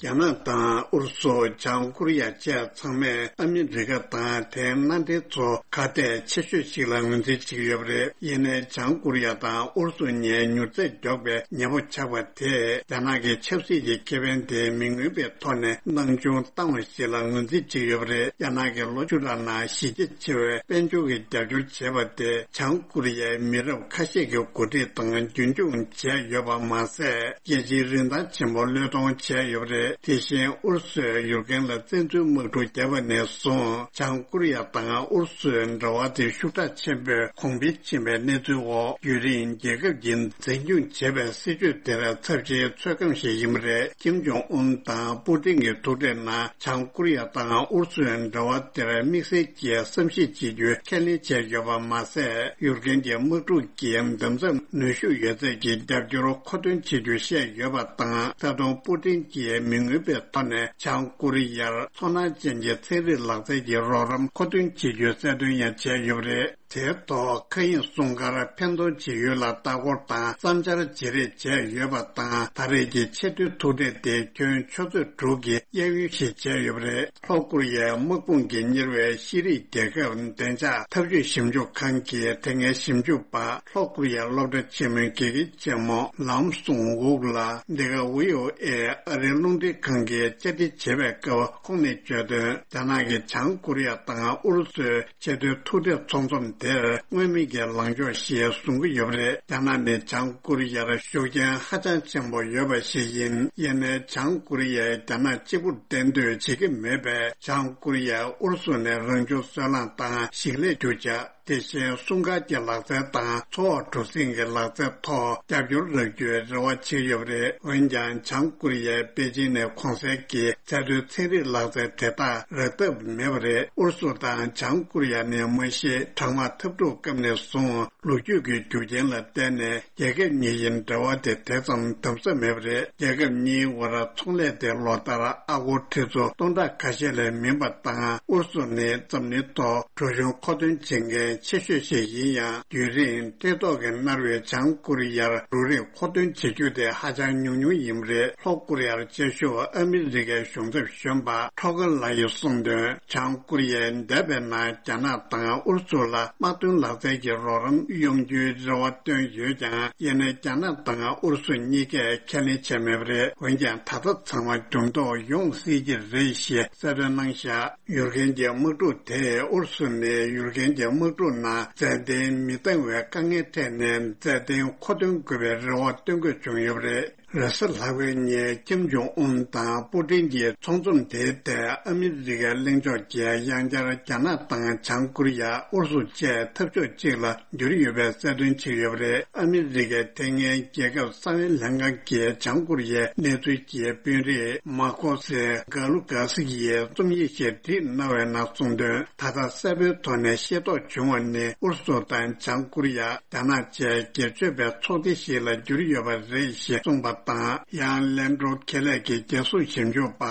རྒྱ་ནག་དང་ཨུ་རུ་སུ། བྱང་ཀོ་རི་ཡ་བཅས་ཚང་མས་ཨ་མི་རི་ཀ་དང་དེའི་མནའ་འབྲེལ་ཚོ་ཁ་གཏད་ཆེ་ཤོས་ཤིག་ལ་ངོས་འཛིན་བྱེད་ཀྱི་ཡོད་པ་རེད། ཡིན་ནའི་བྱང་ཀོ་རི་ཡ་དང་ཨུ་རུ་སུ་གཉིས་མྱུར་ཚད་མགྱོགས་པའི་ཉེ་པོ་ཆགས་པ་དེས་རྒྱ་ནག་གི་ཆབ་སྲིད་ཀྱི་ཁེ་ཕན་དེ་མི་མངོན་པའི་ཐོག་ནས་སྣང་ཆུང་བཏང་བ་ཞིག་ལ་ངོས་འཛིན་བྱེད་ཀྱི་ཡོད་པ་རེད། རྒྱ་ནག་གིས་ལོ་བཅུ་ཕྲག་ནང་གཞི་རྒྱ་ཆེ་བའི་དཔལ་འབྱོར་གྱི་རྒྱབ་སྐྱོར་བྱས་པ་དེ་བྱང་ཀོ་རི་ཡའི་མི་རབས་ཁ་ཤས་ཀྱི་འགོ་ཁྲིད་དང་རྒྱུན་འཁྱོངས་བྱས་ཡོད་པ་མ་ཟད། རྒྱལ་སྤྱིའི་རིན་ཐང་ཆེན་པོ་བློས་གཏོང་བྱས་ཡོད་པ་རེད། དེ་བཞིན་ཨུ་རུ་སུས་ཡུཀ་རེན་ལ་བཙན་འཛུལ་དམག་འཁྲུག་བརྒྱབ་པ་ནས་བཟུང་། བྱང་ཀོ་རི་ཡ་དང་ཨུ་རུ་སུའི་འབྲེལ་བ་དེ་ཤུགས་དྲག་ཆེན་པོས་གོང་འཕེལ་ཕྱིན་པའི་གནས་ཚུལ་འོག་རྒྱུན་རིང་རྒྱལ་ཁབ་ཀྱིས་འཛིན་སྐྱོང་བྱེད་པའི་སྲིད་བྱུས་དེར་ཚབས་ཆེའི་ཚོད་བགམ་ཞིག་ཡིན་པ་རེད། ཀིམ་ཇོང་ཨུན་དང་པུ་ཏིན་གྱི་ཐུག་འཕྲད་ནང་། བྱང་ཀོ་རི་ཡ་དང་ཨུ་རུ་སུའི་འབྲེལ་བ་དེར་དམིགས་བསལ་གྱིས་བསམ་གཞིག་བྱེད་རྒྱུའི་ཁས་ལེན་བྱས་ཡོད་པ་མ་ཟད། ཡུཀ་རེན་གྱི་དམག་འཁྲུག་གི་འདུ་འཛོམས་ནུས་ཤུགས་ཡོད་ཚད་ཀྱི་རྒྱབ་སྐྱོར་མཁོ་འདོན་བྱེད་རྒྱུ་བཤད་ཡོད་པ་དང་། ད་དུང་པུ་ཏིན་གྱིས་མི་མངོན་པའི་ཐོག་ནས་བྱང་ཀོ་རི་ཡར་ཚོར་སྣང་ཅན་གྱི་ཚན་རིག་ལག་རྩལ་གྱི་རོགས་རམ་མཁོ་འདོན་བྱེད་རྒྱུའི་གསལ་སྟོན་ཡང་བྱས་ཡོད་པ་རེད། དེའི་ཐོག་མཁའ་དབྱིངས་སྲུང་སྐར་ཕན་ཐོགས་ཇི་ཡོད་ལ་ལྟ་སྐོར་དང་བསམ་འཆར་བརྗེ་རེས་བྱས་ཡོད་པ་དང་། ད་རེས་ཀྱི་ཆེས་མཐོའི་ཐུག་འཕྲད་དེ་ཁྱོན་ཆུ་ཚོད་དྲུག་གི་གཡས་གཡོན་ཞིག་བྱས་ཡོད་པ་རེད། ལྷོ་ཀོ་རི་ཡའི་དམག་དཔུང་གིས་གཉེར་བའི་ཤེས་རིག་རྒྱལ་ཁབ་བདེ་འཇགས་འཐབ་ཇུས་ཞིབ་འཇུག་ཁང་གིས་དེ་སྔའི་ཞིབ་འཇུག་པ་ལྷོ་ཀོ་རི་ཡའི་སློབ་གྲྭ་ཆེན་མོའི་དགེ་རྒན་ཆེན་མོ་ལམ་སུང་ཝུག་ལ་འདི་ག་ཝི་ཨོ་ཨེ་ཨ་རིའི་རླུང་འཕྲིན་ཁང་གིས་བཅར་འདྲི་བྱེད་པའི་སྐབས་ཁོང་ནས་བརྗོད་དོན། རྒྱ་ནག་གིས་བྱང་ཀོ་རི་ཡ་དང་ཨུ་རུ་སུའི་ཆེས་མཐོའི་ཐུག་འཕྲད་ཚོགས་འཛོམས་དེར་མངོན་མིན་གྱི་ལངས་ཕྱོགས་ཤིག་བཟུང་གི་ཡོད་པ་རེད། རྒྱ་ནག་ནི་བྱང་ཀོ་རི་ཡར་ཤུགས་རྐྱེན་ཧ་ཅང་ཆེན་པོ་ཡོད་པ་ཞིག་ཡིན། ཡིན་ནའི་བྱང་ཀོ་རི་ཡས་རྒྱ་ནག་གཅིག་པུར་བརྟེན་འདོད་བྱེད་ཀྱི་མེད་པས། བྱང་ཀོ་རི་ཡས་ཨུ་རུ་སུ་ནས་རང་བྱུང་སོལ་རླངས་དང་ཞིང་ལས་རྒྱུ་ཆ། དེ་བཞིན་སྲུང་སྐར་གྱི་ལག་རྩལ་དང་འཚོ་བ་གྲུ་གཟིངས་ཀྱི་ལག་རྩལ་ཐོག་རྒྱབ་སྐྱོར་རག་རྒྱུའི་རེ་བ་བྱེད་ཀྱི་ཡོད་པ་རེད། འོན་ཀྱང་། བྱང་ཀོ་རི་ཡས་པེ་ཅིང་ནས་གོང་གསལ་གྱི་ཚད་མཐོའི་ཚན་རིག་ལག་རྩལ་དེ་དག་རག་ཐབས་མེད་པ་རེད། ཨུ་རུ་སུ་དང་བྱང་ཀོ་རི་ཡ་ནི་མ་གཞི་གྲང་དམག་འཐབ་འཁྲུག་སྐབས་ནས་བཟུང་ལོ་རྒྱུས་ཀྱི་རྒྱུ་རྐྱེན་ལ་བརྟེན་ནས་རྒྱལ་ཁབ་གཉིས་ཀྱི་འབྲེལ་བ་དེ་དེ་ཙམ་དམ་ཟབ་མེད་པ་རེད། རྒྱལ་ཁབ་གཉིས་དབར་ཚོང་ལས་དེ་ལོ་ལྟར་ཨ་སྒོར་ཁྲི་ཚོ་སྟོང་ཕྲག་ཁ་ཤས་ལས་མིན་པ་དང་། ཨུ་རུ་སུ་ནི་འཛམ་གླིང་ཐོག་གྲོ་གཞོང་མཁོ་འདོན་བྱེད་མཁན་ཆེ་ཤོས་ཤིག་ཡིན་ཡང་། རྒྱུན་རིང་བཀྲེས་ལྟོགས་ཀྱིས་མནར་བའི་བྱང་ཀོ་རི་ཡར་འབྲུ་རིགས་མཁོ་འདོན་བྱེད་རྒྱུ་དེ་ཧ་ཅང་ཉུང་ཉུང་ཡིན་པ་རེད། ལྷོ་ཀོ་རི་ཡར་བཅའ་བཞུགས་ཨ་མི་རི་ཀའི་གཞུང་ཚབ་གཞོན་པ་ཁྲོ་ཀར་ལགས་ཀྱིས་གསུངས་དོན། བྱང་ཀོ་རི་ཡས་འདས་པའི་ནང་རྒྱ་ནག་དང་ཨུ་རུ་སུ་ལ་དམག་དོན་ལག་རྩལ་གྱི་རོགས་རམ་ཡོང་རྒྱུའི་རེ་བ་བཏོན་ཡོད་ཀྱང་། ཡིན་ནའི་རྒྱ་ནག་དང་ཨུ་རུ་སུ་གཉིས་ཀས་ཁས་ལེན་བྱས་མེད་པ་རེད། འོན་ཀྱང་། ད་ལྟ་ཚང་མ་འགྱུར་ལྡོག་ཡོང་སྲིད་ཀྱི་རེད་ཞེས་གསལ་སྟོན་གནང་བཞག། ཡུཀ་རེན་གྱི་དམག་འཁྲུག་དེས། ཨུ་རུ་སུ་ནི་ཡུཀ་རེན་གྱི་དམག་འཁྲུག་ ལུགས་ནང་རྩལ་འདོན་མི་གཏང་བའི་དཀའ་ངལ་འཕྲད་ནས་རྩལ་འདོན་མཁོ་འདོན་དགོས་པའི་རེ་བ་བཏོན་དགོས་བྱུང་ཡོད་པ་རེད། རེས་གཟའ་ལྷག་པའི་ཉིན་ཁྱིམ་ཇོང་ཨུན་དང་པུ་ཏིན་གྱི་ཚོགས་འཛོམས་དེའི་ཐད་ཨ་མི་རི་ཀའི་གླེང་ཕྱོགས་ཀྱིས་ཡང་བསྐྱར་རྒྱ་ནག་དང་བྱང་ཀོ་རི་ཡ། ཨུ་རུ་སུ་བཅས་འཐབ་ཕྱོགས་གཅིག་ལ་འགྱུར་ཡོད་པའི་གསལ་སྟོན་བྱས་ཡོད་པ་རེད། ཨ་མི་རི་ཀའི་ཐད་མཁན་རྒྱལ་ཁབ་གསང་བའི་ལྷན་ཁང་གི་བྱང་ཀོ་རི་ཡའི་གནས་ཚུལ་གྱི་དཔོན་རིགས་མཱ་ཁོ་སེ་གྷ་ལུ་གྷ་སི་ཡིས་རྩོམ་ཡིག་ཞིག་བྲིས་གནང་བའི་ནང་གསུངས་དོན། ད་ལྟ་གསལ་པོའི་ཐོག་ནས་ཤེས་རྟོགས་བྱུང་བ་ནི། ཨུ་རུ་སུ་དང་བྱང་ཀོ་རི་ཡ། རྒྱ་ནག་བཅས་སྒེར་གཅོད་པའི་ཚོགས་སྡེ་ཞིག་ལ་གྱུར་ཡོད་པ་རེད་ཞེས་གསུངས་པ་དང་། ཡང་ལན་ཀྲོའུ་ཁེ་ལས་ཀྱི་རྒྱལ་སྲུང་ཞིབ་འཇུག་པ་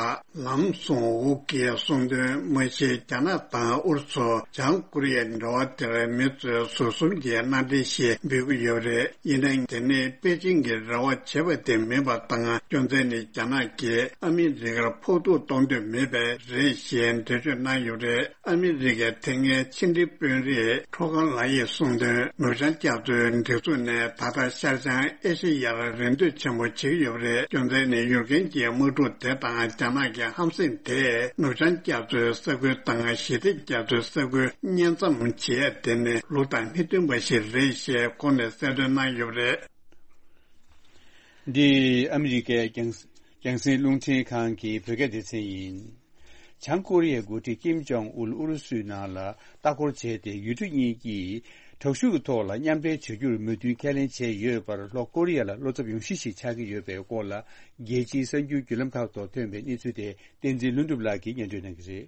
ལམ་སུང་ཝུག་གིས་གསུངས་དོན། མ་གཞི་རྒྱ་ནག་དང་ཨུ་རུ་སུ། བྱང་ཀོ་རི་ཡའི་འབྲེལ་བ་དེར་མི་ཚོས་ཟུར་གསུམ་གྱི་སྣ་འདྲེན་ཞེས་འབོད་ཀྱི་ཡོད་པ་རེད། ཡིན་ནའང་དེ་ནི་པེ་ཅིང་གིས་རེ་བ་བྱེད་པ་དེ་མིན་པ་དང་། རྒྱུ་མཚན་ནི་རྒྱ་ནག་གིས་ཨ་མི་རི་ཀར་ཕོག་ཐུག་གཏོང་འདོད་མེད་པས་རེད་ཞེས་འགྲེལ་བརྗོད་གནང་ཡོད་པ་རེད། ཨ་མི་རི་ཀའི་ཐད་མཁན་ཕྱི་འབྲེལ་དཔོན་རིགས་ཁྲོ་ཁང་ལགས་ཡིས་གསུངས་དོན། ནུབ་བྱང་རྒྱ་མཚོའི་སྒྲིག་འཛུགས་ནས་ད་ལྟ་ཤར་བྱང་ཨེ་ཤེ་ཡར་རེ་འདོད་ཆེན་པོ་བྱེད་ཀྱི་ཡོད་པ་རེད། རྒྱུ་མཚན་ནི་ཡུཀ་རེན་གྱི་དམག་འཁྲུག་དེ་དང་རྒྱ་ནག་གི་ཧམ་སེམས་དེས་ནུབ་བྱང་རྒྱ་མཚོའི་ས་ཁུལ་དང་ཞི་བདེ་རྒྱ་མཚོའི་ས་ཁུལ་གཉེན་མཚམས་བྱེད་ཡ་དེ་ནི་ལུགས་དང་མི་མཐུན་པ་ཞིག་རེད་ཞེས་ཁོང་ནས་གསལ་སྟོན་གནང་ཡོད་པ་རེད། འདི་ཨ་མི་རི་ཀའི་རྒྱང་རྒྱང་སྲིང་རླུང་འཕྲིན་ཁང་གི་བོད་སྐད་སྡེ་ཚན་ཡིན། བྱང་ཀོ་རི་ཡའི་འགོ་ཁྲིད་ཀིམ་ཇོང་ཨུལ་ཨུ་རུ་སུའི་ནང་ལ་ལྟ་སྐོར་བྱས་ཏེ། ཡུལ་གྲུ་གཉིས་ཀྱིས་དྲག་ཤུགས་ཀྱི་ཐོག་ལ་མཉམ་འབྲེལ་བྱ་རྒྱུར་མོས་མཐུན་ཁས་ལེན་བྱས་ཡོད་པར། ལྷོ་ཀོ་རི་ཡ་ལ་བློ་འཚབ་ཡོང་གཞི་ཞིག་ཆགས་ཀྱི་ཡོད་པའི་སྐོར་ལ། རྒྱལ་སྤྱིའི་གསར་འགྱུར་བརྒྱུད་ལམ་ཁག་ཐོག་ཐོན་པའི་གནས་ཚུལ་དེ་བསྟན་འཛིན་ལྷུན་གྲུབ་ལགས་ཀྱིས་སྙན་སྒྲོན་གནང་གི་རེད།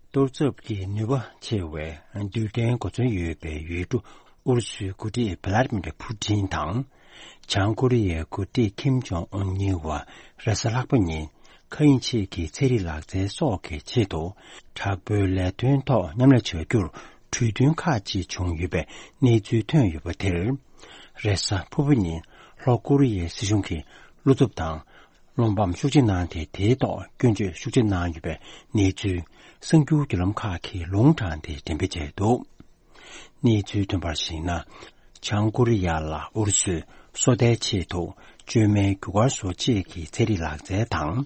གཏོར་ཚབ་ཀྱི་ནུས་པ་ཆེ་བའི་རྡུལ་ཕྲན་གོ་མཚོན་ཡོད་པའི་ཡུལ་གྲུ་ཨུ་རུ་སུའི་འགོ་ཁྲིད་བྷ་ལ་ཏི་མིར་ཕུ་ཏིན་དང་། བྱང་ཀོ་རི་ཡའི་འགོ་ཁྲིད་ཁིམ་ཇོང་ཨུན་གཉིས་བར་རེས་གཟའ་ལྷག་པ་ཉིན་མཁའ་དབྱིངས་ཕྱེད་ཀྱི་ཚན་རིག་ལག་རྩལ་སོགས་ཀྱི་ཆེད་དུ་དྲག་པོའི་ལས་དོན་ཐོག་མཉམ་ལས་བྱ་རྒྱུར་གྲོས་མཐུན་ཁག་ཅིག་བྱུང་ཡོད་པའི་གནས་ཚུལ་ཐོན་ཡོད་པ་དེར། རེས་གཟའ་ཕུར་བུ་ཉིན་ལྷོ་ཀོ་རི་ཡའི་སྲིད་གཞུང་གིས་བློ་འཚབ་དང་། བློ་ཕམ་ཤུགས་ཆེ་གནང་སྟེ། དེའི་ཐོག་སྐྱོན་བརྗོད་ཤུགས་ཆེ་གནང་ཡོད་པའི་གནས་ཚུལ་གསར་འགྱུར་བརྒྱུད་ལམ་ཁག་གིས་ལུང་དྲངས་ཏེ་འགྲེམས་སྤེལ་བྱས་འདུག། གནས་ཚུལ་ཐོན་པར་གཞིགས་ན། བྱང་ཀོ་རི་ཡ་ལ་ཨུ་རུ་སུས་སོ་ལྟའི་ཆེད་དུ་བཅོས་མའི་རྒྱུ་སྐར་བཟོ་ཆེད་ཀྱི་ཚན་རིག་ལག་རྩལ་དང་།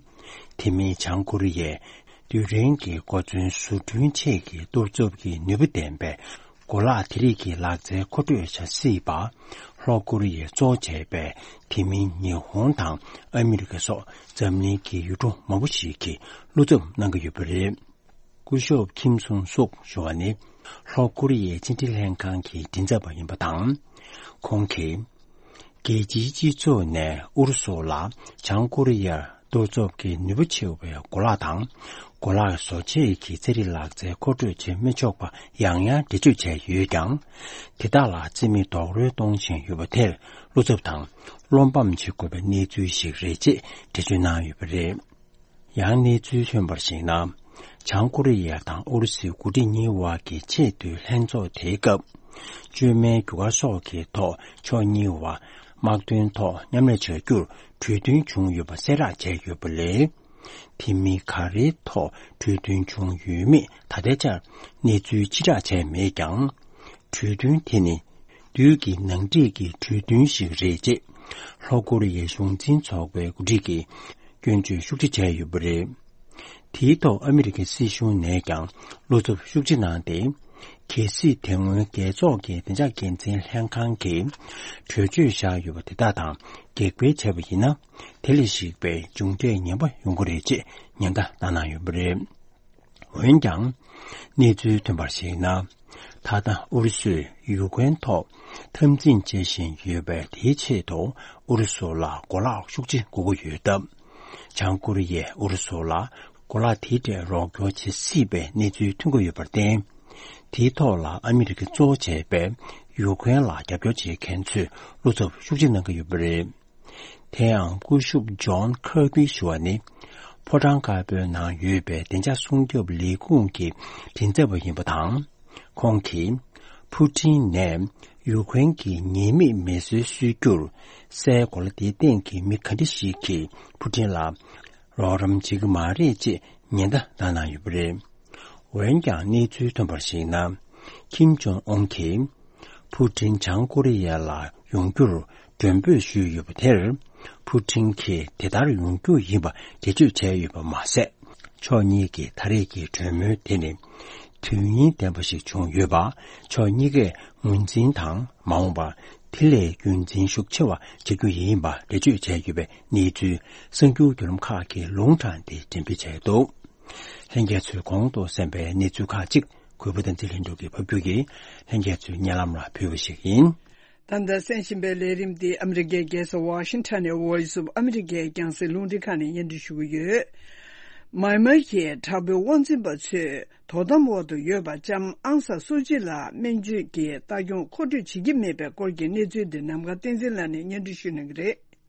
དེ་མིན་བྱང་ཀོ་རི་ཡའི་རྡུལ་ཕྲན་གྱི་གོ་མཚོན་བཟོ་སྐྲུན་ཆེད་ཀྱི་གཏོར་ཚབ་ཀྱི་ནུས་པ་ལྡན་པའི་གོ་ལག་དེ་རིགས་ཀྱི་ལག་རྩལ་མཁོ་སྤྲོད་བྱ་སྲིད་པ། ལྷོ་ཀོ་རི་ཡས་གཙོ་བྱས་པའི་དེ་མིན་ཉི་ཧོང་དང་ཨ་མི་རི་ཀ་སོགས་འཛམ་གླིང་གི་ཡུལ་གྲུ་མང་པོ་ཞིག་གིས་བློ་འཚབ་གནང་གི་ཡོད་པ་རེད། སྐུ་ཞབས་ཁིམ་སུང་སུག་ཞུ་བ་ནི་ལྷོ་ཀོ་རི་ཡའི་ཕྱི་འབྲེལ་ལྷན་ཁང་གི་མགྲིན་ཚབ་པ་ཡིན་པ་དང་། ཁོང་གིས། རྒྱལ་སྤྱིའི་སྤྱི་ཚོགས་ནས་ཨུ་རུ་སུ་ལ་བྱང་ཀོ་རི་ཡར་གཏོར་ཚབ་ཀྱི་ནུས་པ་ཆེ་བའི་གོ་ལག་དང་། གོ་ལག་བཟོ་ཆེད་ཀྱི་ཚན་རིག་ལག་རྩལ་མཁོ་སྤྲོད་བྱེད་མི་ཆོག་པ་ཡང་ཡང་འགྲེལ་བརྗོད་བྱས་ཡོད་ཀྱང་། དེ་དག་ལ་རྩིས་མེད་རྡོག་རོལ་གཏོང་བཞིན་ཡོད་པ་དེར་བློ་འཚབ་དང་བློ་ཕམ་བྱེད་དགོས་པའི་གནས་ཚུལ་ཞིག་རེད་ཅེས་འགྲེལ་བརྗོད་གནང་ཡོད་པ་རེད། ཡང་གནས་ཚུལ་ཐོན་པར་གཞིགས་ན། བྱང་ཀོ་རི་ཡ་དང་ཨུ་རུ་སུའི་འགོ་ཁྲིད་གཉིས་བར་གྱི་ཆེས་མཐོའི་ལྷན་ཚོགས་དེའི་སྐབས། བཅོས་མའི་རྒྱུ་སྐར་སོགས་ཀྱི་ཐོག་ཕྱོགས་གཉིས་བར་དམག་དོན་ཐོག་མཉམ་ལས་བྱ་རྒྱུར་གྲོས་མཐུན་བྱུང་ཡོད་པ་གསལ་བསྒྲགས་བྱས་ཡོད་པ་ལས། དེ་མིན་ག་རེའི་ཐོག་གྲོས་མཐུན་བྱུང་ཡོད་མེད་ད་ལྟའི་ཆར་གནས་ཚུལ་ཕྱིར་བསྒྲགས་བྱས་མེད་ཀྱང་། གྲོས་མཐུན་དེ་ནི་དུས་ཀྱི་ནང་འགྲིག་གི་གྲོས་མཐུན་ཞིག་རེད་ཅེས་ལྷོ་ཀོ་རི་ཡའི་གཞུང་འཛིན་ཚོགས་པའི་འགོ་ཁྲིད་ཀྱིས་སྐྱོན་བརྗོད་ཤུགས་ཆེ་བྱས་ཡོད་པ་རེད། དེའི་ཐོག་ཨ་མི་རི་ཀའི་སྲིད་གཞུང་ནས་ཀྱང་བློ་འཚབ་ཤུགས་ཆེ་གནང་སྟེ། གལ་སྲིད་དེ་སྔོན་རྒྱལ་ཚོགས་ཀྱི་བདེ་འཇགས་འགན་འཛིན་ལྷན་ཁང་གིས་གྲོས་ཆོད་བཞག་ཡོད་པ་དེ་དག་དང་གེགས་སྤེལ་བྱས་པ་ཡིན་ན། དེ་ལས་གཞིགས་པའི་མཇུག་འབྲས་ངན་པ་ཡོང་གི་རེད་ཅེས་ཉེན་བརྡ་བཏང་གནང་ཡོད་པ་རེད། འོན་ཀྱང་། གནས་ཚུལ་ཐོན་པར་གཞིགས་ན། ད་ལྟ་ཨུ་རུ་སུས་ཡུ་ཀེ་རེན་ཐོག་འཐབ་འཛིང་བྱེད་བཞིན་ཡོད་པས། དེའི་ཆེད་དུ་ཨུ་རུ་སུ་ལ་གོ་ལག་ཤུགས་ཆེ་དགོས་ཀྱི་ཡོད་སྟབས། བྱང་ཀོ་རི་ཡས་ཨུ་རུ་སུ་ལ་གོ་ལག་དེའི་གྲས་རོགས་སྐྱོར་བྱེད་སྲིད་པའི་གནས་ཚུལ་ཐོན་གྱི་ཡོད་པར་བརྟེན། དེའི་ཐོག་ལ་ཨ་མི་རི་ཀ་གཙོ་བོ་བྱས་པའི་ཡུ་ཀེ་རེན་ལ་རྒྱབ་སྐྱོར་བྱེད་མཁན་ཚོས་བློ་འཚབ་ཤུགས་ཆེ་གནང་གི་ཡོད་པ་རེད། དེ་ཡང་སྐུ་ཞབས་ཇོན་ཁར་པི་ཞུ་བ་ནི། ཕོ་བྲང་དཀར་པོའི་ནང་ཡོད་པའི་བདེ་འཇགས་སྲུང་སྐྱོབ་ལས་ཁུངས་ཀྱི་མགྲིན་ཚབ་པ་ཡིན་པ་དང་། ཁོང་གིས་ཕུ་ཀྲིན་ནས་ཡུ་ཀེ་རེན་གྱི་ཉེས་མེད་མེ་གསོད་སྲོལ་རྒྱུར་སའི་གོ་ལ་དེའི་སྟེང་གི་མི་ག་འདྲ་ཞིག་གིས་ཕུ་ཀྲིན་ལ་རོགས་རམ་བྱེད་ཀྱི་མ་རེད་ཅེས་ཉེན་བརྡ་བཏང་གནང་ཡོད་པ་རེད། འོན་ཀྱང་གནས་ཚུལ་ཐོན་པར་གཞིགས་ན། ཁིམ་ཇོང་ཨུན་གྱིས་ཕུ་ཀྲིན་བྱང་ཀོ་རི་ཡ་ལ་ཡོང་རྒྱུར་མགྲོན་འབོད་ཞུས་ཡོད་པ་དེར། ཕུ་ཀྲིན་གྱིས་དེ་ལྟར་ཡོང་རྒྱུ་ཡིན་པ་འགྲེལ་བརྗོད་བྱས་ཡོད་པ་མ་ཟད། ཕྱོགས་གཉིས་ཀྱི་ད་རེས་ཀྱི་གྲོས་མོལ་དེ་ནི། དོན་སྙིང་ལྡན་པ་ཞིག་བྱུང་ཡོད་པ། ཕྱོགས་གཉིས་ཀས་ངོས་འཛིན་དང་མ་འོངས་པར་དེ་ལས་རྒྱུན་འཛིན་ཤུགས་ཆེ་བ་བྱ་རྒྱུ་ཡིན་པ་འགྲེལ་བརྗོད་བྱས་ཡོད་པའི་གནས་ཚུལ་གསར་འགྱུར་བརྒྱུད་ལམ་ཁག་གི་ལུང་དྲངས་ཏེ་འགྲེམས་སྤེལ་བྱས་འདུག། ལྷན་རྒྱས་ཚོས་གོང་དུ་གསན་པའི་གནས་ཚུལ་ཁག་ཅིག་གུས་པ་བསྟན་འཛིན་ལྷུན་གྲུབ་ཀྱིས་ཕབ་སྒྱུར་གྱིས་ལྷན་རྒྱས་ཚོའི་སྙན་ལམ་ལ་ཕུལ་བ་ཞིག་ཡིན། ད་ལྟ་གསན་བཞིན་པའི་ལས་རིམ་འདི་ཨ་མི་རི་ཀའི་རྒྱལ་ས་ཝ་ཤིང་ཊོན་ནས་Voice of America་རྒྱང་སྲིང་རླུང་འཕྲིན་ཁང་ནས་སྙན་སྒྲོན་ཞུ་གི་ཡོད། མཱི་མཱི་གི་དྲག་པོའི་དབང་འཛིན་པ་ཚོས་དོ་དམ་འོག་ཏུ་ཡོད་པ་ལྕམ་ཨང་སང་སུའུ་ཅི་ལ་སྨན་བཅོས་ཀྱི་ལྟ་སྐྱོང་མཁོ་སྤྲོད་བྱེད་ཀྱི་མེད་པའི་སྐོར་གྱི་གནས་ཚུལ་འདི་ནམ་མཁའ་བསྟན་འཛིན་ལགས་ནས་སྙན་སྒྲོན་ཞུ་གནང་གི་རེད།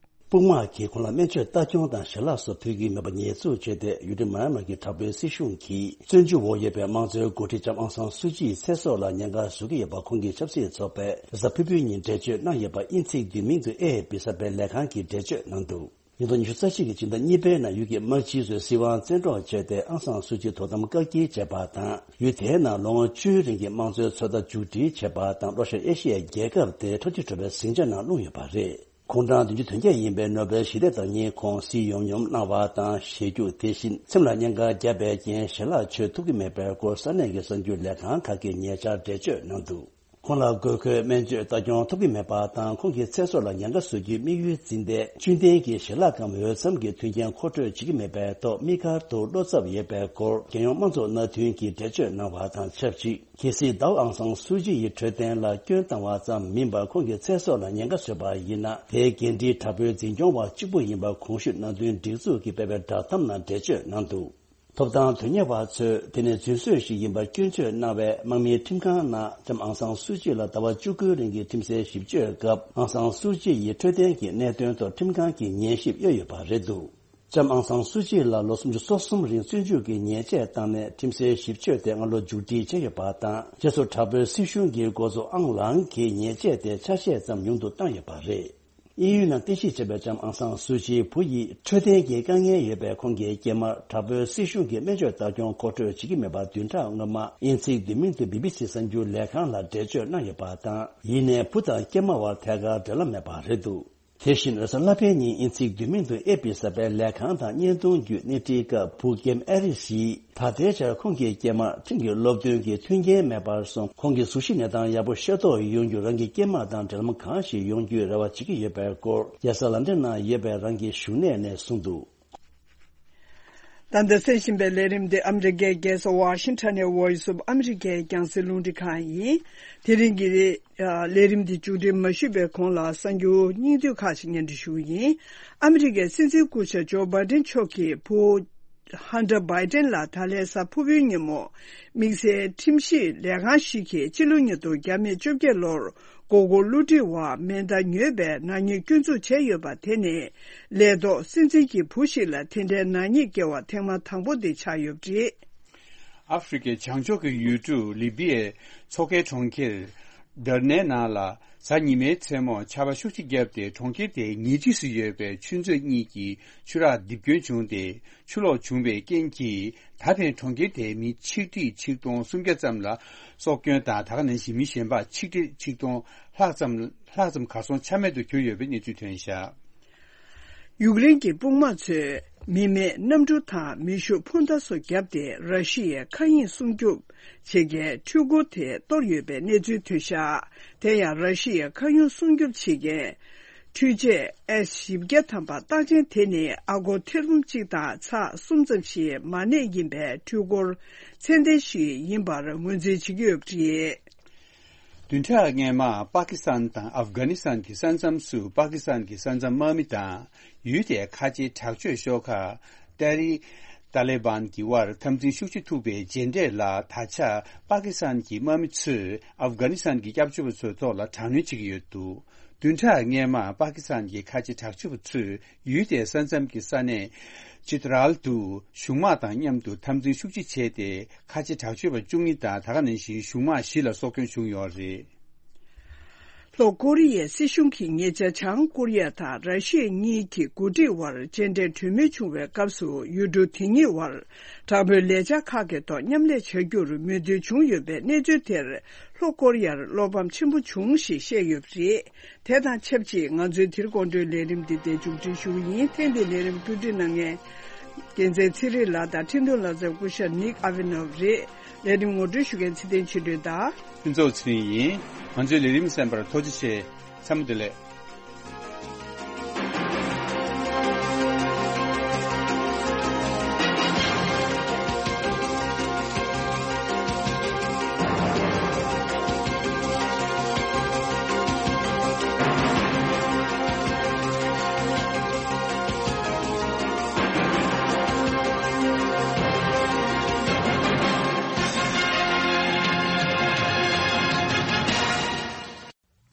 དཔུང་དམག་གིས་ཁོང་ལ་སྨན་བཅོས་ལྟ་སྐྱོང་དང་ཞལ་ལག་སོགས་ཕུལ་གྱི་མེད་པ་ཉེས་འཛུགས་བྱས་ཏེ། ཡུལ་གྲུ་མཱ་མཱ་གི་དྲག་པོའི་སྲིད་གཞུང་གིས་བཙོན་འཇུག་འོག་ཡོད་པའི་དམངས་གཙོའི་འགོ་ཁྲིད་ལྕམ་ཨང་སང་སུའུ་ཅིའི་ཚེ་སྲོག་ལ་ཉེན་ཁ་བཟོ་གི་ཡོད་པ་ཁོང་གི་ཆབ་སྲིད་ཚོགས་པས་གཟའ་ཕུར་བུའི་ཉིན་འགྲེལ་བརྗོད་གནང་ཡོད་པ་དབྱིན་ཚིག་བསྡུས་མིང་དུ་ཨེ་ཨེཕ་པི་གསར་སྤེལ་ལས་ཁང་གིས་འགྲེལ་བརྗོད་གནང་འདུག། ཉིས་སྟོང་ཉི་ཤུ་རྩ་གཅིག་གི་སྤྱི་ཟླ་གཉིས་པའི་ནང་ཡུལ་གྱི་དམག་སྤྱི་ཚོས་སྲིད་དབང་བཙན་འཕྲོག་བྱས་ཏེ་ཨང་སང་སུའུ་ཅི་དོ་དམ་བཀག་སྐྱིལ་བྱས་པ་དང་། ཡུལ་དེའི་ནང་ལོ་ངོ་བཅུའི་རིང་གི་དམངས་གཙོའི་ཚོད་ལྟ་མཇུག་སྒྲིལ་བྱས་པ་དང་། ལྷོ་ཤར་ཨེ་ཤི་ཡའི་རྒྱལ་ཁབ་དེ་འཕྲོ་མཐུད་འགྲོ་བའི་ཟིང་ཆ་ནང་ལྷུང་ཡོད་པ་རེད། ཁོང་གྲངས་བདུན་ཅུ་དོན་བརྒྱད་ཡིན་པའི་ནོ་བེལ་ཞི་བདེ་དང་ཉིན་གོང་སྲིད་ཡོམ་ཡོམ་གནང་བ་དང་། ཞེ་རྒྱུགས། དེ་བཞིན་སེམས་ལ་གནད་འགག་བརྒྱབ་པའི་རྐྱེན་ཞལ་ལག་མཆོད་ཐུབ་ཀྱི་མེད་པའི་སྐོར་ས་གནས་ཀྱི་གསར་འགྱུར་ལས་ཁང་ཁག་གིས་ཉེ་ཆར་འགྲེལ་བརྗོད་གནང་འདུག། ཁོང་ལ་དགོས་མཁོའི་སྨན་བཅོས་ལྟ་སྐྱོང་ཐོབ་ཀྱི་མེད་པ་དང་། ཁོང་གི་ཚེ་སྲོག་ལ་ཉེན་ཁ་བཟོ་རྒྱུའི་དམིགས་ཡུལ་འཛིན་ཏེ། བཅུད་ལྡན་གྱི་ཞལ་ལག་གམ་འོས་འཚམ་གྱི་མཐུན་རྐྱེན་མཁོ་སྤྲོད་བྱེད་ཀྱི་མེད་པའི་ཐོག་དམིགས་བཀར་དུ་བློ་འཚབ་ཡོད་པའི་སྐོར་རྒྱལ་ཡོངས་དམངས་གཙོ་མནའ་མཐུན་གྱིས་འགྲེལ་བརྗོད་གནང་བ་དང་ཆབས་ཅིག། གལ་སྲིད་ཟླ་བ་ཨང་སང་སུའུ་ཅི་ཡི་འཕྲོད་བསྟེན་ལ་སྐྱོན་བཏང་བ་ཙམ་མིན་པར། ཁོང་གི་ཚེ་སྲོག་ལ་ཉེན་ཁ་བཟོས་པ་ཡིན་ན། དེའི་འགན་འཁྲི་དྲག་པོའི་འཛིན་སྐྱོང་བ་གཅིག་པུ་ཡིན་པ་གོང་ཞུས་གནང་དོན་སྒྲིག་འཛུགས་ཀྱིས་སྤེལ་བའི་བསྒྲགས་གཏམ་ནང་འགྲེལ་བརྗོད་གནང་འདུག། ཐོབ་ཐང་དོན་གཉེར་བ་ཚོས་དེ་ནི་རྫུན་བཟོས་ཤིག་ཡིན་པར་སྐྱོན་བརྗོད་གནང་བའི་དམག་མིའི་ཁྲིམས་ཁང་ནང་ལྕམ་ཨང་སང་སུའུ་ཅི་ལ་ཟླ་བ་བཅུ་དགུའི་རིང་གི་ཁྲིམས་སའི་ཞིབ་དཔྱོད་སྐབས། ཨང་སང་སུའུ་ཅི་ཡི་འཕྲོད་བསྟེན་གྱི་གནད་དོན་ཐོག་ཁྲིམས་ཁང་གིས་ཉན་ཞིབ་གཡོས་ཡོད་པ་རེད་འདུག། ལྕམ་ཨང་སང་སུའུ་ཅི་ལ་ལོ་སུམ་ཅུ་སོ་གསུམ་རིང་བཙོན་འཇུག་གི་ཉེས་ཆད་བཏང་ནས། ཁྲིམས་སའི་ཞིབ་དཔྱོད་དེ་སྔ་ལོ་མཇུག་སྒྲིལ་བྱས་ཡོད་པ་དང་། རྗེས་སུ་དྲག་པོའི་སྲིད་གཞུང་གི་འགོ་གཙོ་ཨང་ལང་གིས་ཉེས་ཆད་དེ་ཆ་ཤས་ཙམ་ཉུང་དུ་བཏང་ཡོད་པ་རེད། དབྱིན་ཡུལ་ནང་རྟེན་གཞི་བྱས་པའི་ལྕམ་ཨང་སང་སུའུ་ཅིའི་བུ་ཡིས་འཕྲོད་བསྟེན་གྱི་དཀའ་ངལ་ཡོད་པའི་ཁོང་གི་སྐྱེས་མར་དྲག་པོའི་སྲིད་གཞུང་གིས་སྨན་བཅོས་ལྟ་སྐྱོང་མཁོ་སྤྲོད་བྱེད་ཀྱི་མེད་པ་བདུན་ཕྲག་སྔོན་མ་དབྱིན་ཚིག་བསྡུས་མིང་དུ་བི་བི་སི་གསར་འགྱུར་ལས་ཁང་ལ་འགྲེལ་བརྗོད་གནང་ཡོད་པ་དང་། ཡིན་ནའི་བུ་དང་སྐྱེས་མ་བར་ཐད་ཀར་འབྲེལ་ལམ་མེད་པ་རེད་འདུག། དེ་བཞིན་རེས་གཟའ་ལྷག་པའི་ཉིན་དབྱིན་ཚིག་བསྡུས་མིང་དུ་ཨེ་ཨེཕ་པི་གསར་སྤེལ་ལས་ཁང་དང་བརྙན་ཐུང་བརྒྱུད་སྣེ་ཁྲིད་སྐབས། བུ་ཀེམ་ཨེ་རི་སིས་ད་ལྟའི་ཆར་ཁོང་གི་སྐྱེས་མར་ཁྲིམས་ཀྱི་སློབ་སྟོན་གྱི་མཐུན་རྐྱེན་མེད་པར་སོང་། ཁོང་གི་གཟུགས་གཞི་གནས་སྟངས་ཡག་པོ་ཤེས་རྟོགས་ཡོང་རྒྱུར་རང་གི་སྐྱེས་མ་དང་འབྲེལ་ལམ་གང་ཞིག་ཡོང་རྒྱུའི་རེ་བ་བྱེད་ཀྱི་ཡོད་པའི་སྐོར། རྒྱལ་ས་ལན་ཌན་ནང་ཡོད་པའི་རང་གི་བཞུགས་གནས་ནས་གསུངས་འདུག། ད་ལྟ་གསན་བཞིན་པའི་ལས་རིམ་འདི་ཨ་མི་རི་ཀའི་རྒྱལ་ས་ཝ་ཤིང་ཊོན་ནས་Voice of America་རྒྱང་སྲིང་རླུང་འཕྲིན་ཁང་ཡིན། དེ་རིང་གི་ལས་རིམ་འདི་མཇུག་སྒྲིལ་མ་ཞུས་པའི་གོང་ལ་གསར་འགྱུར་སྙིང་བསྡུས་ཁག་ཅིག་སྙན་སྒྲོན་ཞུ་གི་ཡིན། ཨ་མི་རི་ཀའི་སྲིད་འཛིན་སྐུ་ཞབས་ཇོ་བྷའི་ཌེན་མཆོག་གི་བུ། ཧན་ཏྲ་བྷའི་ཏན་ལ་ད་ལན་གཟའ་ཕུར་བུའི་ཉིན་མོ། དམིགས་བསལ་ཁྲིམས་ཞིབ་ལས་ཁང་ཞིག་གིས་ཕྱི་ལོ་ཉིས་སྟོང་བརྒྱ་མེད་བཅོ་བརྒྱད་ལོར་མགོ་སྐོར་བསླུ་བྲིད་འོག་མེ་མདའ་ཉོས་པའི་ནག་ཉེས་སྐྱོན་འཛུགས་བྱས་ཡོད་པ་དེ་ནི། ལས་ཐོག་སྲིད་འཛིན་གྱི་བུ་ཞིག་ལ་དེ་འདྲའི་ནག་ཉེས་བཀལ་བ་ཐེངས་མ་དང་པོ་དེ་ཆགས་ཡོད་པ་རེད། ཨ་ཧྥེ་རི་ཁའི་བྱང་ཕྱོགས་ཀྱི་ཡུལ་གྲུ་ལི་བི་ཡའི་མཚོ་ཁའི་གྲོང་ཁྱེར། དར་ནའི་ནང་ལ་གཟའ་ཉི་མའི་མཚན་མོ་ཆར་པ་ཤུགས་ཆེ་བརྒྱབ་སྟེ། གྲོང་ཁྱེར་དེའི་ཉེ་འཁྲིས་སུ་ཡོད་པའི་ཆུ་མཛོད་གཉིས་ཀྱི་ཆུ་རགས་རྡིབ་སྐྱོན་བྱུང་སྟེ། ཆུ་ལོག་བྱུང་བའི་རྐྱེན་གྱིས། ད་ཕན་གྲོང་ཁྱེར་དེའི་མི་ཆིག་ཁྲི་ཆིག་སྟོང་སུམ་བརྒྱ་ཙམ་ལ་སྲོག་སྐྱོན་དང་། ད་ག་ནང་བཞིན་མི་གཞན་པ་ཆིག་ཁྲི་ཆིག་སྟོང་ལྷག་ཙམ་ལྷག་ཙམ་གར་སོང་ཆ་མེད་དུ་གྱུར་ཡོད་པའི་གནས་ཚུལ་ཐོན་བཞག། ཡུཀ་རེན་གྱི་དཔུང་དམག་ཚོས་མི་མེད་གནམ་གྲུ་དང་མེ་ཤུགས་འཕུར་མདའ་སོགས་བརྒྱབ་སྟེ། ར་ཤི་ཡའི་མཁའ་དབྱིངས་སྲུང་སྐྱོབ་བྱེད་མཁན་འཕྲུལ་འཁོར་དེ་གཏོར་ཡོད་པའི་གནས་ཚུལ་ཐོན་བཞག། དེ་ཡང་ར་ཤི་ཡའི་མཁའ་དབྱིངས་སྲུང་སྐྱོབ་བྱེད་མཁན་འཕྲུལ་ཆས་ཨེས་བཞི་བརྒྱ་ཐམ་པ་རྟགས་ཅན་དེ་ནི་ཨ་སྒོར་ཐེར་འབུམ་གཅིག་དང་ཚེག་གསུམ་ཙམ་ཞིག་མ་གནས་ཡིན་པའི་འཕྲུལ་འཁོར་ཚད་ལྡན་ཞིག་ཡིན་པར་ངོས་འཛིན་བྱེད་ཀྱི་ཡོད་པ་རེད། བདུན་ཕྲག་སྔོན་མ་པ་ཀི་སི་ཐན་དང་ཨབ་གྷ་ནི་སི་ཐན་གྱི་ས་མཚམས་སུ། པ་ཀི་སི་ཐན་གྱི་ས་མཚམས་དམག་མི་དང་ཡུལ་དེའི་ཁ་ཆེའི་དྲག་སྤྱོད་ཤོག་ཁག་ཏེ་ཧ་རིག་ཏཱ་ལེ་བཱན་གྱི་དབར་འཐབ་འཛིང་ཤུགས་ཆེ་ཐུག་པའི་རྗེས་འབྲས་ལ། ད་ཆ་པ་ཀི་སི་ཐན་གྱི་དམག་མི་ཚོས་ཨབ་གྷ་ནི་སི་ཐན་གྱི་སྐྱབས་བཅོལ་བ་ཚོའི་ཐོག་ལ་དྲག་གནོན་བྱེད་ཀྱི་ཡོད་འདུག། བདུན་ཕྲག་སྔོན་མ་པ་ཀི་སི་ཐན་གྱི་ཁ་ཆེ་དྲག་སྤྱོད་པ་ཚོས་ཡུལ་དེའི་ས་མཚམས་ཀྱི་ས་གནས་ཅི་ཏི་རལ་དུ་གཞུང་དམག་དང་མཉམ་དུ་འཐབ་འཛིང་ཤུགས་ཆེ་བྱས་ཏེ། ཁ་ཆེ་དྲག་སྤྱོད་པ་བཅུ་གཉིས་དང་། ད་ག་ནང་བཞིན་གཞུང་དམག་བཞི་ལ་སྲོག་སྐྱོན་བྱུང་ཡོད་རེད། ལྷོ་ཀོ་རི་ཡའི་སྲིད་གཞུང་གིས་ཉེ་ཆར་བྱང་ཀོ་རི་ཡ་དང་ར་ཤི་ཡ་གཉིས་ཀྱི་འགོ་ཁྲིད་དབར་མཇལ་འཕྲད་གྲོས་མོལ་བྱུང་བའི་སྐབས་སུ། ཡུལ་གྲུ་དེ་གཉིས་དབར་དྲག་པོའི་ལས་འཆར་ཁག་གི་ཐོག་མཉམ་ལས་བྱ་རྒྱུར་མོས་མཐུན་བྱུང་ཡོད་པའི་གནས་ཚུལ་དེར། ལྷོ་ཀོ་རི་ཡར་བློ་ཕམ་ཆེན་པོ་བྱུང་ཞེས་བཤད་ཡོད་པ་རེད། དེ་དང་ཆབས་ཅིག་ང་ཚོའི་དེ་རིང་དགོང་དྲོའི་ལས་རིམ་འདི་འདིར་མཇུག་སྒྲིལ་ཞུ་གི་ཡིན། ཐེངས་འདིའི་ལས་རིམ་བཀོད་སྒྲིག་གནང་མཁན། རྒྱལ་མཚན་ཚེ་རིང་ལགས་དང་འཕྲིན་གཏོང་ལག་རྩལ་སྐུ་ཞབས་ནིག་ཨ་ཝི་ནོབ་རེད། ལས་རིམ་ངོ་སྤྲོད་ཞུ་མཁན་ཚེ་བརྟན་ཆོས་སྒྲོན་དང་། ཕུན་ཚོགས་ཚེ་རིང་ཡིན། ང་ཚོའི་ལས་རིམ་གསན་པར་ཐུགས་རྗེ་ཆེ། མཚན་མོ་བདེ་ལེགས།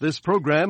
This program